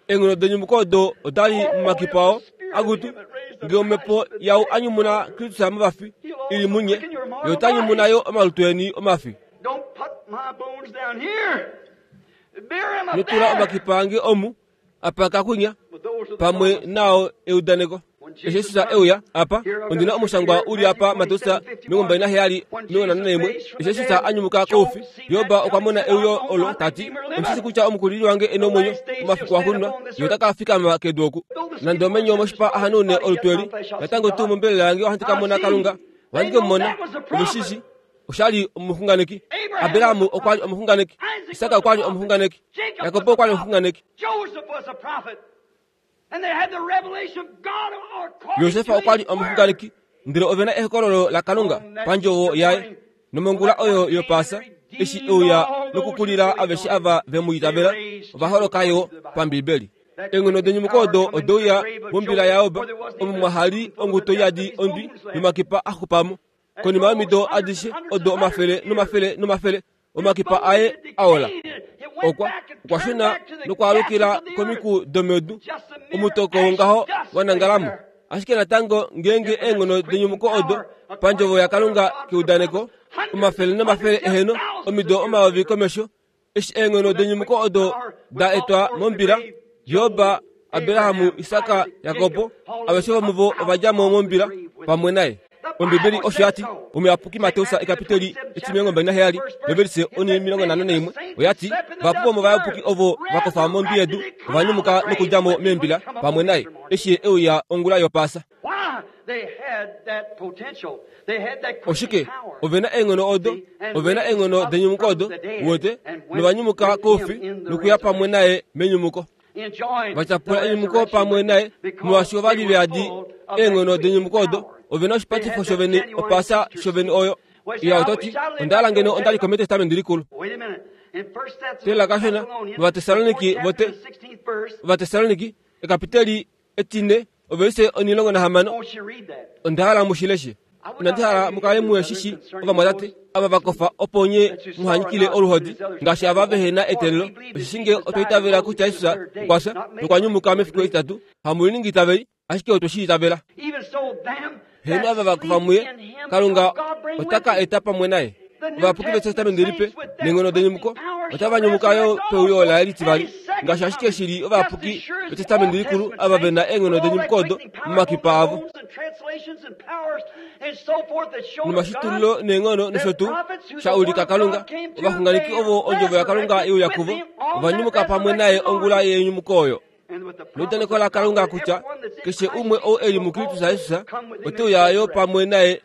Speaker 1: Eenghono denyumuko odo oda li momakipa oo akutu, nge omhepo yau a nyumuna Kristus movafi i li munye, ye ota nyumuna yo omalutu eni omafi. Notula omakipa ange omu, apa kakwinya pamwe nao eudaneko. Eshi Jesus e uya apa, ondi na omushangwa u li apa Mateus 27, 41. Eshi Jesus a nyumuka koufi, Job okwa mona euyo olo ta ti, Ondi shi kutya omukulili wange e nomwenyo omafiku axuuninwa, ye ota ka fikama kedu oku. Nande omenyo omoshipa a hanaune olutu eli, natango tuu mombelela yange ohandi ka mona Kalunga, ohandi ke mu mona. Ove shi shii? Osha li omuxunganeki. Abraham okwa li omuxunganeki. Isak okwa li omuxunganeki. Jakob okwa li omuxunganeki. Josef okwa li omuxunganeki, ndele ove na ehokololo laKalunga pandjovo yaye. Nomongula oyo yOpaasa, eshi e uya nokukulila aveshe ava ve mu itavela, ova holoka yo paMbibeli. Eenghono denyumuko odo ode uya mombila yaJob, omo mwa hali onguto iyadi ondwi yomakipa a xupa mo. Konima yomido adishe odo omafele nomafele nomafele, omakipa aye a ola. Okwa okwa shuna nokwaalukila komiku domedu, omutoko wongaho wa nangala mo. Ashike natango ngeenge eenghono denyumuko odo pandjovo yaKalunga keudaneko, omafele nomafele eheno omido omayovi komesho, Eshi eenghono denyumuko odo da etwa mombila, Job, Abraham, Isak, Jakob, aveshe vomuvo ova dja mo mombila pamwe naye. Ombibeli osho ya ti omuyapuki Mateus ekapiteli etimilongo mbali naheyali novelise onimilongo nhano naimwe oya ti vahapu vomovayapuki ovo va kofa mondwi yedu ova nyumuka nokudja mo meembila pamwe naye eshi ye e uya ongula yOpaasa. Oshike? Ove na eenghono odo, ove na eenghono denyumuko odo, uwete, novanyumuka koufi nokuya pamwe naye menyumuko. Va tyapula enyumuko pamwe naye, molwaashi ova li ve yadi eenghono denyumuko odo. Ove na oshipatifo shovene, opaasa shovene oyo. Iya, oto ti, Onda hala ngeno onda li ko mEtestamenti Likulu. Tela kashona, mOvatessaloniki vote, Ovatessaloniki, ekapiteli etine, ovelise 16. Onda hala mu shi leshe. Inandi hala mu kale muhe shi shi, ovamwatate, ava va kofa opo nye muha nyikile oluhodi ngaashi ava vehe na eteelelo. Osheshi nge otwa itavela kutya Jesus okwa fya nokwa nyumuka mefiku etitatu, hamu liningi itaveli, ashike otwe shi itavela. Heeno, ava va kofa muye, Kalunga ota ka eta pamwe naye. Ovayapuki vEtestamenti Lipe neenghono denyumuko otava nyumuka yo peuyo laye litivali, ngaashi ashike shi li ovayapuki vEtestamenti Likulu ava ve na eenghono denyumuko odo momakipa avo. Nomashitululo neenghono nosho tuu sha ulika Kalunga, ovaxunganeki ovo ondjovo yaKalunga ye uya kuvo, ova nyumuka pamwe naye ongula yenyumuko oyo. Neudaneko laKalunga kutya keshe umwe ou e li muKristus Jesus ote uya yo pamwe naye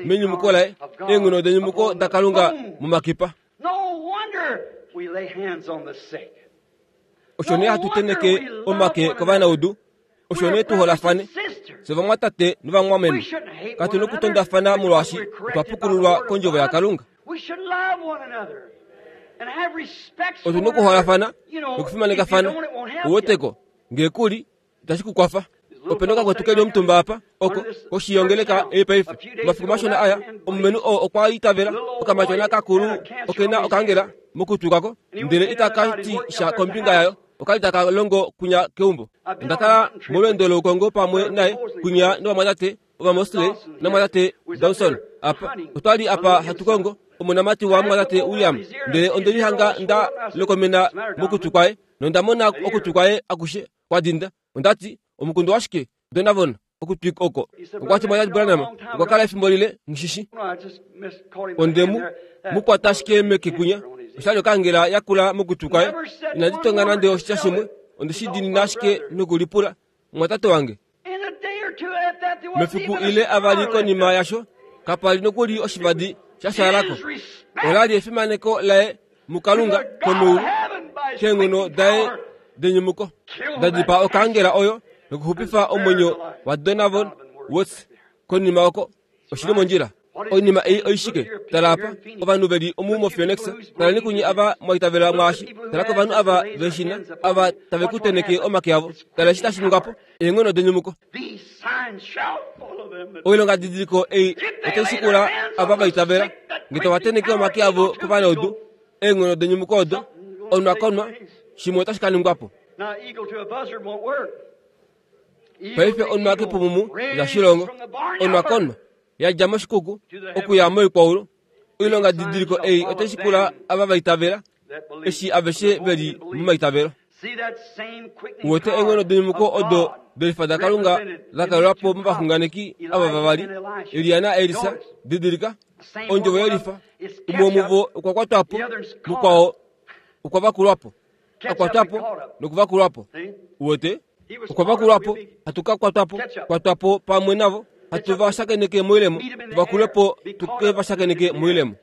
Speaker 1: menyumuko laye, eenghono denyumuko daKalunga momakipa. Osho nee hatu tenheke omake kovanaudu, osho nee tu holafane, fye ovamwatate novamwameme. Katu nokutondafana molwaashi otwa pukululwa kondjovo yaKalunga. Otu na okuholafana nokufimanekafana. Uweteko, nge ku li, itashi ku kwafa. Ope na okakwetu ke li omutumba apa, oko, koshi yongeleka ei paife. Omafiku mashona aya, omulumenhu oo okwa itavela okamatyona kakulu oke na okangela mokutwi kwako, ndele itaka ti sha kombinga yayo. Oka li taka longo kwinya keumbo. Onda kala molweendo loukongo pamwe naye kwinya novamwatate Ovamosley namwatate Dawson apa. Otwa li apa hatu kongo omonamati wamwatate William, ndele onde lihanga nda lokomena mokutwi kwaye nonda mona okutwi kwaye akushe kwa dinda. Onda ti, Omukundu washike, Donavon, okutwi oko? Okwa ti, Mwatate Branham, okwa kala efimbo lile, nghi Onde mu mu kwata ashike meke kwinya. Osha li okangela yakula mokutwi kwaye. Inandi tonga nande oshitya shimwe. Onde shi diinina ashike nokulipula, Mumwatate wange. Mefiku ile avali konima yasho, kapa li nokuli oshivadi sha fyaala ko. Ola li efimaneko laye muKalunga komeulu keenghono daye denyumuko, da dipaa okaangela oyo nokuxupifa omwenyo waDonavon Watts konima oko. Oshi li mondjila. Oinima ei oishike? Tala apa, ovanhu ve li omu moPhoenix. Taleni kunye ava mwa itavela mwaashi. Tala kovanhu ava ve shi na, ava tave ku tenheke omake avo. Tala eshi tashi ningwa po, eenghono denyumuko. Oilongadidiliko ei otai shikula ava va itavela. Nge tava tenheke omake avo kovanaudu, eenghono denyumuko odo, onwa konwa, shimwe otashi ka ningwa po. Paife onwa kepumumu lashilongo, onwa konwa, ya dja moshikuku okuya moikwaulu. Oilonga didiliko ei otai shikula ava va itavela, eshi aveshe ve li momaitavelo. Uwete eenghono denyumuko odo delifa daKalunga da kalelwa po movaxunganeki ava vavali, Elia naElisa. Didilika, ondjovo yelifa, umwe womuvo okwa kwatwa po, mukwao okwa vakulwa po. A kwatwa po nokuvakulwa po. Uwete? Okwa vakulwa po, hatu ka kwatwa po, kwatwa po pamwe navo, hatu va shakeneke moilemo, tu vakulwe po tu ke va shakeneke moilemo.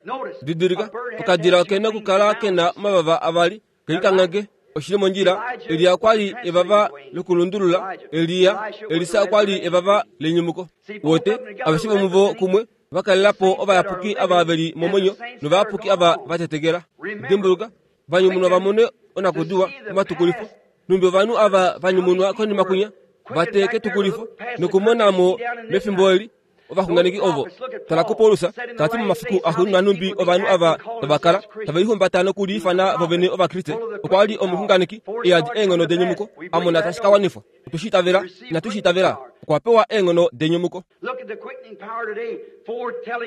Speaker 1: Didilika, okadila oke na okukala ke na omavava avali, ke likangheke. Oshi li mondjila. Elia okwa li evava lokulundulula. Elia, Elisa okwa li evava lenyumuko. Uwete? Aveshe vomuvo kumwe va kalela po ovayapuki ava ve li momwenyo novayapuki ava va tetekela. Dimbuluka, va nyumunwa va mone onakudiwa omatukulifo. Nhumbi ovanhu ava va nyumunwa konima kwinya va teye ketukulifo nokumona mo mefimbo eli ovaxunganeki ovo. Tala kuPaulus ta ti momafiku axuuninwa nhumbi ovanhu ava tava kala tave lihumbata nokuliifana vovene Ovakriste. Okwa li omuxunganeki e yadi eenghono denyumuko a mona tashi ka wanifwa. Otwe shi itavela? Inatu shi itavela? Okwa pewa eenghono denyumuko.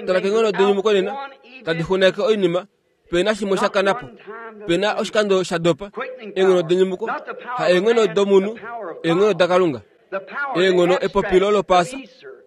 Speaker 1: Tala keenghono denyumuko nena tadi xunganeke oinima Pe na shimwe sha kana po. Pe na oshikando sha dopa. Eenghono denyumuko, ha eenghono domunhu, eenghono daKalunga. Eenghono epopilo lOpaasa.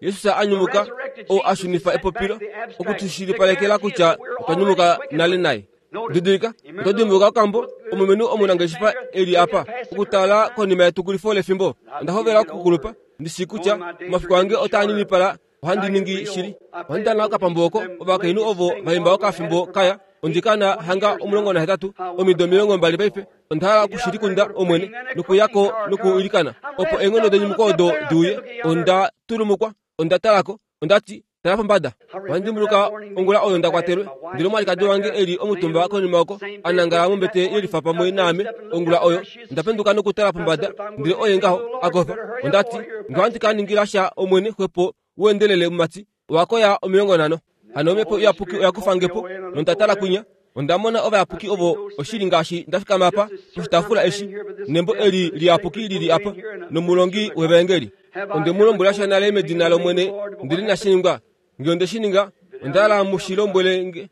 Speaker 1: Jesus a nyumuka, oo a shunifa epopilo, oku tu shilipalekela kutya otwa nyumuka nale naye. Didilika, oto dimbuluka okambo, omulumenhu omunangeshefa e li apa, okutala konima yetukulifo lefimbo. Onda hovela okukulupa, ndi shii kutya omafiku ange otaa ninipala. Ohandi ningi shili. Ohandi dana okapambu oko ovakainhu ovo va imba okafimbo kaya. Ondi ka na hanga 18, omido 20 paife. Onda hala oku shi likunda, Omwene, nokuya ko nokuilikana, opo eenghono denyumuko odo di uye. Onda tulumukwa. Onda tala ko. Onda ti, Tala pombada. Ohandi dimbuluka ongula oyo nda kwatelwe, ndele omwalikadi wange e li omutumba konima oko, a nangala mombete ye lifa pamwe naame. Ongula oyo, onda penduka nokutala pombada, ndele oye ngaho, a kofa. Onda ti, Nge ohandi ka ningila sha Omwene, xwepo u endelele, mumati. Owa koya 50. Hano Omhepo Iyapuki oya kufa nge po, nonda tala kwinya. Onda mona ovayapuki ovo oshili ngaashi nda fikama apa poshitaafula eshi, nembo eli liyapuki li li apa, nomulongi wevaengeli. Onde mu lombwela sha nale medina lOmwene, ndele inashi ningwa. Nge onde shi ninga, onda hala mu shi lombwele nge.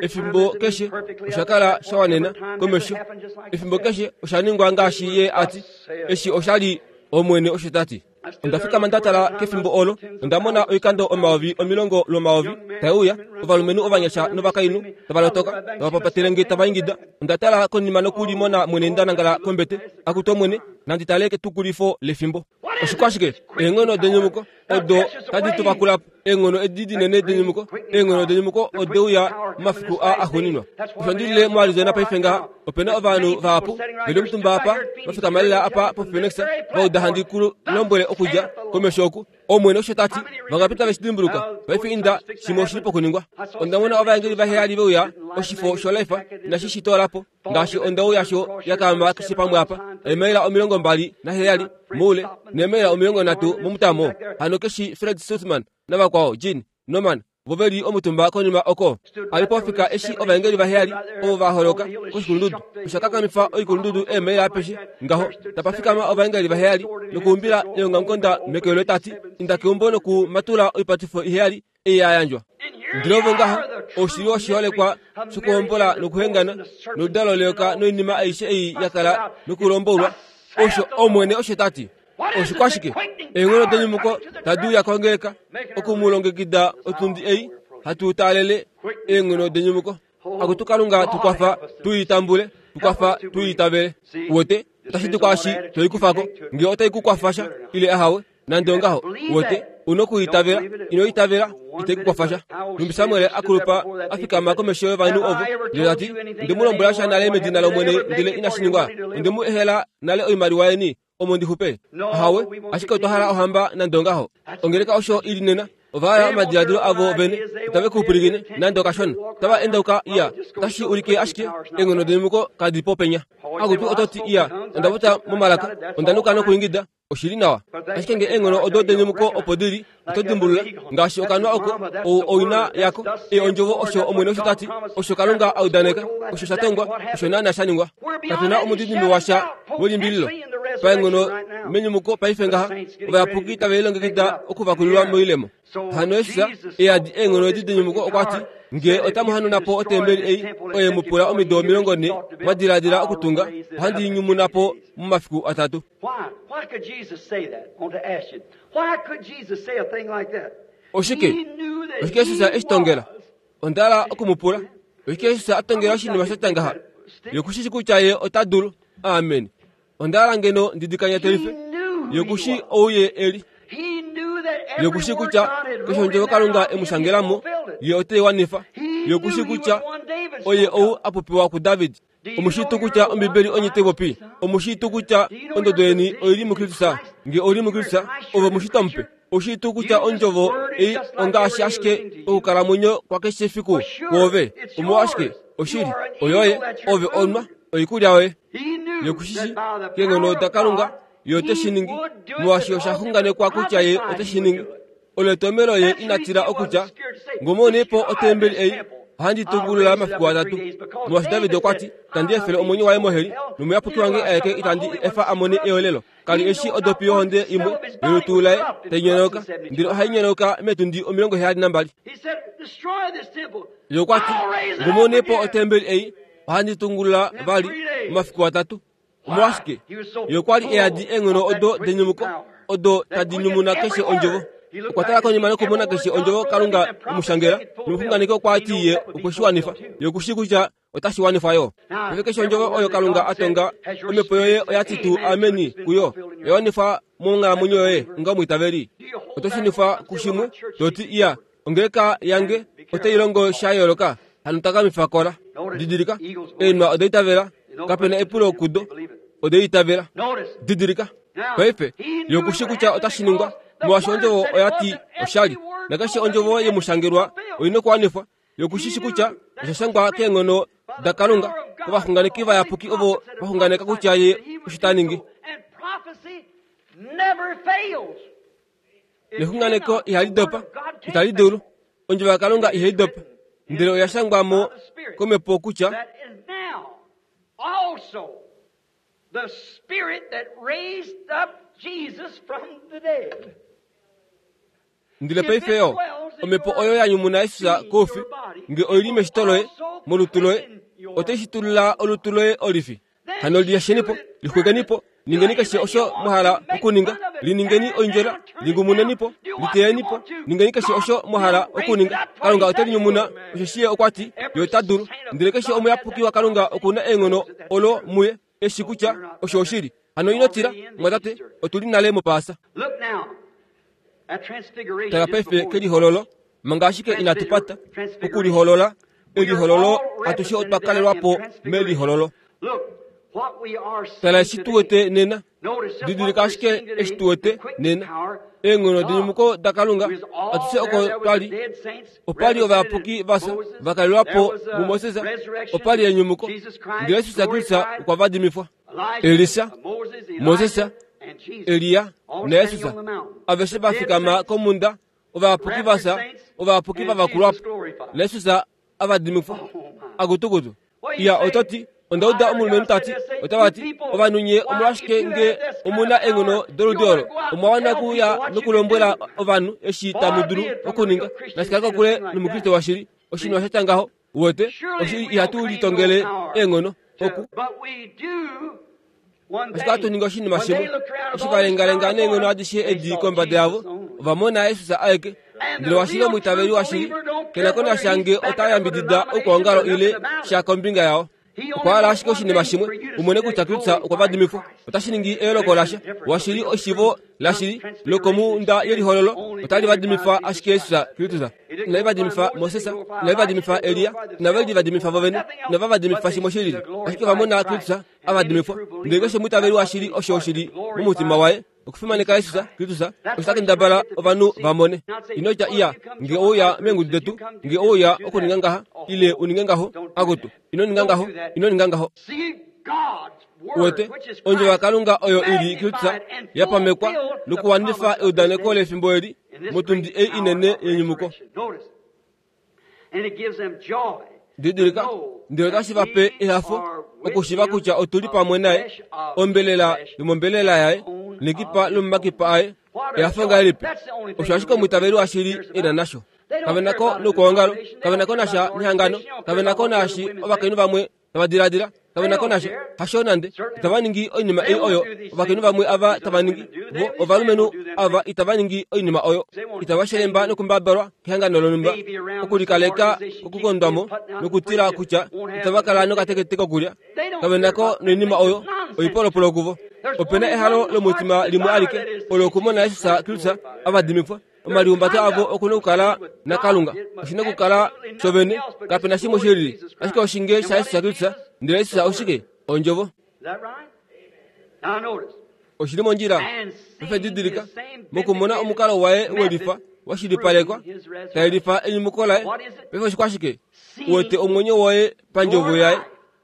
Speaker 1: Efimbo keshe osha kala sha wanena komesho. Efimbo keshe osha ningwa ngaashi Ye a ti. Eshi osha li Omwene osho ta ti. Onda fikama nda tala kefimbo olo, onda mona oikando 10,000 lwomayovi tai uya, ovalumenhu ovanyasha novakainhu tava lotoka, tava papatele nge tava ingida. Onda tala konima nokulimona mwene nda nangala kombete. Akutu Omwene, nandi tale ketukulifo lefimbo. Oshikwashike? Eenghono denyumuko odo tadi tu vakula po. Eenghono edi dinene denyumuko, eenghono denyumuko ode uya momafiku aa axuuninwa. Osho ndi lile moArizona paife ngaha, ope na ovanhu vahapu ve li omutumba apa, va fikama lela apa poPhoenix, va uda handi ku lombwele okudja komesho oku. Omwene osho ta ti, vangapi tave shi dimbuluka? Paife inda, shimwe oshi li pokuningwa. Onda mona ovaengeli vaheyali ve uya, oshifo shoLife inashi shi toola po. Ngaashi ondau yasho ya kaama keshe pamwe apa, eemaila 27 moule neemaila 30 momutamo. Hano keshi Fred Sothmann navakwao, Gene Norman, vo ve li omutumba konima oko. A li pofika eshi ovaengeli vaheyali ovo va holoka koshikulundudu. Osha kakamifa oikulundudu eemaila apeshe ngaho. Tapa fikama ovaengeli vaheyali nokuumbila eongamukonda meke loye ta ti, Inda keumbo nokumatula oipatifo iheyali ei ya yandjwa. Ndele ovo ngaha, oshili oshiholekwa shokuhombola nokuhengana, noludalo leyoka noinima aishe ei ya kala nokulombolwa, osho Omwene osho ta ti. Oshikwashike? Eenghono denyumuko tadi uya kongeleka oku mu longekida otundi ei hatu taalele eenghono denyumuko. Akutu Kalunga, tu kwafa tu i tambule, tu kwafa tu i itavele. Uwete, otashi di kwaashi to i kufa ko, nge otai ku kwafa sha ile ahawe. Nande ongaho, uwete, u nokuitavela. Ino itavela, ite ku kwafa sha. Nhumbi Samuel a kulupa a fikama komesho yovanhu ovo, ndele ta ti, Onde mu lombwela sha nale medina lOmwene ndele inashi ningwa. Onde mu ehela nale oimaliwa yeni, omo ndi xupe. Ahawe, ashike otwa hala ohamba nande ongaho. Ongeleka osho i li nena. Ova hala omadiladilo avo vene, itave ku pwilikine nande okashona. Otava endauka, iya, otashi ulike ashike eenghono denyumuko kadi po penya. Akutu oto ti, iya, onda popya momalaka, onda nuka nokuingida, Oshi li nawa. Ashike nge eenghono odo denyumuko opo di li, oto dimbulula, ngaashi okanwa oko, ou oina yako. Ei ondjovo osho Omwene osho ta ti, osho Kalunga a udaneka, osho sha tongwa, osho naana sha ningwa. Kape na omudidimbe washa welimbililo. Paenghono menyumuko paife ngaha, ovayapuki tave lilongekida okuvakulilwa moilemo. Hano Jesus e yadi eenghono edi denyumuko okwa ti, Nge otamu hanuna po otembeli ei oye mu pula omido 40 mwa diladila okutunga, ohandi i nyumuna po momafiku atatu. Oshike? Oshike Jesus e shi tongela? Onda hala oku mu pula. Oshike Jesus a tongela oshinima sha tya ngaha? Ye oku shi shi kutya ye ota dulu. Amen. Onda hala ngeno ndi di kanyatelife. Ye oku shi ou ye e li. Ye oku shi kutya keshe ondjovo Kalunga e mu shangela mo, ye ote i wanifa. Ye oku shi kutya oye ou a popiwa kuDavid. Omu shii tuu kutya Ombibeli onye tai popi? Omu shii tuu kutya ondodo yeni oi li muKristus? Nge ou li muKristus, ove omushitwa mupe. Ou shii tuu kutya ondjovo ei ongaashi ashike okukalamwenyo kwakeshe efiku kwoove? Omolwashike, oshili, oyoye, ove onwa oikulya yoye. Ye ku shi shii, keenghono daKalunga, Ye ote shi ningi, molwaashi osha xunganekwa kutya Ye ote shi ningi. Olo etomhelo ye ina tila okutya, Ngomone po otembeli ei, ohandi tungulula mafiku atatu. Molwaashi David okwa ti, Itandi efele omwenyo waye moheli, nomuyapuki wange aeke itandi efa a mone eolelo. Ka li eshi odopi yohonde imwe yolutu laye tai nyonauka, ndele ohai nyonauka meetundi 72. Ye okwa ti, Ngomone po otembeli ei, ohandi tungulula vali momafiku atatu. Omolwashike? Ye okwa li e yadi eenghono odo denyumuko, odo tadi nyumuna keshe ondjovo. Okwa tala konima nokumona keshe ondjovo Kalunga emushangela, nomuxunganeki okwa ti ye okwe shi wanifa. Ye oku shii kutya otashi wanifwa yo. Paife keshe ondjovo oyo Kalunga a tonga, omhepo yoye oya ti tuu ameni kuyo, oya wanifwa monghalamwenyo yoye onga omwiitaveli. Oto shunifwa kushimwe, to ti, Iya, ongeleka yange otai longo sha yooloka, hano takamifa kola. Didilika, eenwa oda itavela, kape na epulo kudo, oda itavela. Didilika. Paife, ye oku shii kutya otashi ningwa, molwaashi ondjovo oya ti oshali. Nakeshe ondjovo ye mu shangelwa oi nokuwanifwa. Ye oku shi shi kutya osha shangwa keenghono daKalunga kovaxunganeki vayapuki ovo va xunganeka kutya ye osho ta ningi. Nexunganeko ihali dopa, itali dulu. Ondjovo yaKalunga ihai dopa, ndele oya shangwa mo komhepo kutya
Speaker 3: The spirit that raised up Jesus from the dead.
Speaker 1: Ndele paife yo, omhepo oyo ya nyumuna Jesus koufi, nge oi li meshito loye, molutu loye, otai shitulula olutu loye olifi. Hano liyasheni po, lixwekeni po, ningeni keshe osho mwa hala okuninga, liningeni oindjola, lingumuneni po, liteyeni po, ningeni keshe osho mwa hala okuninga. Kalunga ote linyumuna, osheshi ye okwa ti, ye ota dulu. Ndele keshe omuyapuki waKalunga oku na eenghono olo muye, eshi kutya osho oshili. Hano ino tila, mwatate, otu li nale mOpaasa. Tala paife kelihololo, manga ashike inatu pata, okuliholola, elihololo, atushe otwa kalelwa po melihololo. Tala eshi tu wete nena. Didilika ashike eshi tu wete nena. Eenghono denyumuko daKalunga, atushe oko twa li. Opa li ovayapuki va fya, va kalelwa po muMoses, opa li enyumuko, ndele Jesus Kristus okwa vadimifwa. Elisa, Moses, Elia naJesus aveshe va fikama komhunda, ovayapuki va fya, ovayapuki va vakulwa po, naJesus a vadimifwa. Akutukutu. Iya, oto ti, Onda uda omulumenhu ta ti, otava ti, ovanhu nye omolwashike nge omu na eenghono doludi olo, omwa wana okuuya nokulombwela ovanhu eshi tamu dulu okuninga. Nashi kale kokule nOmukriste washili, oshinima sha tya ngaho. Uwete, oshili ihatu litongele eenghono oku. Ashike ohatu ningi oshinima shimwe. Eshi va lengalenga neenghono adishe edi kombada yavo, ova mona Jesus aeke. Ndele washili omwiitaveli washili ke na ko nasha nge ota yambidida oukwaongalo ile sha kombinga yao. Okwa hala ashike oshinima shimwe, u mone kutya Kristus okwa vadimifwa. Otashi ningi eyooloko lasha. Washili eshivo lashili lokomhunda yelihololo otali vadimifa ashike Jesus Kristus. Inali vadimifa Moses, inali vadimifa Elia, inave li vadimifa vovene, inava vadimifa shimwe shilili. Ashike ova mona Kristus a vadimifwa. Ndele keshe omwiitaveli washili osho oshili momutima waye okufimaneka Jesus Kristus, osho ta kendabala ovanhu va mone. Ino tya iya, nge ouya meengudu detu, nge ouya okuninga ngaha, ile u ninge ngaho, akutu, ino ninga ngaho, ino ninga ngaho. Uwete, ondjovo yaKalunga oyo i li Kristus ya pamekwa nokuwanifa eudaneko lefimbo eli motundi ei inene yenyumuko. Didilika, ndele otashi va pe ehafo okushiva kutya otu li pamwe naye, ombelela yomombelela yaye, nekipa lomomakipa aye. Ehafo ngahelipi! Osho ashike omwiitaveli washili e na nasho. Kave na ko noukwaongalo, kave na ko nasha nehangano, kave na ko naashi ovakainhu vamwe tava diladila, kave na ko nasha, hasho nande. Itava ningi oinima ei oyo ovakainhu vamwe ava tava ningi. Vo ovalumenhu ava itava ningi oinima oyo. Itava shelemba nokumbabalwa kehangano lonhumba, okulikaleka kokukondwa mo nokutila kutya itava kala nokatekete kokulya. Kave na ko noinima oyo, oipolopolo kuvo. Ope na ehalo lomutima limwe alike, olo okumona Jesus Kristus a vadimifwa. Omalihumbato avo oku na okukala naKalunga. Oshi na okukala shovene, kape na shimwe shi lili, ashike oshinge shaJesus Kristus. Ndele Jesus oshike? Ondjovo. Oshi li mondjila. Paife didilika, mokumona omukalo waye welifa wa shilipalekwa, ta yelifa enyumuko laye. Paife oshikwashike? U wete omwenyo woye pandjovo yaye.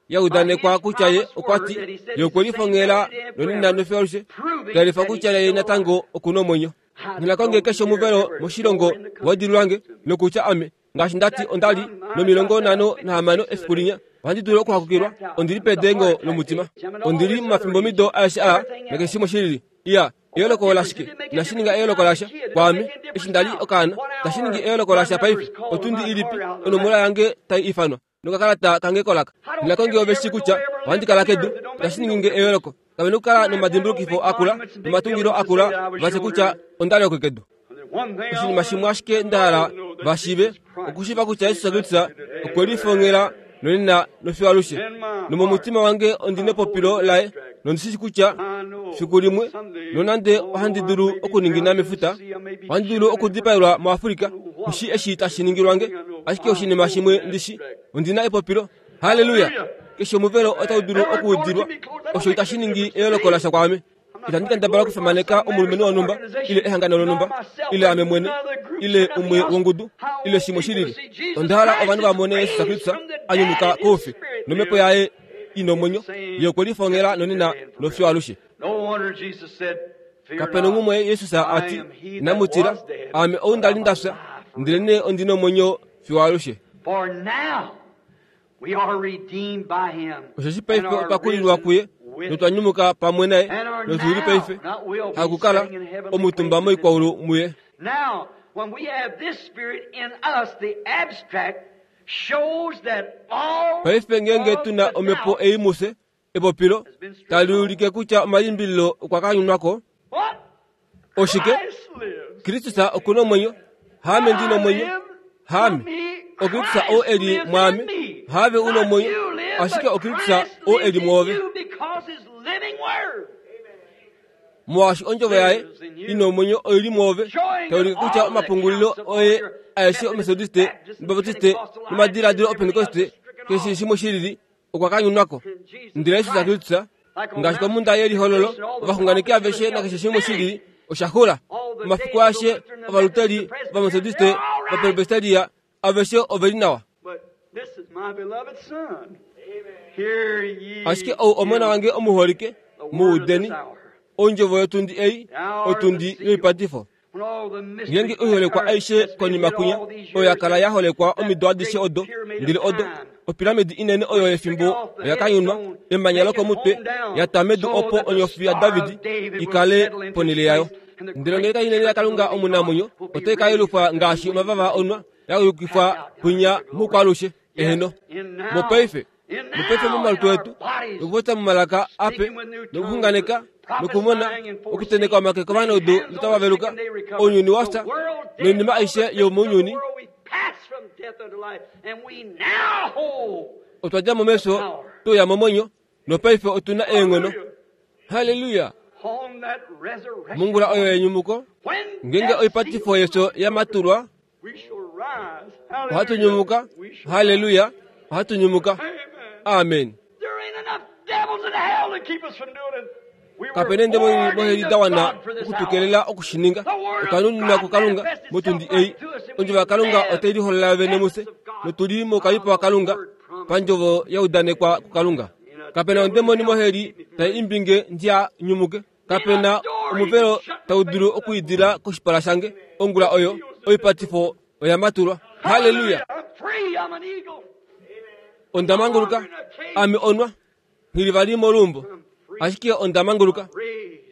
Speaker 1: ya udanekwa kutya ye okwa ti ye okwe lifongela nonena nofyo alushe, ta yelifa kutya ye natango oku na omwenyo. Nghina konge keshe omuvelo moshilongo wa dilulange, nokutya ame, ngaashi nda ti onda li nomilongo nhano nahamano efiku linya, ohandi dulu okuhakukilwa, ondi li pedengo lomutima. Ondi li momafimbomido aeshe aa, nakeshe shimwe shilili. Iya, eyooloko olashike? Inashi ninga eyooloko lasha kwaame eshi nda li okaana. Itashi ningi eyooloko lasha paife. Otundi ilipi onomola yange tai ifanwa? Nokakalata kange kolaka. Nghina konge ove shii kutya ohandi kala kedu. Itashi ningi nge eyooloko. Kave na okukala nomadimbulukifo akula nomatungilo akula va tye kutya onda li okekedu. Oshinima shimwe ashike nda hala va shiive, okushiiva kutya Jesus Kristus okwe lifongela nonena nofiyo alushe. Nomomutima wange ondi nepopilo laye, nondi shi kutya fiku limwe, nonande ohandi dulu okuningina mefuta, ohandi dulu okudipaelwa muAfrika, nghi eshi tashi ningilwa nge, ashike oshinima shimwe ndi shi, ondi na epopilo. Halleluya! Keshe omuvelo otau dulu okuudilwa, osho itashi ningi eyooloko lasha kwaame. Itandi kendabala okufimaneka omulumenhu wonhumba ile ehangano lonhumba ile ame mwene ile umwe wongudu ile shimwe shi lili. Onda hala ovanhu va mone Jesus Kristus a nyumuka koufi nomhepo yaye i nomwenyo, ye okwe lifongela nonena nofiyo alushe. Kape nongumwe Jesus a ti, Inamu tila, aame ou nda li nda fya, ndelenee ondi nomwenyo fiyo alushe. Osheshi paife otwa kulilwa kuye notwa nyumuka pamwe naye notu li paife hakukala omutumba moikwaulu muye. Paife ngeenge tu na omhepo ei mufye, epopilo tali ulike kutya omalimbililo okwa kanyunwa ko. Oshike? Kristus oku na omwenyo, haame ndi na omwenyo, haame. OKristus oo e li mwaame, haave u na omwenyo, ashike oKristus oo e li mwoove. Molwaashi ondjovo yaye i na omwenyo oi li mwoove, tai ulike kutya omapungulilo oye aeshe Ometodiste nObaptiste nomadiladilo Opentekoste, keshe shimwe shi lili, okwa kanyunwa ko. Ndele Jesus Kristus, ngaashi komhunda yelihololo, ovaxunganeki aveshe nakeshe shimwe shi lili osha xula. Omafiku aeshe Ovaluteri, Ovametodiste, Ovapresbiteria, aveshe ove li nawa. Ashike ou Omona wange omuholike, mu udeni. Ondjovo yotundi ei, otundi yoipatifo. Ngeenge oiholekwa aishe konima kwinya oyo ya kala ya holekwa omido adishe odo, ndele odo, opiramidi inene oyo yefimbo oya kanyunwa, emanya lokomutwe, ya twa medu opo onyofi yaDavid i kale ponhele yayo. Ndele ongeleka inene yaKalunga omunamwenyo otai ka yelufwa ngaashi omavava onwa, ya yukifwa kwinya moukwaalushe. Eheno. Mopaife, mopaife momalutu etu, nokupopya momalaka ape, nokuxunganeka, nokumona, okuteneka omake kovanaudu notava veluka, ounyuni wa fya, noinima aishe yomounyuni, otwa dja mo mefyo twe uya momwenyo, nopaife otu na eenghono. Halleluya! Mongula oyo yenyumuko, ngeenge oipatifo yefyo ya matulwa, Ohatu nyumuka. Halleluya! Ohatu nyumuka. Amen. Kape na eendemoni moheli da wana oku tu kelela oku shi ninga. Otwa nuninwa kuKalunga motundi ei. Ondjovo yaKalunga otai liholola yovene mufye, notu li moukavipo waKalunga pandjovo ya udanekwa kuKalunga. Kape na ondemoni moheli tai imbi nge ndiha nyumuke. Kape na omuvelo tau dulu okwiidila koshipala shange. Ongula oyo, oipatifo oya matulwa. Halleluya! Onda manguluka. Ame onwa. Nghi li vali moluumbo. Ashike onda manguluka.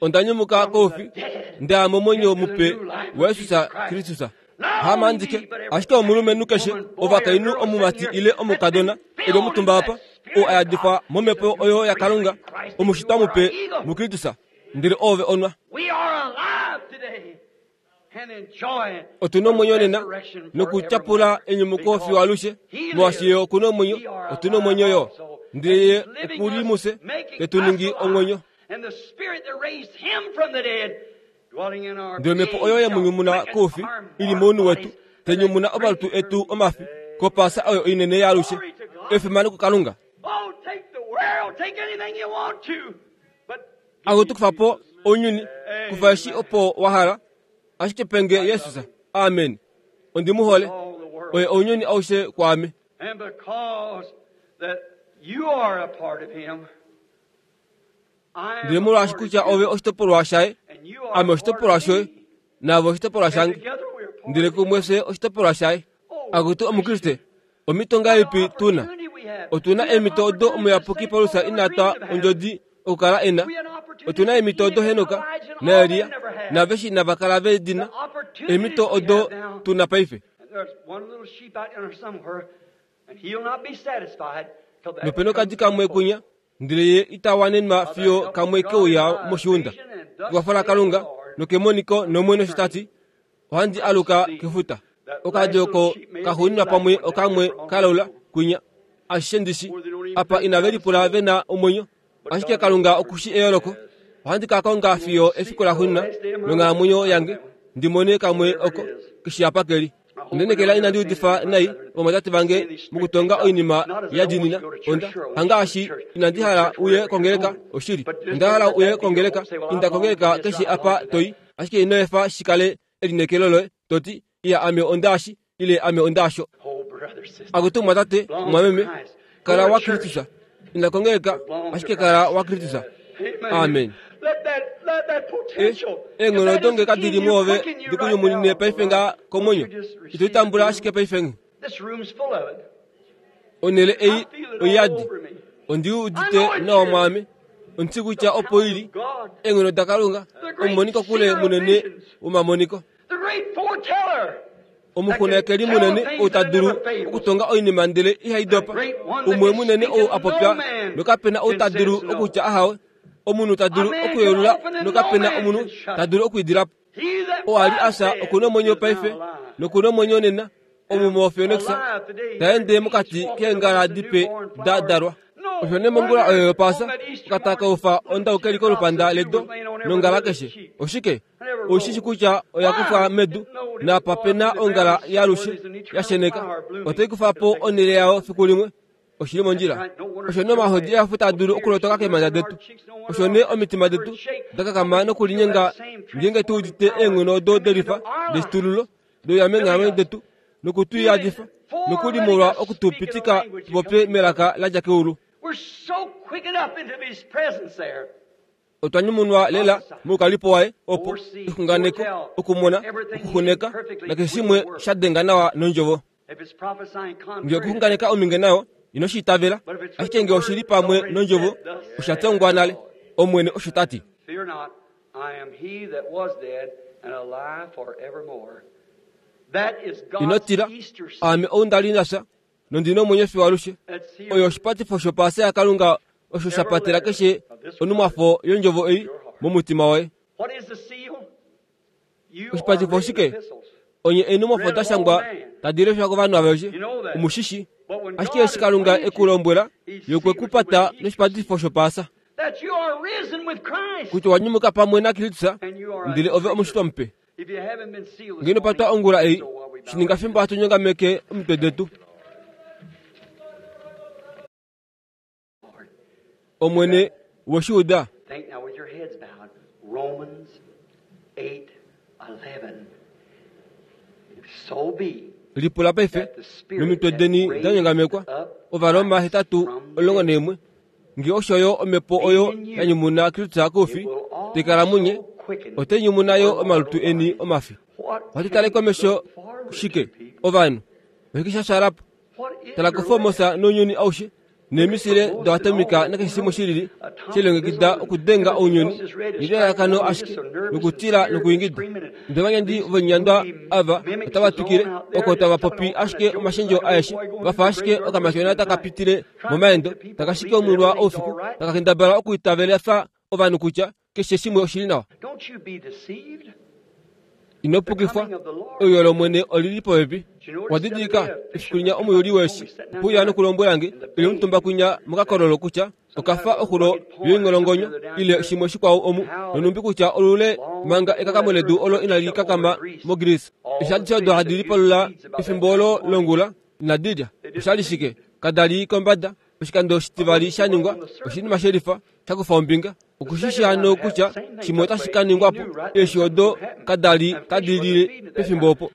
Speaker 1: Onda nyumuka koufi, nda ya momwenyo mupe waJesus Kristus. Hamandike, ashike omulumenhu keshe, ovakainhu omumati ile omukadona, e li omutumba apa, oo a yadifwa momhepo oyo yaKalunga, omushitwa mupe muKristus, ndele oove onwa. Otu na omwenyo nena nokutyapula enyumuko fiyo alushe, molwaashi Ye oku na omwenyo, otu na omwenyo yo. Ndele Ye oku li mufye, te tu ningi omwenyo. Ndele omhepo oyo ye mu nyumuna koufi i li mounhu wetu, te nyumuna omalutu etu omafi kOpaasa oyo inene yaalushe. Efimano kuKalunga! Akutu kufa po ounyuni, kufa eshi opo wa hala, ashike pe nge Jesus. Amen. Ondi mu hole. Oye ounyuni aushe kwaame. Ndele molwaashi kutya ove oshitopolwa shaye, ame oshitopolwa shoye, naave oshitopolwa shange, ndele kumwe fye oshitopolwa shaye. Akutu Omukriste, omhito ngahelipi tu na? Otu na eemhito odo omuyapuki Paulus ina twa ondjodi okukala e na. Otu na eemhito odo Henok naElia naaveshe inava kala ve di na, eemhito odo tu na paife. Nope nokadi kamwe kunya Ndele ye ita wanenwa fiyo kamwe ke uya moshiunda. Kekwafo laKalunga nokemoniko nOmwene osho ta ti. Ohandi aluka kefuta. Okadi oko kaxuuninwa pamwe okamwe kalaula kwinya. Ashishe ndishi apa inave lipula ve na omwenyo. Ashike Kalunga oku shi eyooloko. Ohandi ka konga fiyo efiku laxuuninwa longhalamwenyo yange ndi mone kamwe oko keshi apa ke li. Ondenekela inandi udifa nai ovamwatate vange mokutonga oinima ya dinina. Onda hangaashi inandi hala uye kongeleka oshili. Onda hala uye kongeleka. Inda kongeleka keshe apa to i. Ashike ino efa shi kale elineekelo loye to ti, Iya, ame ondaashi, ile ame ondaasho. Akutu mwatate, mwameme, kala waKristus. Inda kongeleka, ashike kala waKristus. Amen. E, eenghono odo nge kadi li mwoove di ku nyumunine paife nga komwenyo, ito di tambula ashike paife nge. Onhele ei oiyadi. Ondi udite nawa mwaame. Ondi kutya opo i li, eenghono daKalunga, omumonikokule munene womamoniko. Omuxunganekeli munene ou ta dulu okutonga oinima ndele ihai dopa, umwe munene ou a popya nokape na ou ta dulu okutya ahawe, omunhu ta dulu okuyelula nokape na omunhu ta dulu okwiidila po. Oo a li a fya oku na omwenyo paife noku na omwenyo nena, omu moPhoenix, ta ende mokati keengala dipe da dalwa. Osho nee mongula oyo yOpaasa, okatakaufa ondau ke li kolupanda ledo nongala keshe. Oshike? Oushi shi kutya oya kufwa medu, naapa pe na ongala yaalushe ya sheneka, otai kufa po onhele yayo fiku limwe. Oshi li mondjila. Osho nee omahodi ehafo taa dulu okulotoka keemhanda detu. Osho nee omitima detu da kakama nokulinyenga ngeenge tu udite eenghono odo delifa deshitululo deuya meenghalamwenyo detu noku tu yadifa nokuli molwa oku tu pitika tu popye melaka la dja keulu. Otwa nyumunwa lela moukalipo waye opo exunganeko, okumona, okuxuneka nakeshe shimwe sha denga nawa nondjovo. Nge okuxunganeka ominge nayo ino shi itavela, ashike nge oshi li pamwe nondjovo, osha tongwa nale, Omwene osho ta ti. Ino tila, aame ou nda li nda fya, nondi na omwenyo fiyo alushe. Oyo oshipatifo shopaasa yaKalunga osho sha patela keshe onhumwafo yondjovo ei momutima woye. Oshipatifo oshike? Onye eenhumwafo da shangwa tadi leshwa kovanhu aveshe, omu shi shi. Ashike eshi Kalunga e ku lombwela, Ye okwe ku pata noshipatifo shopaasa. Kutya owa nyumuka pamwe naKristus, ndele ove omushitwa mupe. Nge ino patwa ongula ei, shi ninga fimbo hatu nyongameke omitwe detu. Omwene, we shi uda?
Speaker 3: Think now with your heads bowed. Romans 8:11. So be
Speaker 1: Lipula paife, nomitwe deni da nyongamekwa, Ovaroma 8:11. Nge osho yo omhepo oyo ya nyumuna Kristus koufi, tai kala munye, otai nyumuna yo omalutu eni omafi. Ohatu tale komesho shike, ovanhu? Oshike sha shala po? Tala koFormosa nounyuni aushe, neemisile doatomika nakeshe shimwe shi lili she lilongekida okudenga ounyuni nelalakano ashike lokutila nokuingida. Ndele ovanyandi voinyandwa ava otava twikile oko tava popi ashike omashendjo aeshe, va fa ashike okamatyona taka pitile momaendo, taka shiki omwilwa oufiku, taka kendabala okuitavelifa ovanhu kutya keshe shimwe oshi li nawa. Ino pukifwa, euyo lOmwene oli li popepi. Owa didilika efiku linya omuyuli weeshi okwe uya nokulombwela nge, e li omutumba kwinya mokakololo kutya oka fa oxulo yoingolongonyo ile shimwe shikwao omu, nonhumbi kutya olule manga ekakamo ledu olo inali kakama moGreece. Eshi adishe odo hadi lipalula efimbo olo longula, inadi lya. Osha li shike? Kada li kombada. Oshikando oshitivali sha ningwa, oshinima shelifa sha kufa ombinga. Okushi shi hano kutya shimwe otashi ka ningwa po. Eeshi odo kada li tadi lile pefimbo opo.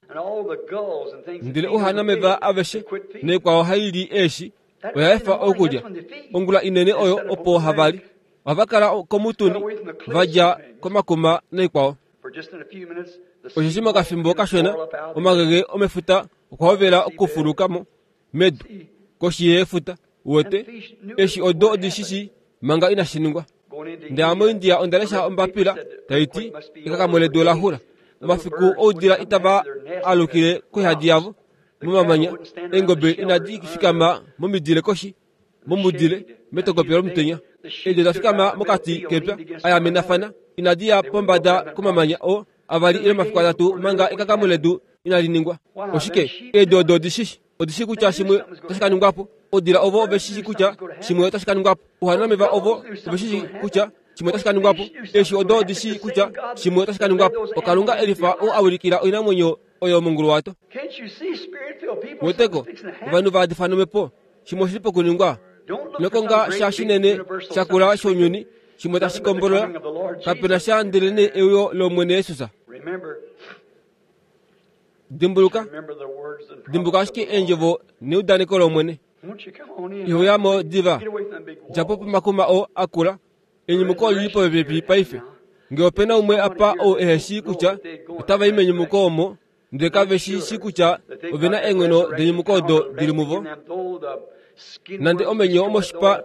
Speaker 1: Ndele ouhanameva aveshe naikwao hai li eeshi oya efa okulya. Ongula inene oyo opo hava li. Ohava kala komutuni, va dja komakuma naikwao. Osheshi mokafimbo kashona omagege omefuta okwa hovela okufuluka mo medu koshi yefuta. Uwete, eshi odo odi shi shii manga inashi ningwa. Ndele moIndia onda lesha ombapila tai ti ekakamo ledu ola xula. Omafiku oudila itava alukile koihadi yavo momamanya, eengobe inadi fikama momidile koshi momudile metokopyo lomutenya. Eedi oda fikama mokati kepya a yamenafana, inadi ya pombada komamanya oo. Avali ile omafiku atatu manga ekakamo ledu inali ningwa. Oshike? Eedi odo odi shi odi shii kutya shimwe otashi ka ningwa po. Oudila ovo ove shi shii kutya shimwe otashi ka ningwa po. Ouhanameva ovo ove shi shii kutya shimwe otashi ka ningwa po. Eeshi odo odi shii kutya shimwe otashi ka ningwa po. OKalunga e lifa ou a wilikila oinamwenyo oyo monguluwato. Weteko, ovanhu va yadifwa nomhepo, shimwe oshi li pokuningwa. Ino konga sha shinene shakula shounyuni, shimwe tashi kombolola. Kape na sha ndelenee euyo lOmwene Jesus. Dimbuluka, dimbuka ashike eendjovo neudaneko lOmwene. Iho ya mo diva. Dja po pomakuma oo a kula. Enyumuko oli li popepi paife. Nge ope na umwe apa ou ehe shii kutya otava i menyumuko omo, ndele kave shi shii kutya ove na eenghono denyumuko odo di li muvo, nande omenyo omoshipa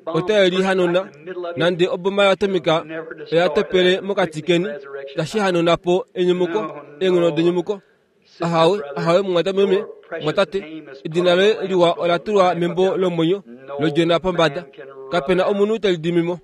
Speaker 1: otae li hanuna, nande oboma yoatomika oya topele mokati keni, itashi hanuna po enyumuko, eenghono denyumuko. Ahawe, ahawe, mumwatameme, mumwatate, edina loye liwa ola tulwa membo lomwenyo lOdjona pombada. Kape na omunhu te li dimi mo.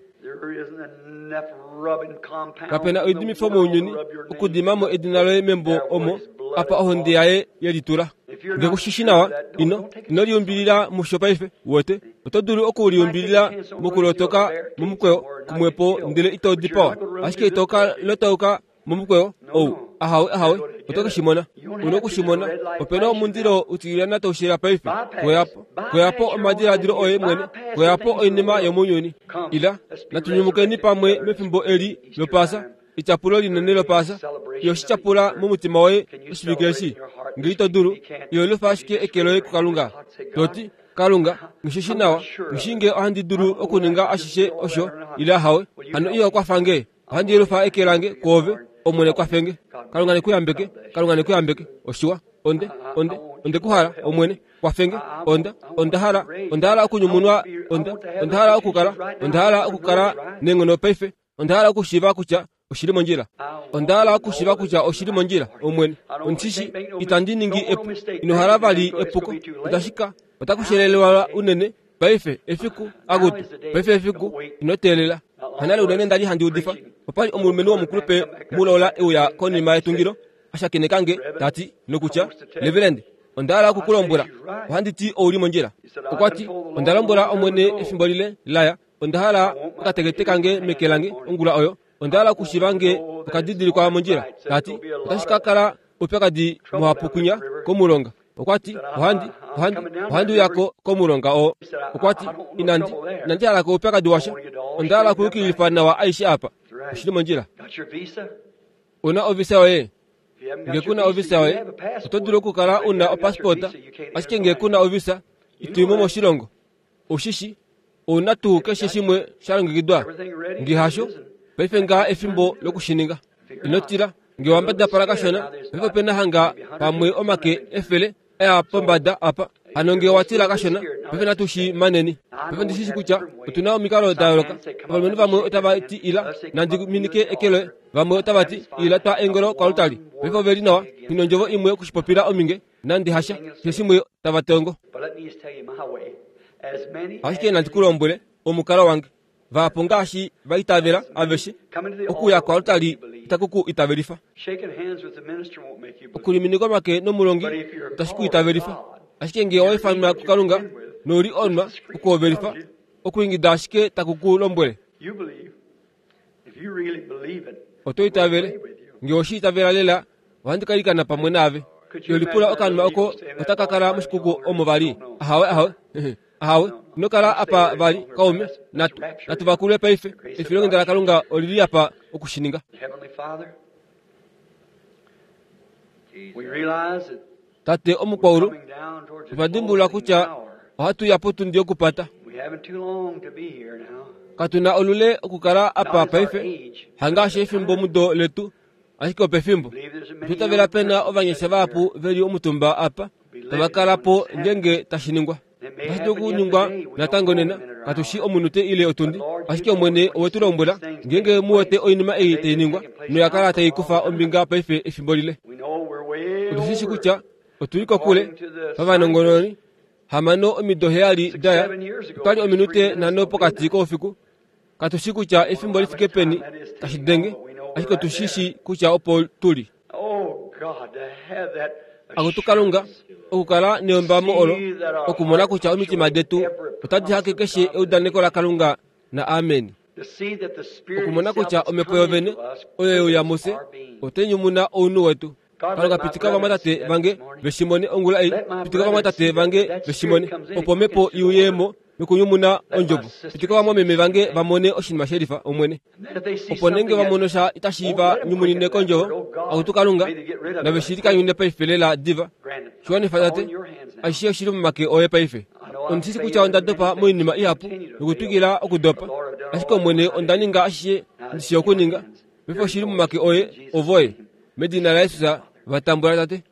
Speaker 1: Kape na oidimifo mounyuni okudima mo edina loye membo omo apa ohonde yaye ye litula. Nge ku shi shi nawa, ino, ino liumbilila musho paife, uwete. Oto dulu oku liumbilila mokulotoka momukweyo kumwepo ndele ito dipawa, ashike ito ka lotauka momukweyo ou. Ahawe, ahawe, oto ke shi mona. U noku shi mona. Ope na omundilo utilyana tau shela paife. Koya po, koya po omadiladilo oye mwene. Koya po oinima yomounyuni. Ila, natu nyumukeni pamwe mefimbo eli lOpaasa, etyapulo linene lOpaasa. Iho shi tyapula momutima woye oshivike eshi? Nge ito dulu, iho lufa ashike eke loye kuKalunga, to ti, Kalunga, nghi shi nawa, nghi shii nge ohandi dulu okuninga ashishe osho, ile ahawe. Hano iho kwafa nge. Ohandi yelufa eke lange kwoove, Omwene kwafe nge. Kalunga ne ku yambeke. Kalunga ne ku yambeke. Oshiwa. Onde, onde, onde ku hala, Omwene. Kwafe nge. Onda, onda hala, onda hala okunyumunwa. Onda, onda hala okukala, onda hala okukala neenghono paife. Onda hala okushiiva kutya oshi li mondjila. Onda hala okushiiva kutya oshi li mondjila, Omwene. Ondishi, itandi ningi epu. Ino hala vali epuko. Itashi ka, otaku shelelelwa unene Paife efiku, akutu, paife efiku, ino teelela. Hanale unene nda li handi udifa, opa li omulumenhu womukulupe mulola e uya konima yetungilo, a shakeneka nge, ta ti, nokutya, Reverend, onda hala oku ku lombwela, ohandi ti ou li mondjila. Okwa ti, Onda lombwela Omwene efimbo lile la ya, onda hala okatekete kange meke lange ongula oyo, onda hala okushiva nge oka didilikwa mondjila. Ta ti, Otashi ka kala oupyakadi muhapu kwinya komulonga. Okwa ti, Ohandi, ohandi, ohandi uya ko komulonga oo. Okwa ti, Inandi, inandi hala ko oupyakadi washa. Onda hala okuyukililifa nawa aishe apa. Oshi li mondjila. U na ovisa yoye? Nge ku na ovisa yoye, oto dulu okukala u na opasporta, ashike nge ku na ovisa, ito i mo moshilongo. Ou shi shi, ou na tuu keshe shimwe sha longekidwa? Nge hasho, paife ngaha efimbo loku shi ninga. Ino tila, nge wa mbadapala kashona, paife ope na hanga pamwe omake efele a ya pombada apa. Hano nge owa tila kashona, paife natu shi maneni. Paife ondi shi shi kutya otu na omikalo da yooloka. Ovalumenhu vamwe otava ti ila, nandi minike eke loye. Vamwe otava ti ila twa eengolo koaltari. Paife ove li nawa, nghi nondjovo imwe oku shi popila ominge. Nande hasha, keshe shimwe tava tongo. Ashike nandi ku lombwele omukalo wange. Vahapu ngaashi va itavela aveshe, okuuya koaltari itaku ku itavelifa. Okulimineka omake nomulongi itashi ku itavelifa. Ashike ngee owa ifanwa kuKalunga nou li onwa okuhovelifa, okuingida ashike taku ku lombwele. Oto itavele? Nge oshi itavela lela, ohandi ka ilikana pamwe naave. Yo lipula okanima oko otaka kala moshikuku omo vali. Ahawe, ahawe. Ahawe, ino kala apa vali, kaume. Natu, natu vakulwe paife. Efilonghenda laKalunga oli li apa oku shi ninga. Tate omukwaulu, otwa dimbulula kutya ohatu ya potundi yokupata. Katu na olule okukala apa paife, hangaashi efimbo mudo letu, ashike opefimbo. Otwa itavela pe na ovanyasha vahapu ve li omutumba apa, tava kala po ngeenge tashi ningwa. Otashi dulu okuningwa natango nena, katu shii omunute ile otundi, ashike Omwene owe tu lombwela, ngeenge mu wete oinima ei tai ningwa, noya kala tai kufa ombinga paife efimbo lile. Otu shi shii kutya otu li kokule, pavanongononi, hamano omido heyali da ya, otwa li ominute nhano pokati koufiku. Katu shii kutya efimbo li fike peni tashi denge, ashike otu shi shii kutya opo tu li. Akutu Kalunga, okukala neyombamo olo, okumona kutya omitima detu otadi hake keshe eudaneko laKalunga na amen. Okumona kutya Omhepo yovene oyo ye uya mufye, otai nyumuna ounhu wetu. Kalunga pitika ovamwatate vange ve shi mone ongula ei. Pitika ovamwatate vange ve shi mone, opo Omhepo i uye mo nokunyumuna Ondjovo. Pitika ovamwameme vange va mone oshinima shelifa, Omwene. Opo nenge va mono sha itashi va nyumunine kOndjovo, Akutu Kalunga, nave shi likanyune paife lela diva. Shi wanifa, Tate. Ashishe oshi li momake Oye paife. Ondi shi kutya onda dopa moinima ihapu nokutwikila okudopa, ashike Omwene onda ninga ashishe ndi shii okuninga. Paife oshi li momake Oye, ovoye. Medina laJesus, va tambula, Tate.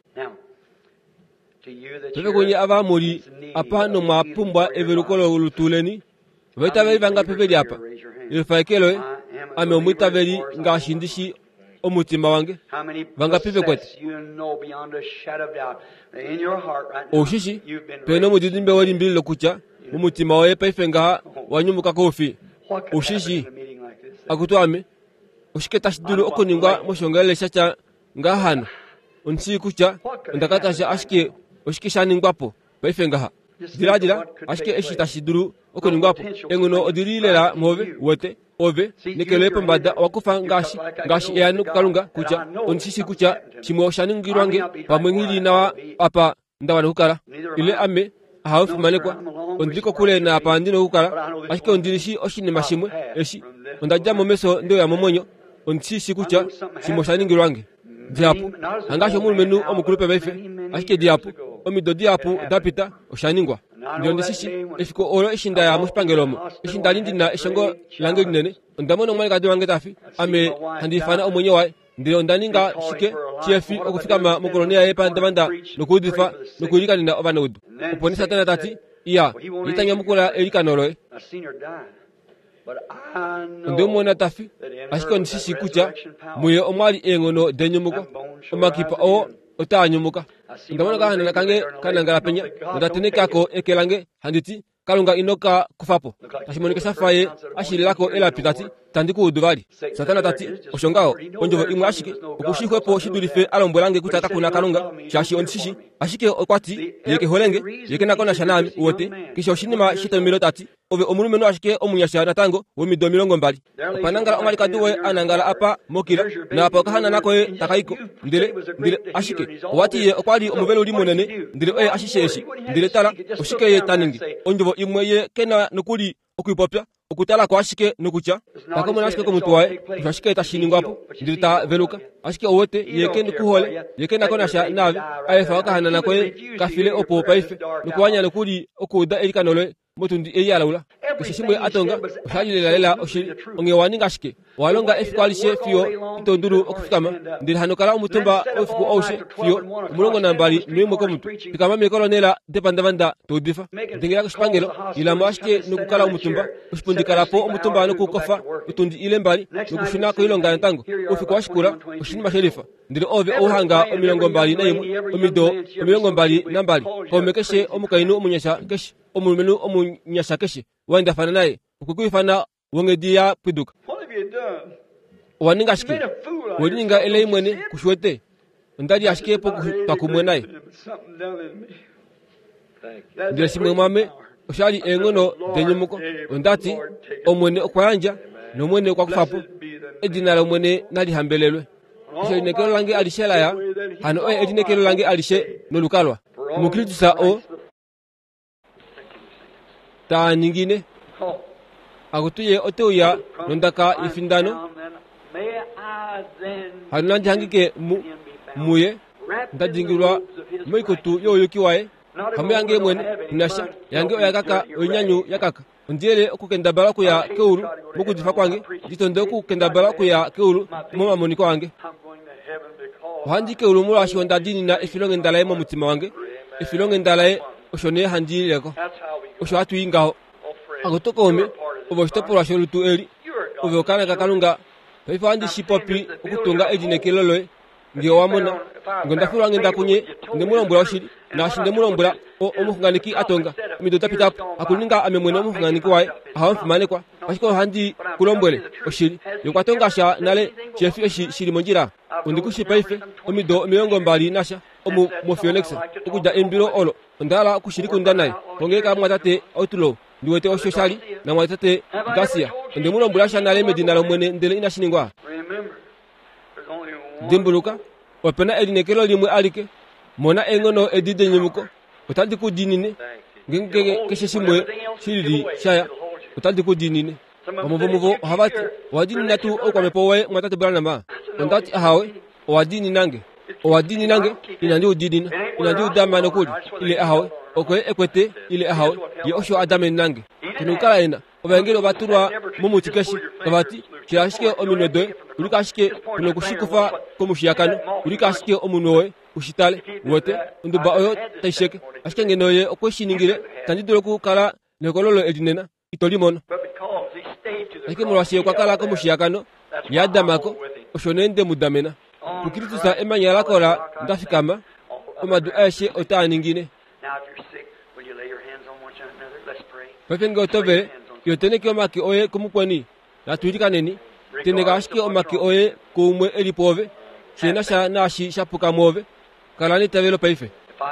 Speaker 1: Paife kunye ava mu li apa nomwa pumbwa eveluko lolutu leni, ovaitaveli vangapi ve li apa? Yelufa eke loye. Ame omwiitaveli ngaashi ndi shi omutima wange. Vangapi ve kwete? Ou shi shi, pe nomudidimbe welimbililo kutya momutima woye paife ngaha wa nyumuka koufi. Ou shi shii? Akutu ame, oshike tashi dulu okuningwa moshiongalele sha tya ngaha hano? Ondi shii kutya onda katasha ashike oshike sha ningwa po paife ngaha. Diladila ashike eshi tashi dulu okuningwa po. Eenghono odi li lela mwoove, uwete. Ove, neke loye pombada, owa kufa ngaashi, ngaashi eano kuKalunga kutya ondi shi shii kutya shimwe osha ningilwa nge, pamwe nghi li nawa apa nda wana okukala. Ile ame, ahawe fimanekwa, ondi li kokule naapa ndi na okukala, ashike ondi li shii oshinima shimwe, eshi, onda dja mo mefyo nde uya momwenyo, ondi shi shii kutya shimwe osha ningilwa nge. Dihapu, hangaashi omulumenhu omukulupe paife, ashike dihapu, omido dihapu da pita, osha ningwa. Ndele ondi shi shii, efiku olo eshi nda ya moshipangelo omo, eshi nda li ndi na eshongo lange linene, onda mona omwalikadi wange ta fi, ame handi ifana omwenyo waye. Ndele onda ninga shike shihefi okufikama mokoloni yaye pandavanda nokuudifa nokuilikanena ovanaudu? Opo nee Satana ta ti, Iya, ye ta nyamukula eilikano loye. Onde mu mona ta fi, ashike ondi shi shii kutya muye omwa li eenghono denyumuko. Omakipa oo otaa nyumuka. Onda mona okahanana kange ka nangala penya, nonda tenheka ko eke lange handi ti, Kalunga ino ka kufa po. Tashi monika sha fa ye a shilila ko elapi ta ti, Tandi ku udu vali. Satana ta ti, Osho ngaho, ondjovo imwe ashike, oku shi xwepo shi dulife a lombwela nge kutya kaku na Kalunga, shaashi ondi shi shii. Ashike okwa ti, Ye ke hole nge, ye ke na ko nasha naame, uwete, keshe oshinima shetomhelo ta ti, Ove omulumenhu ashike omunyasha natango, womido 20. Opa nangala omwalikadi woye a nangala apa mokila, naapa okahanana koye taka i ko. Ndele, ndele, ashike, owa ti ye okwa li omuveluli munene, ndele oye ashishe eshi. Ndele tala, oshike ye ta ningi? Ondjovo imwe ye ke na nokuli oku i popya, okutala ko ashike nokutya, ta komona ashike komutwe waye, osho ashike tashi ningwa po, ndele ta veluka. Ashike ou wete, ye ke ku hole, ye ke na ko nasha naave, a efa okahanana koye ka file opo paife, nokuwanya nokuli okuuda eilikano loye. motundi ei ya laula. Keshe shimwe a tonga osha li lelalela oshili. Onghee owa ninga shike? Owa longa efiku alishe fiyo ito dulu okufikama, ndele hano kala omutumba oufiku aushe fiyo 21 komutu. Fikama meekolonela depandavanda to udifa. Dengela koshipangelo, ila mo ashike nokukala omutumba koshipundi kala po omutumba nokukofa otundi ile mbali nokushuna koilonga natango. Oufiku wa shikula oshinima shelifa. Ndele ove ou hanga 21, omido 22, kaume keshe omukainhu omunyasha keshe, omulumenhu omunyasha keshe wa endafana naye, okwe ku ifana wonghedi ya pwiduka. Owa ninga shike? We lininga elai mwene, ku shi wete? Onda li ashike pokutwa kumwe naye. Ndele shimwe mwame osha li eenghono denyumuko. Onda ti, Omwene okwa yandja, nOmwene okwa kufa po. Edina lOmwene nali hambelelwe. Osho elineekelo lange alishe la ya, hano oye elineekelo lange alishe nolukalwa. MuKristus o taa ningine. Akutu ye ote uya nondaka yefindano. Hano nandi hangike mu, muye, nda dingilwa moikutu youyuki waye. Hamu yange mwene, inasha, yange oya kaka, oinyanyu ya kaka. Ondi yele okukendabala okuya keulu mokudifa kwange, ndi tonde okukendabala okuya keulu momamoniko ange. Ohandi keulu molwaashi onda diinina efilonghenda laye momutima wange, efilonghenda laye osho nee handi ilile ko. Osho hatu i ngaho. Akutu kaume, ove oshitopolwa sholutu eli. Ove okaana kaKalunga. Paife ohandi shi popi okutunga elineekelo loye. Nge owa mona, nge onda filwa onghenda kunye, onde mu lombwela oshili, naashi nde mu lombwela, o, omuxunganeki a tonga, omido da pita po, hakuninga ame mwene omuxunganeki waye, ahawe omufimanekwa. Ashike ohandi ku lombwele oshili. Ye okwa tonga sha nale shefi eshi shi li mondjila. Ondi ku shi paife, omido 20 nasha, omu moPhoenix, okudja eimbilo olo. Onda hala oku shi likunda naye. Kongeleka mumwatate Outlaw, ndi wete osho sha li, namumwatate Garcia. Onde mu lombwela sha nale medina lOmwene ndele inashi ningwa. Dimbuluka, ope na elineekelo limwe alike. Mona eenghono edi denyumuko. Otadi ku diinine. Ngeenge keshe shimwe shi lili sha ya, otadi ku diinine. Vamwe vomuvo ohava ti, Owa diinina tuu oukwamhepo woye, Mumwatate Branham? Onda ti, Ahawe, owa diinina nge. Owa diinina nge, inandi u diinina. Inandi u dama nokuli, ile ahawe. Oko ye e kwete, ile ahawe. Ye osho a damenena nge. Ke nokukala e na. Ovaengeli ova tulwa momuti keshe, tava ti, Shila ashike ominwe doye, ulika ashike, ku noku shi kufa komushiyakano, ulika ashike omunwe woye, u shi tale. Uwete, onduba oyo tai sheke. Ashike ngeno ye okwe shi ningile, itandi dulu okukala nehokololo eli nena. Ito li mono. Ashike molwaashi ye okwa kala komushiyakano, ye a dama ko, osho nee nde mu damena. PuKristus emanya la kola nda fikama, omadu aeshe otaa ningine. Paife nge oto vele, iyo teneke omake oye kumukweni. Natu ilikaneni. Teneka ashike omake oye kuumwe e li pwoove, shi na sha naashi sha puka mwoove. Kala neitavelo paife.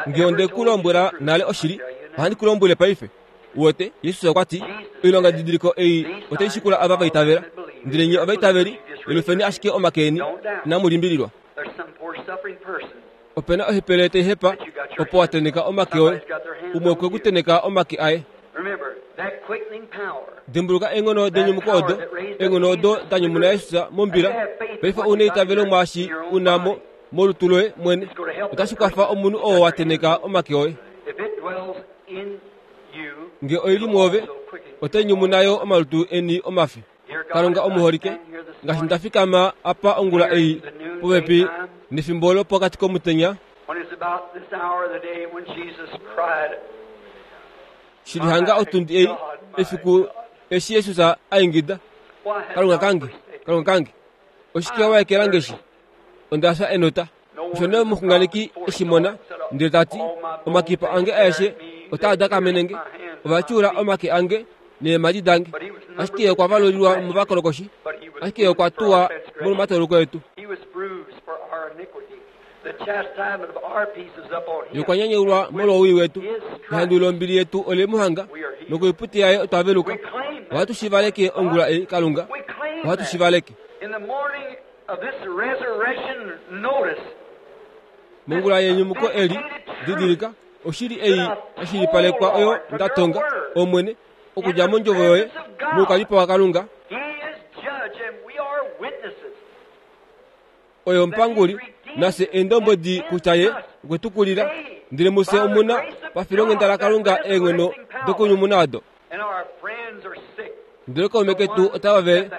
Speaker 1: Nge onde ku lombwela nale oshili, ohandi ku lombwele paife. Uwete, Jesus okwa ti, Oilongadidiliko ei otai shikula ava va itavela. Ndele nye ovaitaveli, yelufeni ashike omake eni, inamu limbililwa. Ope na ohepele tai hepa opo wa teneka omake oye. Umwe okwe ku teneka omake aye. Dimbuluka eenghono denyumuko odo, eenghono odo da nyumuna Jesus mombila. Paife ou na eitavelo mwaashi u na mo molutu loye mwene. Otashi kwafa omunhu oo wa teneka omake oye. Nge oi li mwoove, otai nyumuna yo omalutu eni omafi. Kalunga omuholike, ngaashi nda fikama apa ongula ei popepi nefimbo lopokati komutenya, shi li hanga otundi ei, efiku eshi Jesus a ingida, Kalunga kange, Kalunga kange, oshike wa ekela nge shi? Onda fya enota. Osho nee omuxunganeki e shi mona, ndele ta ti, Omakipa ange aeshe otaa dakamene nge, ova tyuula omake ange neemhadi dange. Ashike ye okwa valulilwa movakolokoshi, ashike ye okwa tuwa molwomatauluko etu. Ye okwa nyanyaulwa molwowii wetu, ehandu lombili yetu ole mu hanga, nokoipute yaye otwa veluka. Ohatu shi valeke ongula ei, Kalunga, ohatu shi valeke. Mongula yenyumuko eli, didilika, oshili ei ya shilipalekwa oyo nda tonga, Omwene, okudja mondjovo yoye, moukalipo waKalunga, oye omupanguli, nafye eendombwedi kutya ye okwe tu kulila, ndele mufye omu na pafilonghenda laKalunga eenghono dokunyumuna odo. Ndele kaume ketu otava vele,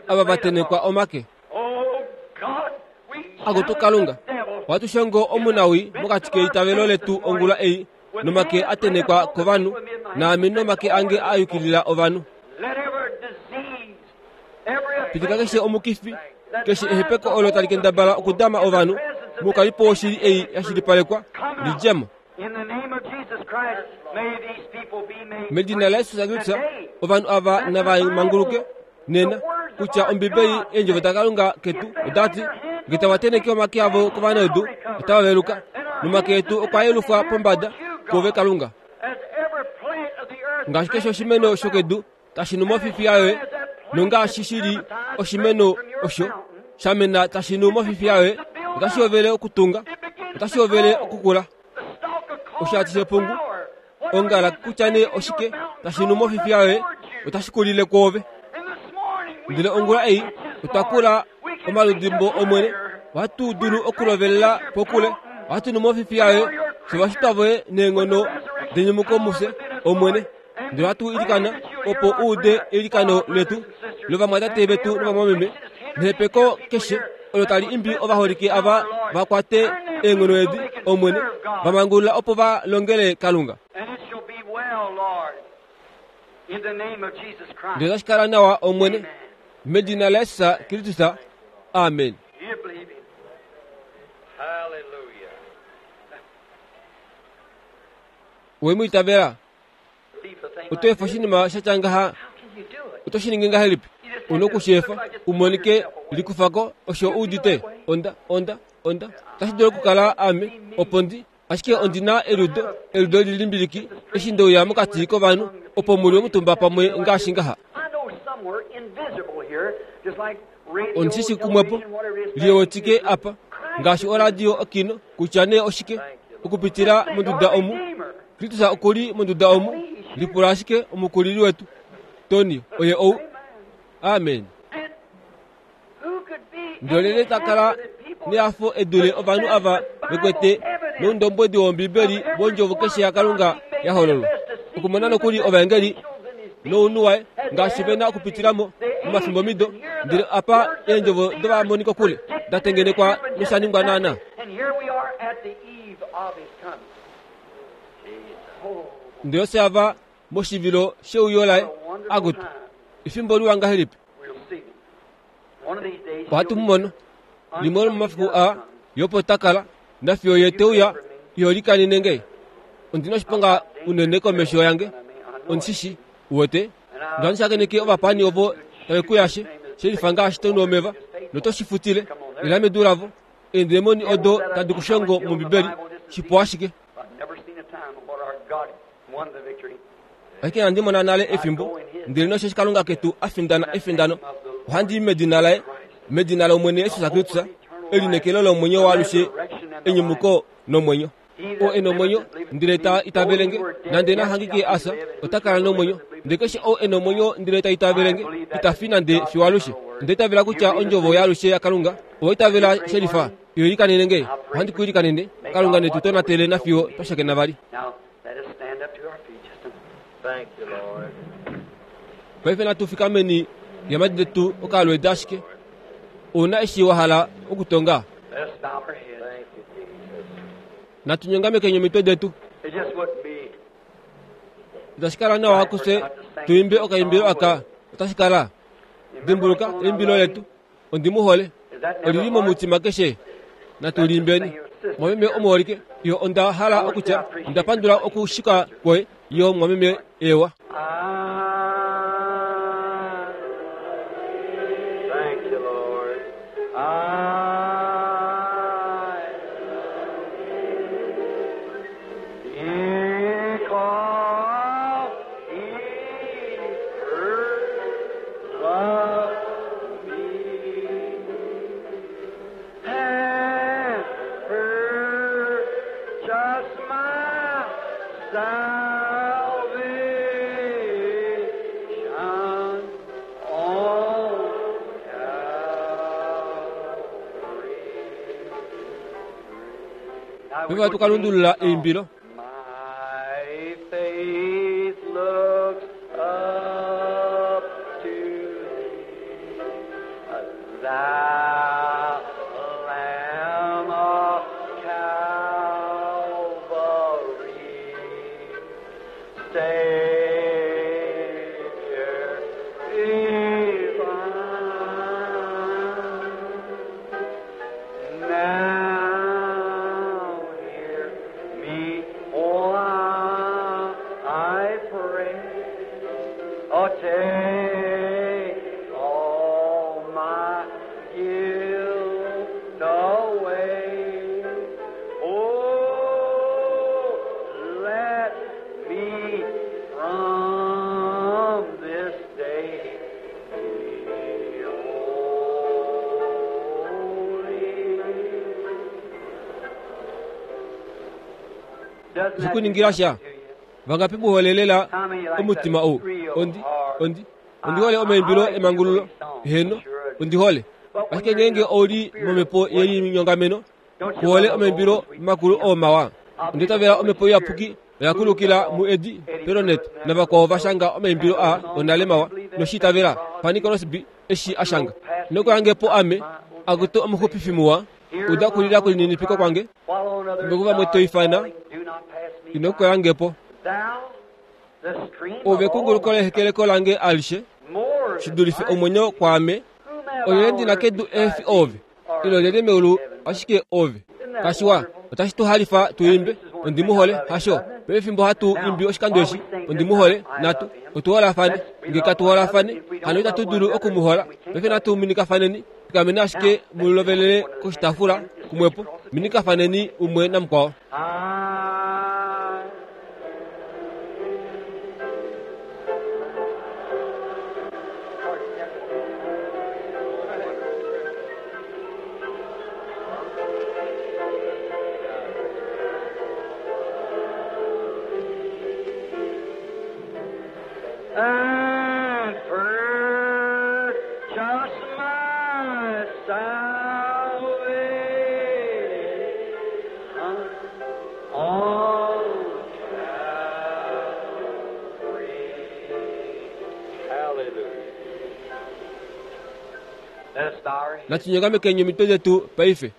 Speaker 1: ava va tenhekwa omake. Akutu Kalunga, ohatu shongo omunawii mokati keitavelo letu ongula ei, nomake a tenhekwa kovanhu, naame nomake ange a yukilila ovanhu. Pitika keshe omukifi, keshe ehepeko olo tali kendabala okudama ovanhu, moukalipo woshili ei ya shilipalekwa, li dje mo. Medina laJesus Kristus, ovanhu ava nava manguluke nena kutya Ombibeli eendjovo daKalunga ketu oda ti, Nge tava tenheke omake avo kovanaudu, otava veluka. Nomake etu okwa yelufwa pombada kuove Kalunga. Ngaashi keshe oshimeno shokedu tashi nu mofifiya yoye, nongaashi shi li oshimeno osho sha mena tashi nu mofifiya yoye, otashi hovele okutunga, otashi hovele okukula. Oshati shepungu, ongala kutya nee oshike tashi nu mofifiya yoye, otashi kulile kwoove. Ndele ongula ei otwa kula omaludimbo Omwene, ohatu dulu okulovelela pokule, ohatu nu mofifiya yoye, fye ovashitwa voye neenghono denyumuko mufye, Omwene. Ndele ohatu ilikana opo u ude eilikano letu lovamwatate vetu novamwameme nehepeko keshe olo tali imbi ovaholike ava va kwate eenghono edi, Omwene, va mangulula opo va longele Kalunga. Ndele otashi kala nawa, Omwene, medina laJesus Kristus. Amen. Owe mu itavela? Oto efa oshinima sha tya ngaha? Oto shi ningi ngahelipi? U na oku shi efa u monike. Likufa ko osho u udite. Onda, onda, onda. Otashi dulu okukala ame, opo ndi, ashike ondi na eliudo, eliudo li limbiliki, eshi nde uya mokati kovanhu, opo mu li omutumba pamwe ngaashi ngaha. Ondi shi shi kumwepo, liwetike apa, ngaashi oradio okino, kutya nee oshike, okupitila monduda omu. Kristus oku li monduda omu. Lipula ashike omukulili wetu, Tony, oye ou. Amen. Ndele ta kala nehafo e dule ovanhu ava ve kwete noundombwedi wOmbibeli wondjovo keshe yaKalunga ya hololwa. Okumona nokuli ovaengeli nounhu waye ngaashi ve na okupitila mo momafimbomido, ndele apa eendjovo dovamoni kokule da tengenekwa nosha ningwa naanaa. Ndele ofye ava moshivilo sheuyo laye. Akutu, efimbo liwa ngahelipi! Ohatu mu mono. Limwe lomomafiku aa, Ye opo ta kala, nafiyo Ye te uya, iho likanene nge. Ondi na oshiponga unene komesho yange. Ondi shi shii. Uwete? Nohandi shakeneke ovapaani ovo tave ku yashe, she lifa ngaashi to nu omeva, noto shi futile. Ila medu lavo. Eendemoni odo tadi ku shongo mOmbibeli, shipu ashike. Ashike inandi mona nale efimbo, ndele nosheshi Kalunga ketu a findana efindano, ohandi i medina laye, medina lOmwene Jesus Kristus, elineekelo lomwenyo waalushe, enyumuko nomwenyo. Oo e nomwenyo, ndele ta itavele nge, nande na hangike a fya, ota kala nomwenyo. Ndele keshe ou e nomwenyo ndele ta itavele nge, ita fi nande fiyo alushe. Onda itavela kutya ondjovo yaalushe yaKalunga, owa itavela shelifa? Iyo ilikanene nge, ohandi ku ilikanene, Kalunga ne tu tonatele nafiyo twa shakena vali. Paife natu fikameni ngeemhadi detu okalweedi ashike. Ou na eshi wa hala okutonga? Natu nyongamekeni omitwe detu. Itashi kala nawa kufye tu imbe okaimbilo aka? Otashi kala? Dimbuluka eimbilo letu. Ondi mu hole. Oli li momutima keshe. Natu liimbeni. Mwameme omuholike, yo onda hala okutya onda pandula okushika kwoye, yo mwameme ewa.
Speaker 3: Thank you, Lord. I because he first loved me and purchased my salvation on Calvary. Now
Speaker 1: Paife
Speaker 3: we're
Speaker 1: ohatu
Speaker 3: going
Speaker 1: ka
Speaker 3: to
Speaker 1: lundulula
Speaker 3: sing the song.
Speaker 1: eimbilo.
Speaker 3: My faith looks up to thee, thou Lamb of Calvary, Savior divine. Now hear me, oh, I pray. Oh, take all my guilt away. Oh, let me from this day be holy. Doesn't that
Speaker 1: Zikuningira sha.
Speaker 3: do something to you?
Speaker 1: Vangapi mu holelela omutima ou? Ondi, ondi, ondi hole omaimbilo emangululo. Heno, ondi hole. Ashike ngeenge ou li momhepo yelinyongameno, ku hole omaimbilo makulu oo mawa. Onda itavela omhepo iyapuki oya kulukila muEddie Perronet navakwao va shanga omaimbilo aa onale mawa noshi itavela Fanny Crosby eshi a shanga. Nokuyange po ame, akutu omuxupifi muwa, uda okulila kwelininipiko kwange.
Speaker 3: While on others
Speaker 1: Fimbo kuvamwe to ifana,
Speaker 3: do not pass me
Speaker 1: ino koyange po.
Speaker 3: by. Thou, the stream
Speaker 1: Ove
Speaker 3: of all
Speaker 1: ekunguluko lehekeleko lange alishe,
Speaker 3: more
Speaker 1: shi
Speaker 3: than
Speaker 1: dulife
Speaker 3: life.
Speaker 1: omwenyo kwaame.
Speaker 3: Whom have I
Speaker 1: Olyelye
Speaker 3: on
Speaker 1: ndi na
Speaker 3: earth
Speaker 1: kedu ehe fi
Speaker 3: besides
Speaker 1: ove,
Speaker 3: thee, or
Speaker 1: ile olyelye meulu ashike ove. Kashiwa, otashi tu halifa tu imbe, ondi mu hole, hasho? Pefimbo hatu imbi oshikando eshi, ondi mu hole, natu otu holafane. Nge katu holafane, hano itatu dulu oku mu hola. Paife natu minikafaneni, fikameni ashike mu lovelele koshitaafula kumwepo, minikafaneni umwe namukwao.
Speaker 3: And purchase my salvation on Calvary.
Speaker 2: Hallelujah.
Speaker 3: Let us bow our heads.
Speaker 1: Natunyongamekeni omitwe detu paife.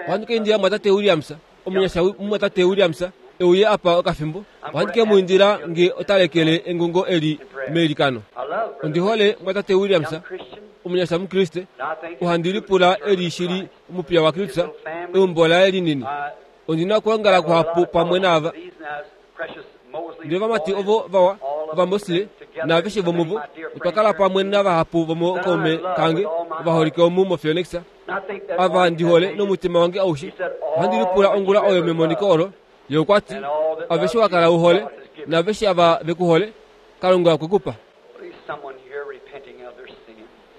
Speaker 1: Ohandi ka indila mwatate Williams, omunyasha mumwatate Williams, e uye apa okafimbo. Ohandi ke mu indila nge ota lekele engungo eli meilikano.
Speaker 3: I love brother
Speaker 1: Ondi hole mwatate Williams,
Speaker 3: young Christian.
Speaker 1: omunyasha Mukriste,
Speaker 3: And I think
Speaker 1: ohandi lipula eli shili omupiya waKristus, eumbo laye linini. Ondi na okuongala kuhapu pamwe naava. Ndele ovamati ovo vawa, Ovamosle, naaveshe vomuvo, otwa kala pamwe navahapu vomookaume kange ovaholike omu moPhoenix, ava ndi hole nomutima wange aushe. Ohandi lipula ongula oyo memoniko olo, ye okwa ti, Aveshe wa kala u hole, naaveshe ava ve ku hole, Kalunga okwe ku pa.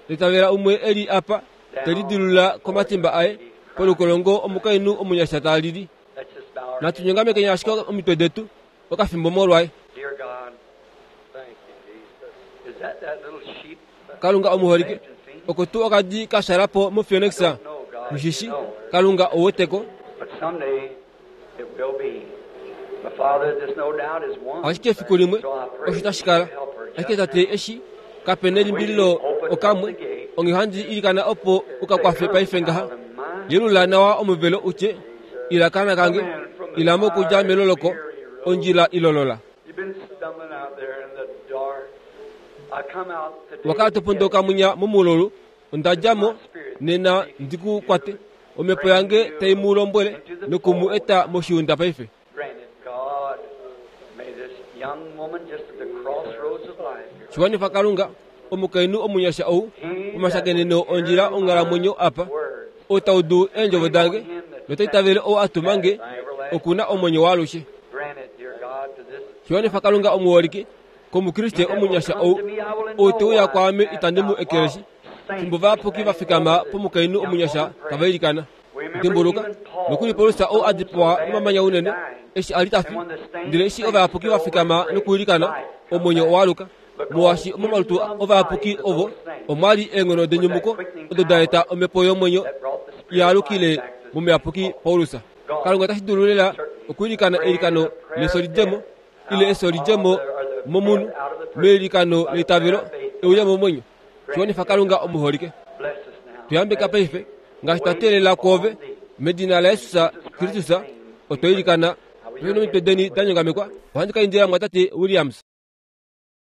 Speaker 1: Litavela umwe e li apa, te lidilulula komatimba aye, polukolongo omukainhu omunyasha ta lili. Natu nyongamekeni ashike omitwe detu okafimbo molwaye.
Speaker 3: Dear God,
Speaker 2: Thank you, Jesus.
Speaker 3: is that that little sheep?
Speaker 1: Kalunga omuholike, oko tuu okadi ka shala po moPhoenix, mushishi, Kalunga ou weteko.
Speaker 3: But someday it will be. My Father, there's no doubt is one.
Speaker 1: Ashike efiku limwe
Speaker 3: So I pray
Speaker 1: osho tashi kala.
Speaker 3: you help her
Speaker 1: Ashike
Speaker 3: just
Speaker 1: tate
Speaker 3: now.
Speaker 1: eshi kape nelimbililo okamwe, onghee ohandi ilikana opo u ka kwafe paife ngaha. Yelula nawa omuvelo u tye, Ila kaana kange, ila mo okudja meloloko, ondjila ilolola.
Speaker 3: You've been stumbling out there in the dark. I come out today
Speaker 1: Owa kala to pondoka munya momululu, onda dja mo nena ndi ku kwate. Omhepo yange tai mu lombwele noku mu eta moshiunda paife.
Speaker 3: Granted, God, may this young woman just at the crossroads of life here.
Speaker 1: Shiwanifa Kalunga, omukainhu omunyasha ou, pomashakeneno ondjila onghalamwenyo apa, ou ta udu eendjovo dange, nota itavele ou a tuma nge, oku na omwenyo waalushe.
Speaker 3: Grant it, dear God, to this
Speaker 1: Shiwanifa Kalunga omuholike, kOmukriste omunyasha ou, ou te uya kwaame itandi mu ekeleshi. Fimbo vayapuki va fikama pomukainhu omunyasha tava ilikana. Dimbuluka, nokuli Paulus ou a dipawa nomamanya unene, eshi a li ta fi, ndele eshi ovayapuki va fikama nokuilikana, omwenyo owa aluka. Molwaashi momalutu ovayapuki ovo omwa li eenghono denyumuko odo da eta omhepo yomwenyo ya alukile momuyapuki Paulus. Kalunga otashi dulu lela okwiilikana eilikano lefyo li dje mo, ile efyo li dje mo momunhu, meilikano leitavelo, e uye momwenyo. Shiwanifa Kalunga omuholike.
Speaker 3: Bless us now.
Speaker 1: Tu yambeka paife, ngaashi twa teelela kwoove, medina laJesus Kristus, otwa ilikana. Paife nomitwe deni da nyongamekwa, ohandi ka indila Mumwatate Williams.